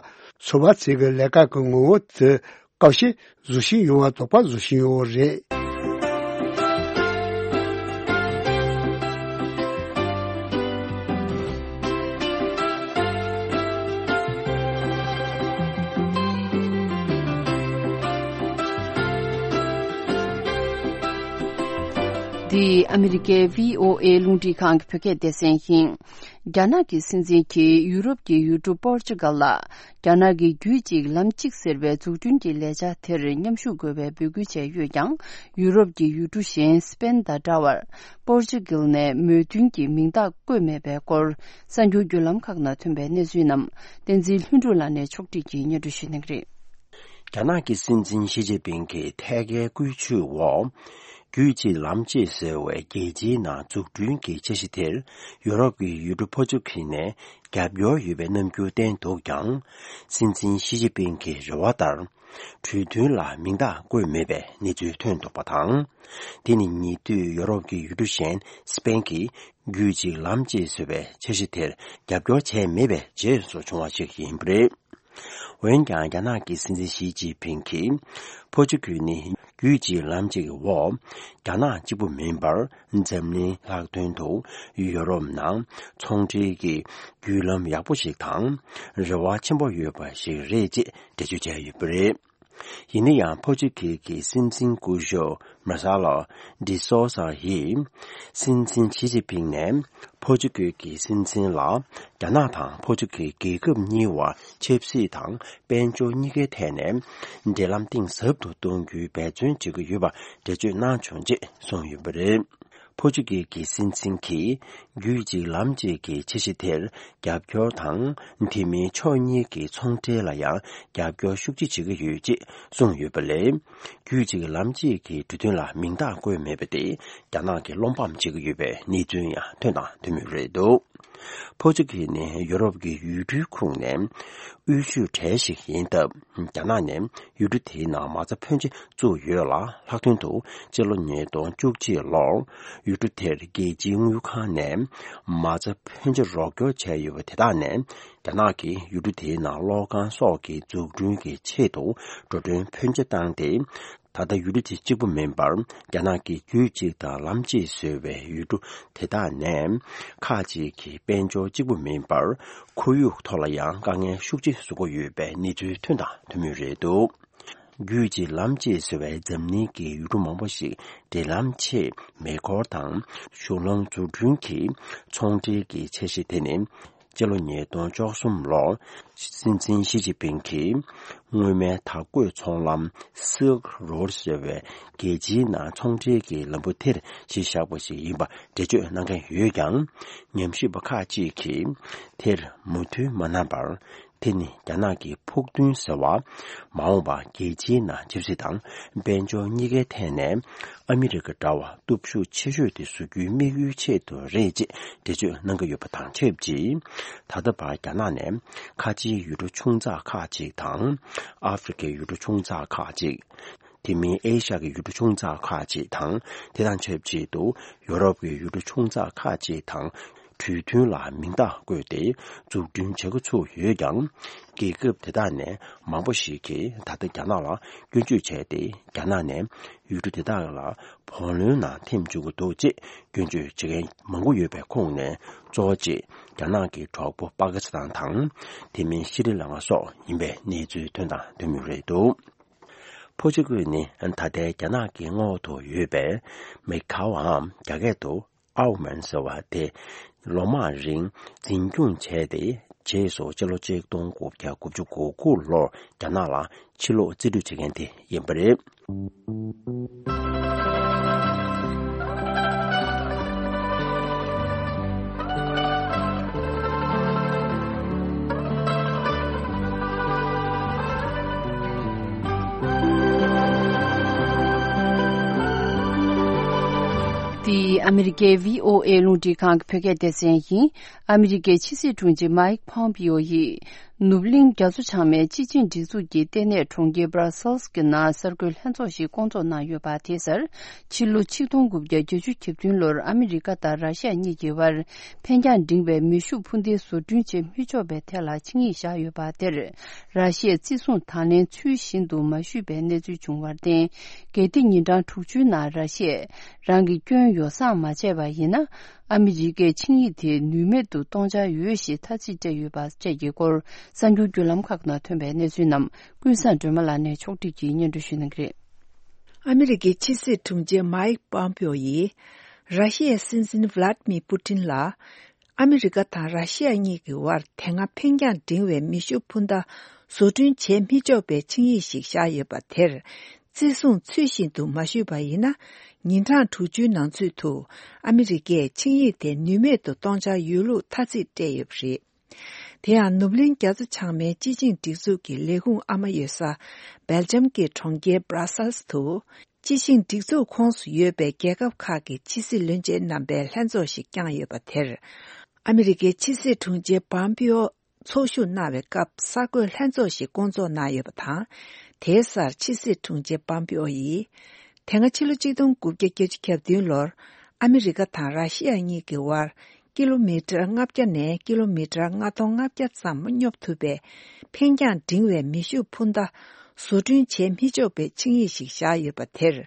ཚོགས་པ་ཚོས་ཀྱི་ལས་ཀ་གི་ངོ་བོ་དེ་བཀག་ཆ་བཟོ་བཞིན་ཡོད་པ་དོགས་པ་བཟོ་བཞིན་ཡོད་རེད། འདི་ཨ་མི་རི་ཀའི་བྷི་ཨོ་ཨེ་རླུང་འཕྲིན་ཁང་གི་བོད་སྐད་སྡེ་ཚན་ཡིན། རྒྱ་ནག་གི་སྲིད་འཛིན་གྱིས་ཡུ་རོབ་ཀྱི་ཡུལ་གྲུ་པོར་ཅུ་གལ་ལ། རྒྱ་ནག་གི་རྒྱུད་གཅིག་ལམ་གཅིག་ཟེར་བའི་འཛུགས་སྐྲུན་གྱི་ལས་འཆར་དེར་མཉམ་ཞུགས་དགོས་པའི་འབོད་སྐུལ་བྱས་ཡོད་ཀྱང་། ཡུ་རོབ་ཀྱི་ཡུལ་གྲུ་གཞན་སི་པེན་དང་འདྲ་བར། པོར་ཅུ་གལ་ནས་མོས་མཐུན་གྱི་མིང་རྟགས་བཀོད་མེད་པའི་སྐོར། གསར་འགྱུར་བརྒྱུད་ལམ་ཁག་ནང་ཐོན་པའི་གནས་ཚུལ་རྣམས་བསྟན་འཛིན་ལྷུན་གྲུབ་ལགས་ནས་ཕྱོགས་སྒྲིག་གིས་སྙན་སྒྲོན་ཞུ་གནང་གི་རེད། རྒྱ་ནག་གི་སྲིད་འཛིན་ཞི་ཅིན་ཕིང་གིས་ཐད་ཀའི་བཀོད་ཇུས་འོག་རྒྱུད་གཅིག་ལམ་གཅིག་ཟེར་བའི་རྒྱལ་སྤྱིའི་ནང་འཛུགས་སྐྲུན་གྱི་འཆར་གཞི་དེར་ཡུ་རོབ་ཀྱི་ཡུལ་གྲུ་ཕོ་ཅུ་གི་ནས་རྒྱབ་སྐྱོར་ཡོད་པའི་རྣམ་འགྱུར་བསྟན་འདུག་ཀྱང་། སྲིད་འཛིན་ཞི་ཅིན་ཕིང་གི་རེ་བ་ལྟར། གྲོས་མཐུན་ལ་མིང་རྟགས་བཀོད་མེད་པའི་གནས་ཚུལ་ཐོན་འདུག་པ་དང་། དེ་ནི་ཉེ་དུས་ཡུ་རོབ་ཀྱི་ཡུལ་གྲུ་གཞན་སི་པེན་གྱིས་རྒྱུད་གཅིག་ལམ་གཅིག་ཟེར་བའི་འཆར་གཞི་དེར་རྒྱབ་སྐྱོར་བྱས་མེད་པའི་རྗེས་སུ་བྱུང་བ་ཞིག་ཡིན་པ་རེད། འོན་ཀྱང་། རྒྱ་ནག་གི་སྲིད་འཛིན་ཞི་ཅིན་ཕིང་གིས་ཕོ་ཅུ་གུ་ནི་རྒྱུད་གཅིག་ལམ་གཅིག་གི་འོག་རྒྱ་ནག་གཅིག་པུ་མིན་པར། འཛམ་གླིང་ལྷག་དོན་དུ་ཡུ་རོབ་ནང་ཚོང་འབྲེལ་གྱི་བརྒྱུད་ལམ་ཡག་པོ་ཞིག་དང་། རེ་བ་ཆེན་པོ་ཡོད་པ་ཞིག་རེད་ཅེས་འགྲེལ་བརྗོད་བྱས་ཡོད་པ་རེད། ཡིན་ན་ཡང་། ཕོ་ཅུ་གུ་གི་སྲིད་འཛིན་སྐུ་ཞབས་མར་སེ་ལོ་ཌི་སོ་ས་ཡིས། སྲིད་འཛིན་ཞི་ཅིན་ཕིང་ནས་ཕོ་ཅུ་གུ་གི་སྲིད་འཛིན་ལ། རྒྱ་ནག་དང་ཕོ་ཅུ་གུ་རྒྱལ་ཁབ་གཉིས་བར་ཆབ་སྲིད་དང་དཔལ་འབྱོར་གཉིས་ཀའི་ཐད་ནས་འབྲེལ་ལམ་གཏིང་ཟབ་ཏུ་གཏོང་རྒྱུའི་འབད་བརྩོན་བྱེད་ཀྱི་ཡོད་པ་འགྲེལ་བརྗོད་གནང་བྱུང་ཅེས་གསུངས་ཡོད་པ་རེད། ཕོ་ཅུ་གུ་གི་སྲིད་འཛིན་གྱིས་རྒྱུད་གཅིག་ལམ་གཅིག་གི་འཆར་གཞི་དེར་རྒྱབ་སྐྱོར་དང་། དེ་མིན་ཕྱོགས་གཉིས་ཀྱི་ཚོང་འབྲེལ་ལ་ཡང་རྒྱབ་སྐྱོར་ཤུགས་ཆེ་བྱེད་ཀྱི་ཡོད་ཅེས་གསུངས་ཡོད་པ་ལས། རྒྱུད་གཅིག་ལམ་གཅིག་གི་གྲོས་མཐུན་ལ་མིང་རྟགས་བཀོད་མེད་པ་དེ་རྒྱ་ནག་གིས་བློ་ཕམ་བྱེད་ཀྱི་ཡོད་པའི་གནས་ཚུལ་ཡང་ཐོན་དང་ཐོན་མུས་རེད་འདུག། ཕོ་ཅོ་གི་ནི་ཡོ་རོབ་ཀྱི་ཡུལ་གྲུའི་ཁོངས་ནས་དབུལ་ཤོས་གྲས་ཤིག་ཡིན་སྟབས། རྒྱ་ནག་ནས་ཡུལ་གྲུ་དེའི་ནང་མ་རྩ་ཕོན་ཆེ་བཙུགས་ཡོད་ལ། ལྷག་དོན་དུ་སྤྱི་ལོ་ཉིས་སྟོང་བཅུ་གཅིག་ལོར་ཡུལ་གྲུ་དེར་རྒྱལ་སྤྱིའི་དངུལ་ཁང་ནས་མ་རྩ་ཕོན་ཆེ་རོགས་སྐྱོར་བྱས་ཡོད་པ་དེ་དག་ནས། རྒྱ་ནག་གིས་ཡུལ་གྲུ་དེའི་ནང་གློག་ཁང་སོགས་ཀྱི་འཛུགས་སྐྲུན་གྱི་ཆེད་དུ་འགྲོ་གྲོན་ཕོན་ཆེ་བཏང་སྟེ། ད་ལྟ་ཡུལ་གྲུ་དེ་གཅིག་པུ་མིན་པར། རྒྱ་ནག་གིས་རྒྱུད་གཅིག་དང་ལམ་གཅིག་བཟོས་པའི་ཡུལ་གྲུ་དེ་དག་ནས་ཁག་ཅིག་གི་དཔལ་འབྱོར་གཅིག་པུ་མིན་པར། ཁོར་ཡུག་ཐོག་ལ་ཡང་དཀའ་ངལ་ཤུགས་ཆེ་བཟོ་གི་ཡོད་པའི་གནས་ཚུལ་ཐོན་དང་ཐོན་མུས་རེད་འདུག་རྒྱུད་གཅིག་ལམ་གཅིག་བཟོ་བའི་འཛམ་གླིང་གི་ཡུལ་གྲུ་མང་པོ་ཞིག་འབྲེལ་ལམ་ཆེད་མེ་འཁོར་དང་གཞུང་ལམ་འཛུགས་སྐྲུན་གྱི་ཚོང་འབྲེལ་གྱི་འཆར་གཞི་དེ་ནི། སྤྱི་ལོ་ཉིས་སྟོང་བཅུ་གསུམ་ལོར་སྲིད་འཛིན་ཞི་ཅིན་ཕིང་གིས་སྔོན་མའི་དར་གོས་ཚོང་ལམ་Silk Road ཟེར་བའི་རྒྱལ་སྤྱིའི་ནང་ཚོང་འབྲེལ་གྱི་ལམ་བུ་དེར་གཞི་བཞག་པ་ཞིག་ཡིན་པ་འགྲེལ་བརྗོད་གནང་མཁན་ཡོད་ཀྱང་། ཉམས་ཞིབ་པ་ཁག་ཅིག་གིས་དེར་མོས་མཐུན་མ་གནང་བར། དེ་ནི་རྒྱ་ནག་གི་ཕུགས་འདུན་ཟེར་བ། མ་འོངས་པར་རྒྱལ་སྤྱིའི་ནང་ཆབ་སྲིད་དང་དཔལ་འབྱོར་གཉིས་ཀའི་ཐད་ནས་ཨ་མི་རི་ཀ་འདྲ་བ་སྟོབས་ཤུགས་ཆེ་ཤོས་དེ་བཟོ་རྒྱུའི་དམིགས་ཡུལ་ཆེད་དུ་རེད་ཅེས་འགྲེལ་བརྗོད་གནང་གི་ཡོད་པ་དང་ཆབས་ཅིག་ད་ལྟ་བར་རྒྱ་ནག་ནས་ཁ་ཆེའི་ཡུལ་གྲུ་ཆུང་ཙག་ཁག་ཅིག་དང་། ཨ་ཧྥེ་རི་ཁའི་ཡུལ་གྲུ་ཆུང་ཙག་ཁག་ཅིག་དེ་མིན་ཨེ་ཤ་ཡའི་ཡུལ་གྲུ་ཆུང་ཙག་ཁག་ཅིག་དང་། དེ་དང་ཆབས་ཅིག་ཏུ་ཡོ་རོབ་ཀྱི་ཡུལ་གྲུ་ཆུང་ཙག་ཁག་ཅིག་དང་གྲོས་མཐུན་ལ་མིང་རྟགས་བཀོད་དེ་འཛུགས་སྐྲུན་བྱེད་འགོ་ཚུགས་ཡོད་ཀྱང་། རྒྱལ་ཁབ་དེ་དག་ནས་མང་པོ་ཞིག་གིས་ད་ལྟ་རྒྱ་ནག་ལ་སྐྱོན་བརྗོད་བྱས་ཏེ། རྒྱ་ནག་ནས་ཡུལ་གྲུ་དེ་དག་ལ་བུ་ལོན་ནང་འཐེན་བཅུག་གི་འདུག་ཅེས་སྐྱོན་བརྗོད་བྱེད་མཁན་མང་པོ་ཡོད་པའི་ཁོངས་ནས། གཙོ་བོ་གཅིག་རྒྱ་ནག་གི་གྲོགས་པོ་པ་ཀི་སི་ཐན་དང་། དེ་མིན་ཤི་རི་ལང་ཀ་སོགས་ཡིན་པའི་གནས་ཚུལ་ཐོན་དང་ཐོན་མུས་རེད་འདུག་ཕོ་ཅོ་ཀུ་ནི་ད་ལྟའི་རྒྱ་ནག་གི་ངོགས་དུ་ཡོད་པའི་མེ་ཁའོའམ་རྒྱ་སྐད་དུ་ཨའོ་མན་ཟེར་བ་དེ། ལོ་མང་རིང་འཛིན་སྐྱོང་བྱས་ཏེ། རྗེས་སུ་སྤྱི་ལོ་ཆིག་སྟོང་དགུ་བརྒྱ་དགུ་བཅུ་གོ་དགུ་ལོར་རྒྱ་ནག་ལ་ཕྱིར་ལོག་རྩིས་སྤྲོད་བྱེད་མཁན་དེ་ཡིན་པ་རེད། འདི་ཨ་མི་རི་ཀའི་བྷི་ཨོ་ཨེ་རླུང་འཕྲིན་ཁང་གི་བོད་སྐད་སྡེ་ཚན་ཡིན། ཨ་མི་རི་ཀའི་ཕྱི་སྲིད་དྲུང་ཆེ་མཱིག་ཕོམ་པིའོ་ཡིས། ནུབ་གླིང་རྒྱ་མཚོ་བྱང་མའི་སྤྱི་ཆིངས་སྒྲིག་འཛུགས་ཀྱི་ལྟེ་གནས་གྲོང་ཁྱེར་སྦ་ར་སེལ་སི་གི་ནང་གསར་འགོད་ལྷན་ཚོགས་ཤིག་བསྐོང་ཚོགས་གནང་ཡོད་པ་དེ་གསར་ཕྱི་ལོ་ཆིག་སྟོང་དགུ་བརྒྱ་བརྒྱད་ཅུ་གྱ་བདུན་ལོར་ཨ་མི་རི་ཀ་དང་ར་ཤི་ཡ་གཉིས་ཀྱི་དབར་འཕེན་རྒྱང་འབྲིང་བའི་མེ་ཤུགས་འཕུར་མདེལ་བཟོ་སྐྲུན་བྱེད་མི་ཆོག་པའི་ཐད་ལ་ཆིངས་ཡིག་བཞག་ཡོད་པ་དེར། ར་ཤི་ཡས་བརྩི་སྲུང་དང་ལེན་ཚུལ་བཞིན་དུ་མ་ཞུས་པའི་གནས་ཚུལ་བྱུང་བར་བརྟེན། གལ་ཏེ་ཉིན་གྲངས་དྲུག་ཅུའི་ནང་ར་ཤི་ཡས་རང་གི་སྐྱོན་ཡོ་བསྲང་མ་བྱས་པ་ཡིན་ན། ཨ་མི་རི་ཀས་ཆིངས་ཡིག་དེ་ནུས་མེད་དུ་གཏོང་འཆར་ཡོད་ཞེས་ཐ་ཚིག་སྤྲད་ཡོད་པ་བཅས་ཀྱི་སྐོར། གསར་འགྱུར་བརྒྱུད་ལམ་ཁག་ནང་ཐོན་པའི་གནས་ཚུལ་རྣམས་ཀུན་བཟང་སྒྲོལ་མ་ལགས་ནས་ཕྱོགས་སྒྲིག་གིས་སྙན་སྒྲོན་ཞུ་གནང་གི་རེད། ཨ་མི་རི་ཀའི་ཕྱི་སྲིད་དྲུང་ཆེ་མཱིག་པོམ་པིའོ་ཡིས། ར་ཤི་ཡའི་སྲིད་འཛིན་ཝ་ལ་ཏི་མིར་པུ་ཏིན་ལ། ཨ་མི་རི་ཀ་དང་ར་ཤི་ཡ་གཉིས་ཀྱི་དབར་དེ་སྔ་འཕེན་རྒྱང་འབྲིང་བའི་མེ་ཤུགས་འཕུར་མདའ་བཟོ་སྐྲུན་བྱེད་མི་ཆོག་པའི་ཆིངས་ཡིག་ཞིག་བཞག་ཡོད་པ་དེར། བརྩི་སྲུང་ཚུལ་བཞིན་དུ་མ་ཞུས་པ་ཡིན་ན། ཉིན་གྲངས་དྲུག་ཅུའི་ནང་ཚུད་དུ་ཨ་མི་རི་ཀས་ཆིངས་ཡིག་དེ་ནུས་མེད་དུ་གཏོང་འཆར་ཡོད་ལུགས་ཐ་ཚིག་སྤྲད་ཡོད་པ་རེད། དེ་ཡང་ནུབ་གླིང་རྒྱ་མཚོ་བྱང་མའི་སྤྱི་ཆིངས་སྒྲིག་འཛུགས་ཀྱི་ལས་ཁུངས་ཨ་མ་ཡོད་ས་སྦེལ་ཇམ་གྱི་གྲོང་ཁྱེར་སྦ་ར་སེལ་སི་དུ། སྤྱི་ཆིངས་སྒྲིག་འཛུགས་ཁོངས་སུ་ཡོད་པའི་རྒྱལ་ཁབ་ཁག་གི་ཕྱི་སྲིད་བློན་ཆེན་རྣམ་པའི་ལྷན་ཚོགས་ཤིག་བསྐྱངས་ཡོད་པ་དེར། ཨ་མི་རི་ཀའི་ཕྱི་སྲིད་དྲུང་ཆེ་པོམ་པིའོ་ཚོགས་ཞུགས་གནང་བའི་སྐབས་གསར་འགོད་ལྷན་ཚོགས་ཤིག་བསྐོང་ཚོགས་གནང་ཡོད་པ་དང་། དེའི་སར་ཕྱི་སྲིད་དྲུང་ཆེ་པོམ་པིའོ་ཡིས། དེ་སྔ་ཕྱི་ལོ་ཆིག་སྟོང་དགུ་བརྒྱ་བརྒྱད་ཅུ་གྱ་བདུན་ལོར་ཨ་མི་རི་ཀ་དང་ར་ཤི་ཡ་གཉིས་ཀྱི་དབར་ཀི་ལོ་མི་ཊར་ལྔ་བརྒྱ་ནས་ཀི་ལོ་མི་ཊར་ལྔ་སྟོང་ལྔ་བརྒྱ་ཙམ་སྙོབ་ཐུབ་པའི་འཕེན་རྒྱང་འབྲིང་བའི་མེ་ཤུགས་འཕུར་མདའ་བཟོ་སྐྲུན་བྱེད་མི་ཆོག་པའི་ཆིངས་ཡིག་ཞིག་བཞག་ཡོད་པ་དེར།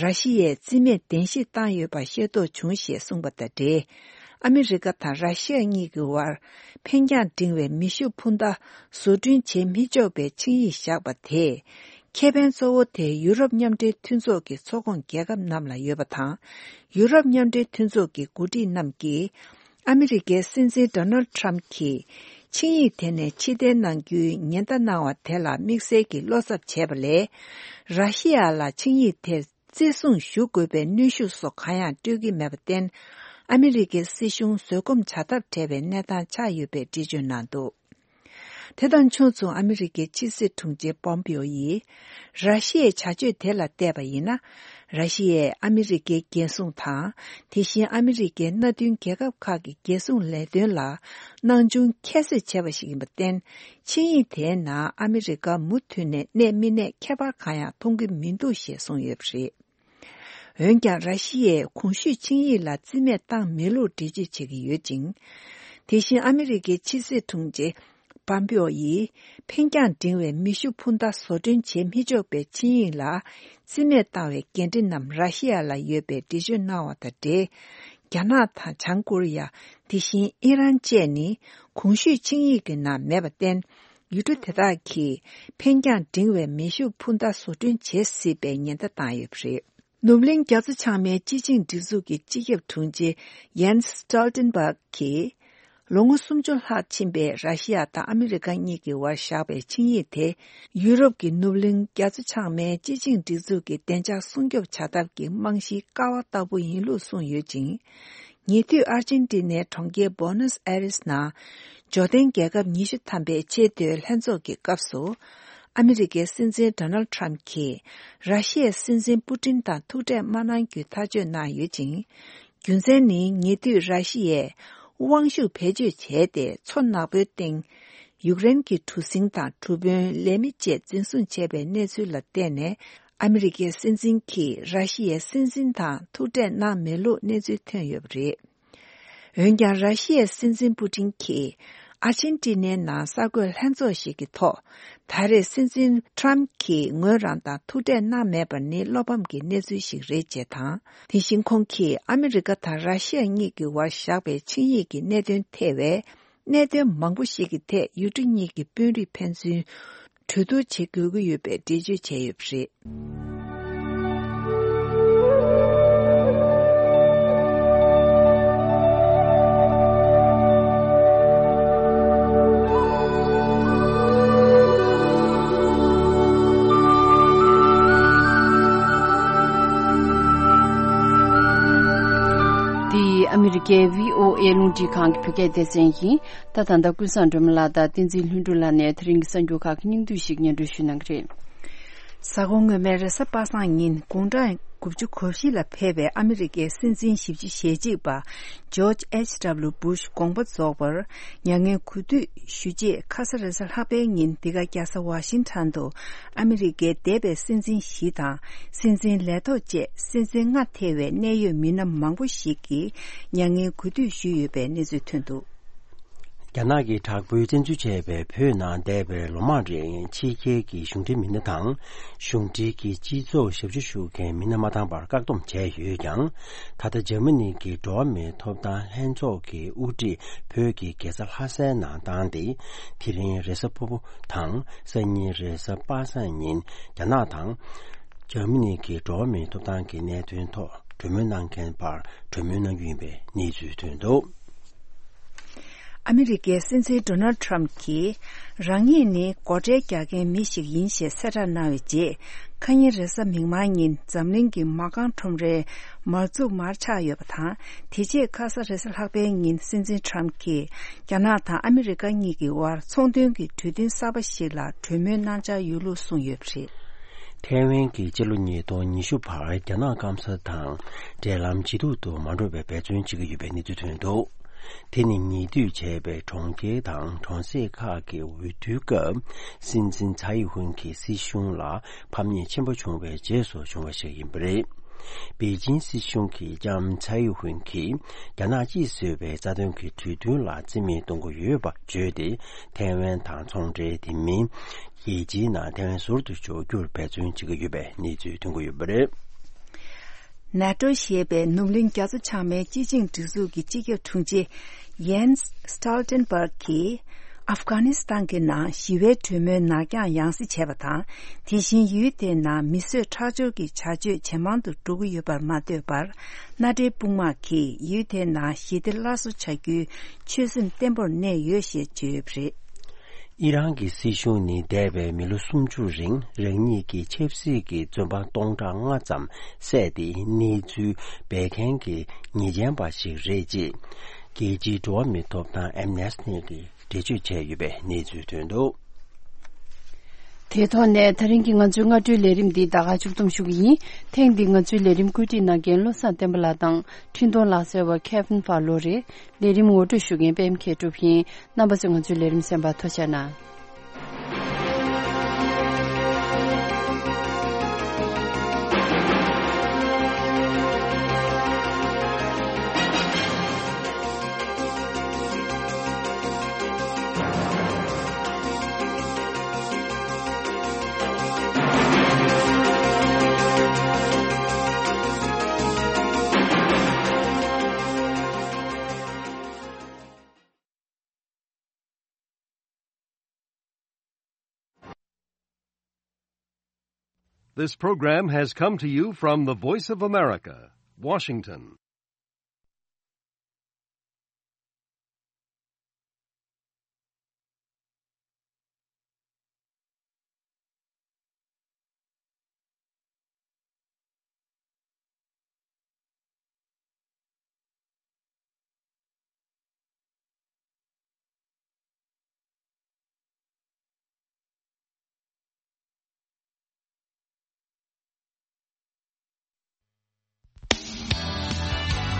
ར་ཤི་ཡས་རྩིས་མེད་གདན་ཞུ་བཏང་ཡོད་པ་ཤེས་རྟོགས་བྱུང་ཞེས་གསུངས་པ་དང་འབྲེལ། ཨ་མི་རི་ཀ་དང་ར་ཤི་ཡ་གཉིས་ཀྱི་དབར་འཕེན་རྒྱང་འབྲིང་བའི་མེ་ཤུགས་འཕུར་མདའ་བཟོ་སྐྲུན་བྱེད་མི་ཆོག་པའི་ཆིངས་ཡིག་བཞག་པ་དེས། ཁེ་ཕན་གཙོ་བོ་དེ་ཡུ་རོབ་མཉམ་འབྲེལ་མཐུན་ཚོགས་ཀྱི་ཚོགས་ཁོངས་རྒྱལ་ཁབ་རྣམས་ལ་ཡོད་པ་དང་། ཡུ་རོབ་མཉམ་འབྲེལ་མཐུན་ཚོགས་ཀྱི་འགོ་ཁྲིད་རྣམས་ཀྱིས། ཨ་མི་རི་ཀའི་སྲིད་འཛིན་ཌོ་ནལ་ཌི་ཊརམ་ཕི་གྱིས་ཆིངས་ཡིག་དེ་ནས་ཕྱིར་འཐེན་གནང་རྒྱུའི་ཉེན་བརྡ་གནང་བ་དེ་ལ་དམིགས་བསལ་གྱི་བློ་འཚབ་བྱས་པ་ལས། ར་ཤི་ཡ་ལ་ཆིངས་ཡིག་དེར་བརྩི་སྲུང་ཞུ་དགོས་པའི་གནོན་ཤུགས་སོགས་གང་ཡང་སྤྲོད་ཀྱི་མེད་པར་བརྟེན། ཨ་མི་རི་ཀའི་སྲིད་གཞུང་བཟོད་སྒོམ་བྱ་ཐབས་བྲལ་བའི་གནས་སྟངས་ཆགས་ཡོད་པའི་འགྲེལ་བརྗོད་གནང་འདུག་དེ་དང་ཕྱོགས་མཚུངས་ཨ་མི་རི་ཀའི་ཕྱི་སྲིད་དྲུང་ཆེ་པོམ་པིའོ་ཡིས། ར་ཤི་ཡའི་བྱ་སྤྱོད་དེ་ལ་བལྟས་པ་ཡིན་ན། ར་ཤི་ཡས་ཨ་མི་རི་ཀའི་རྒྱལ་སྲུང་དང་། དེ་བཞིན་ཨ་མི་རི་ཀའི་མནའ་མཐུན་རྒྱལ་ཁབ་ཁག་གི་རྒྱལ་སྲུང་ལས་དོན་ལ་སྣང་ཆུང་ཁྱད་གསོད་བྱས་པ་ཞིག་ཡིན་པར་བརྟེན། ཆིངས་ཡིག་དེའི་ནང་ཨ་མི་རི་ཀ་མུ་མཐུད་ནས་གནས་མི་གནས་ཁྱད་པར་གང་ཡང་མཐོང་གི་མི་འདུག་ཞེས་གསུངས་ཡོད་པ་རེད། འོན་ཀྱང་། ར་ཤི་ཡས་གོང་ཞུས་ཆིངས་ཡིག་ལ་རྩིས་མེད་བཏང་མེད་ལུགས་འགྲེལ་བརྗོད་བྱེད་ཀྱི་ཡོད་ཅིང་། དེ་བཞིན་ཨ་མི་རི་ཀའི་ཕྱི་སྲིད་དྲུང་ཆེ་པམ་པེའོ་ཡིས། འཕེན་རྒྱང་འབྲིང་བའི་མེ་ཤུགས་འཕུར་མདའ་བཟོ་སྐྲུན་བྱེད་མི་ཆོག་པའི་ཆིངས་ཡིག་ལ་རྩིས་མེད་བཏང་བའི་འགན་འཁྲི་རྣམས་ར་ཤི་ཡ་ལ་ཡོད་པའི་འགྲེལ་བརྗོད་གནང་བ་དང་འབྲེལ། རྒྱ་ནག་དང་བྱང་ཀོ་རི་ཡ། དེ་བཞིན་ཨི་རན་བཅས་ནི་གོང་ཞུས་ཆིངས་ཡིག་གི་ནང་མེད་པར་བརྟེན། ཡུལ་གྲུ་དེ་དག་གིས་འཕེན་རྒྱང་འབྲིང་བའི་མེ་ཤུགས་འཕུར་མདའ་བཟོ་སྐྲུན་བྱེད་སྲིད་པའི་ཉེན་བརྡ་བཏང་ཡོད་པ་རེད། ནུབ་གླིང་རྒྱ་མཚོ་བྱང་མའི་སྤྱི་ཆིངས་སྒྲིག་འཛུགས་ཀྱི་སྤྱི་ཁྱབ་དྲུང་ཆེ་ཡན་སི་སི་ཊོལ་ཊེན་བྷག་གིས། ལོ་ངོ་སུམ་ཅུ་ལྷག་ཕྱིན་པའི་ར་ཤི་ཡ་དང་ཨ་མི་རི་ཀ་གཉིས་ཀྱི་བར་བཞག་པའི་ཆིངས་ཡིག་དེ། ཡུ་རོབ་ཀྱི་ནུབ་གླིང་རྒྱ་མཚོ་བྱང་མའི་སྤྱི་ཆིངས་སྒྲིག་འཛུགས་ཀྱི་བདེ་འཇགས་སྲུང་སྐྱོབ་བྱ་ཐབས་ཀྱི་རྨང་གཞིའི་ཀ་བ་ལྟ་བུ་ཡིན་ལུགས་གསུངས་ཡོད་ཅིང་། ཉེ་དུས་ཨར་ཅན་ཏི་ནའི་གྲོང་ཁྱེར་བྷོ་ནོས་ཨེ་རེས་ནང་། འབྱོར་ལྡན་རྒྱལ་ཁབ་ཉི་ཤུ་ཐམ་པའི་ཆེས་མཐོའི་ལྷན་ཚོགས་ཀྱི་སྐབས་སུ། ཨ་མི་རི་ཀའི་སྲིད་འཛིན་ཌོ་ནལ་ཊམ་གྱིས་ར་ཤི་ཡའི་སྲིད་འཛིན་པུ་ཏིན་དང་ཐུག་འཕྲད་མ་གནང་རྒྱུའི་ཐག་གཅོད་གནང་ཡོད་ཅིང་། རྒྱུ་མཚན་ནི་ཉེ་དུས་ར་ཤི་ཡས་དབང་ཤུགས་བེད་སྤྱོད་བྱས་ཏེ་མཚོ་ནག་པོའི་སྟེང་ཡུཀ་རེན་གྱི་གྲུ་གཟིངས་དང་གྲུ་དཔོན་ལས་མི་བཅས་འཛིན་བཟུང་བྱས་པའི་གནས་ཚུལ་ལ་བརྟེན་ནས། ཨ་མི་རི་ཀའི་སྲིད་འཛིན་གྱིས་ར་ཤི་ཡའི་སྲིད་འཛིན་དང་ཐུག་འཕྲད་གནང་མེད་ལུགས་གནས་ཚུལ་ཐོན་ཡོད་པ་རེད། འོན་ཀྱང་། ར་ཤི་ཡའི་སྲིད་འཛིན་པུ་ཏིན་གྱིས་ཨར་ཅན་ཏི་ནའི་ནང་གསར་འགོད་ལྷན་ཚོགས་ཤིག་གི་ཐོག་ད་རེས་སྲིད་འཛིན་ཊམ་གྱིས་ངོས་རང་དང་ཐུག་འཕྲད་གནང་མེད་པ་ནི་བློ་ཕམ་གྱི་གནས་ཚུལ་ཞིག་རེད་ཅེས་དང་། དེ་བཞིན་ཁོང་གིས་ཨ་མི་རི་ཀ་དང་ར་ཤི་ཡ་གཉིས་ཀྱི་བར་བཞག་པའི་ཆིངས་ཡིག་གི་གནད་དོན་ཐེ་བའི་གནད་དོན་མང་པོ་ཞིག་གི་ཐད་ཡུལ་གྲུ་གཉིས་ཀྱི་དཔོན་རིགས་ཕན་ཚུན་གྲོས་བསྡུར་བྱེད་དགོས་ཀྱི་ཡོད་པའི་འགྲེལ་བརྗོད་བྱས་ཡོད་པ་རེད། འདི་ཨ་མི་རི་ཀའི་བྷི་ཨོ་ཨེ་རླུང་འཕྲིན་ཁང་གི་བོད་སྐད་སྡེ་ཚན་ཡིན། ད་ད་ལྟ་ཀུན་བཟང་སྒྲོལ་མ་ལགས་དང་བསྟན་འཛིན་ལྷུན་གྲུབ་ལགས་ནས་དེ་རིང་གི་གསར་འགྱུར་ཁག་གི་སྙིང་བསྡུས་ཤིག་སྙན་སྒྲོན་ཞུ་གནང་གི་རེད། གཟའ་འཁོར་སྔོན་མའི་རེས་གཟའ་པ་སངས་ཉིན་དགུང་གྲངས་དགུ་བཅུ་གོ་བཞི་ལ་ཕེབས་པའི་ཨ་མི་རི་ཀའི་སྲིད་འཛིན་བཞི་བཅུ་ཞེ་གཅིག་པ་ཇོརྗ་ཨེཆ་ཌབ་ལུ་བྷུཤ་དགོངས་པ་རྫོགས་པར་མྱ་ངན་གུས་འདུད་ཞུ་ཆེད་ཁ་ས་རེས་གཟའ་ལྷག་པའི་ཉིན་འདི་ག་རྒྱལ་ས་ཝ་ཤིང་ཊོན་དུ་ཨ་མི་རི་ཀའི་འདས་པའི་སྲིད་འཛིན་བཞི་དང་སྲིད་འཛིན་ལས་ཐོག་བཅས་སྲིད་འཛིན་ལྔ་ཐེ་བའི་གནད་ཡོད་མི་སྣ་མང་པོ་ཞིག་གིས་མྱ་ངན་གུས་འདུད་ཞུས་ཡོད་པའི་གནས་ཚུལ་ཐོན་འདུག། རྒྱ་ནག་གི་དྲག་པོའི་བཙན་འཛུལ་བྱས་པའི་བོད་ནང་འདས་པའི་ལོ་མང་རིང་ཕྱི་རྒྱལ་གྱི་གཞུང་འབྲེལ་མི་སྣ་དང་གཞུང་འབྲེལ་གྱི་སྤྱི་ཚོགས་ཞབས་ཞུ་ཞུ་མཁན་མི་སྣ་མ་བཏང་པར་བཀག་སྡོམ་བྱས་ཡོད་ཀྱང་། ད་ལྟ་འཇར་མ་ནི་གི་འགྲོ་བ་མིའི་ཐོབ་ཐང་ལྷན་ཚོགས་ཀྱི་དབུ་ཁྲིད་བོད་ཀྱི་རྒྱལ་ས་ལྷ་སའི་ནང་བཏང་སྟེ། དེ་རིང་རེས་གཟའ་ཕུར་བུ་དང་སང་ཉིན་རེས་གཟའ་པ་སངས་ཉིན་རྒྱ་ནག་དང་འཇར་མ་ནི་གི་འགྲོ་བ་མིའི་ཐོབ་ཐང་གི་གནད་དོན་ཐོག་གྲོས་མོལ་གནང་མཁན་བར་གྲོས་མོལ་གནང་རྒྱུ་ཡིན་པའི་གནས་ཚུལ་ཐོན་འདུག། ཨ་མི་རི་ཀའི་སྲིད་འཛིན་ཌོ་ནལ་ཊམ་གྱིས་རང་ཉིད་ནི་སྒོ་ཁྲལ་རྒྱག་མཁན་མི་ཞིག་ཡིན་ཞེས་གསལ་བསྒྲགས་གནང་བའི་རྗེས། ཁ་ཉིན་རེས་གཟའ་མིག་དམར་ཉིན་འཛམ་གླིང་གི་མ་རྐང་ཁྲོམ་རའི་མར་འཛུགས་མར་ཆག་ཡོད་པ་དང་། དེ་རྗེས་ཁ་ས་རེས་གཟའ་ལྷག་པའི་ཉིན་སྲིད་འཛིན་ཊམ་གྱིས་རྒྱ་ནག་དང་ཨ་མི་རི་ཀ་གཉིས་ཀྱི་དབར་ཚོང་དོན་གྱི་གྲོས་མཐུན་གསར་པ་ཞིག་ལ་གྲོས་མོལ་གནང་འཆར་ཡོད་ལུགས་གསུངས་ཡོད་པ་རེད། ཐའེ་ཝན་གྱིས་སྤྱི་ལོ་ཉིས་སྟོང་ཉི་ཤུ་བར་རྒྱ་ནག་སྐམ་ས་དང་འབྲེལ་ལམ་ཇེ་སྡུག་ཏུ་མ་འགྲོ་བའི་འབད་བརྩོན་བྱེད་ཀྱི་ཡོད་པའི་གནས་ཚུལ་ཐོན་འདུག། དེ་ནི་ཉེ་དུས་བྱས་པའི་གྲོང་ཁྱེར་དང་གྲོང་གསེབ་ཁག་གི་འོས་བསྡུའི་སྐབས། སྲིད་འཛིན་ཚའེ་ཧུན་གྱི་སྲིད་གཞུང་ལ་ཕམ་ཉེས་ཆེན་པོ་བྱུང་བའི་རྗེས་སུ་བྱུང་བ་ཞིག་ཡིན་པ་རེད། པེ་ཅིན་སྲིད་གཞུང་གིས་ཀྱང་ཚའེ་ཧུན་གྱིས་རྒྱ་ནག་གཅིག་བཟོས་པའི་རྩ་དོན་གྱི་གྲོས་མཐུན་ལ་རྩིས་མེད་གཏོང་གི་ཡོད་པ་བརྗོད་དེ། ཐའེ་ཝན་དང་ཚོང་འབྲེལ་དེ་མིན། རྒྱལ་སྤྱིའི་ནང་ཐའེ་ཝན་ཟུར་དུ་འཇོག་རྒྱུར་འབད་བརྩོན་བྱེད་ཀྱི་ཡོད་པའི་གནས་ཚུལ་ཐོན་གྱི་ཡོད་པ་རེད། ནེ་ཊོ་ཞེས་པའི་ནུབ་གླིང་རྒྱ་མཚོ་བྱང་མའི་སྤྱི་ཆིངས་སྒྲིག་འཛུགས་ཀྱི་སྤྱི་ཁྱབ་དྲུང་ཆེ་ཡེན་སི་སི་ཊོལ་ཊེན་བྷག་གིས་ཨབ་གྷ་ནི་སི་ཐན་གྱི་ནང་ཞི་བའི་གྲོས་མོལ་ནར་འགྱངས་ཡང་སེ་བྱས་པ་དང་། དེ་བཞིན་ཡུལ་དེའི་ནང་མི་གསོད་ཁྲག་སྦྱོར་གྱི་བྱ་སྤྱོད་ཇེ་མང་དུ་འགྲོ་གི་ཡོད་པར་མ་ལྟོས་པར། མནའ་འབྲེལ་དཔུང་དམག་གིས་ཡུལ་དེའི་ནང་ཞི་བདེ་སླར་གསོ་བྱ་རྒྱུའི་ཆོད་སེམས་བརྟན་པོར་གནས་ཡོད་ཞེས་བརྗོད་ཡོད་པ་རེད། ཨི་རན་གྱི་སྲིད་གཞུང་ནི་འདས་པའི་མི་ལོ་སུམ་ཅུ་རིང་རང་ཉིད་ཀྱི་ཆབ་སྲིད་ཀྱི་བཙོན་པ་སྟོང་ཕྲག་ལྔ་ཙམ་བསད་དེ་གནས་ཚུལ་སྦས་མཁན་གྱི་ཉེས་ཅན་པ་ཞིག་རེད་ཅེས་རྒྱལ་སྤྱིའི་འགྲོ་བ་མིའི་ཐོབ་ཐང་ཨེམ་ནེ་སི་ཊི་གིས་འགྲེལ་བརྗོད་བྱས་ཡོད་པའི་གནས་ཚུལ་ཐོན་འདུག། དེའི་ཐོག་ནས་ད་རིང་གི་ང་ཚོའི་སྔ་དྲོའི་ལས་རིམ་འདི་ད་ག་མཇུག་བསྡོམས་ཞུ་གི་ཡིན། ཐེངས་འདིའི་ང་ཚོའི་ལས་རིམ་བཀོད་སྒྲིག་གནང་མཁན་བློ་བཟང་བསྟན་པ་ལགས་དང་འཕྲིན་གཏོང་ལག་རྩལ་བ་Kevin Fowler་རེད། ལས་རིམ་ངོ་སྤྲོད་ཞུ་མཁན་པད་མ་མཁས་གྲུབ་ཡིན། རྣམ་པ་ཚོས་ང་ཚོའི་ལས་རིམ་གསན་པར་ཐུགས་རྗེ་གནང་། This program has come to you from the Voice of America, Washington.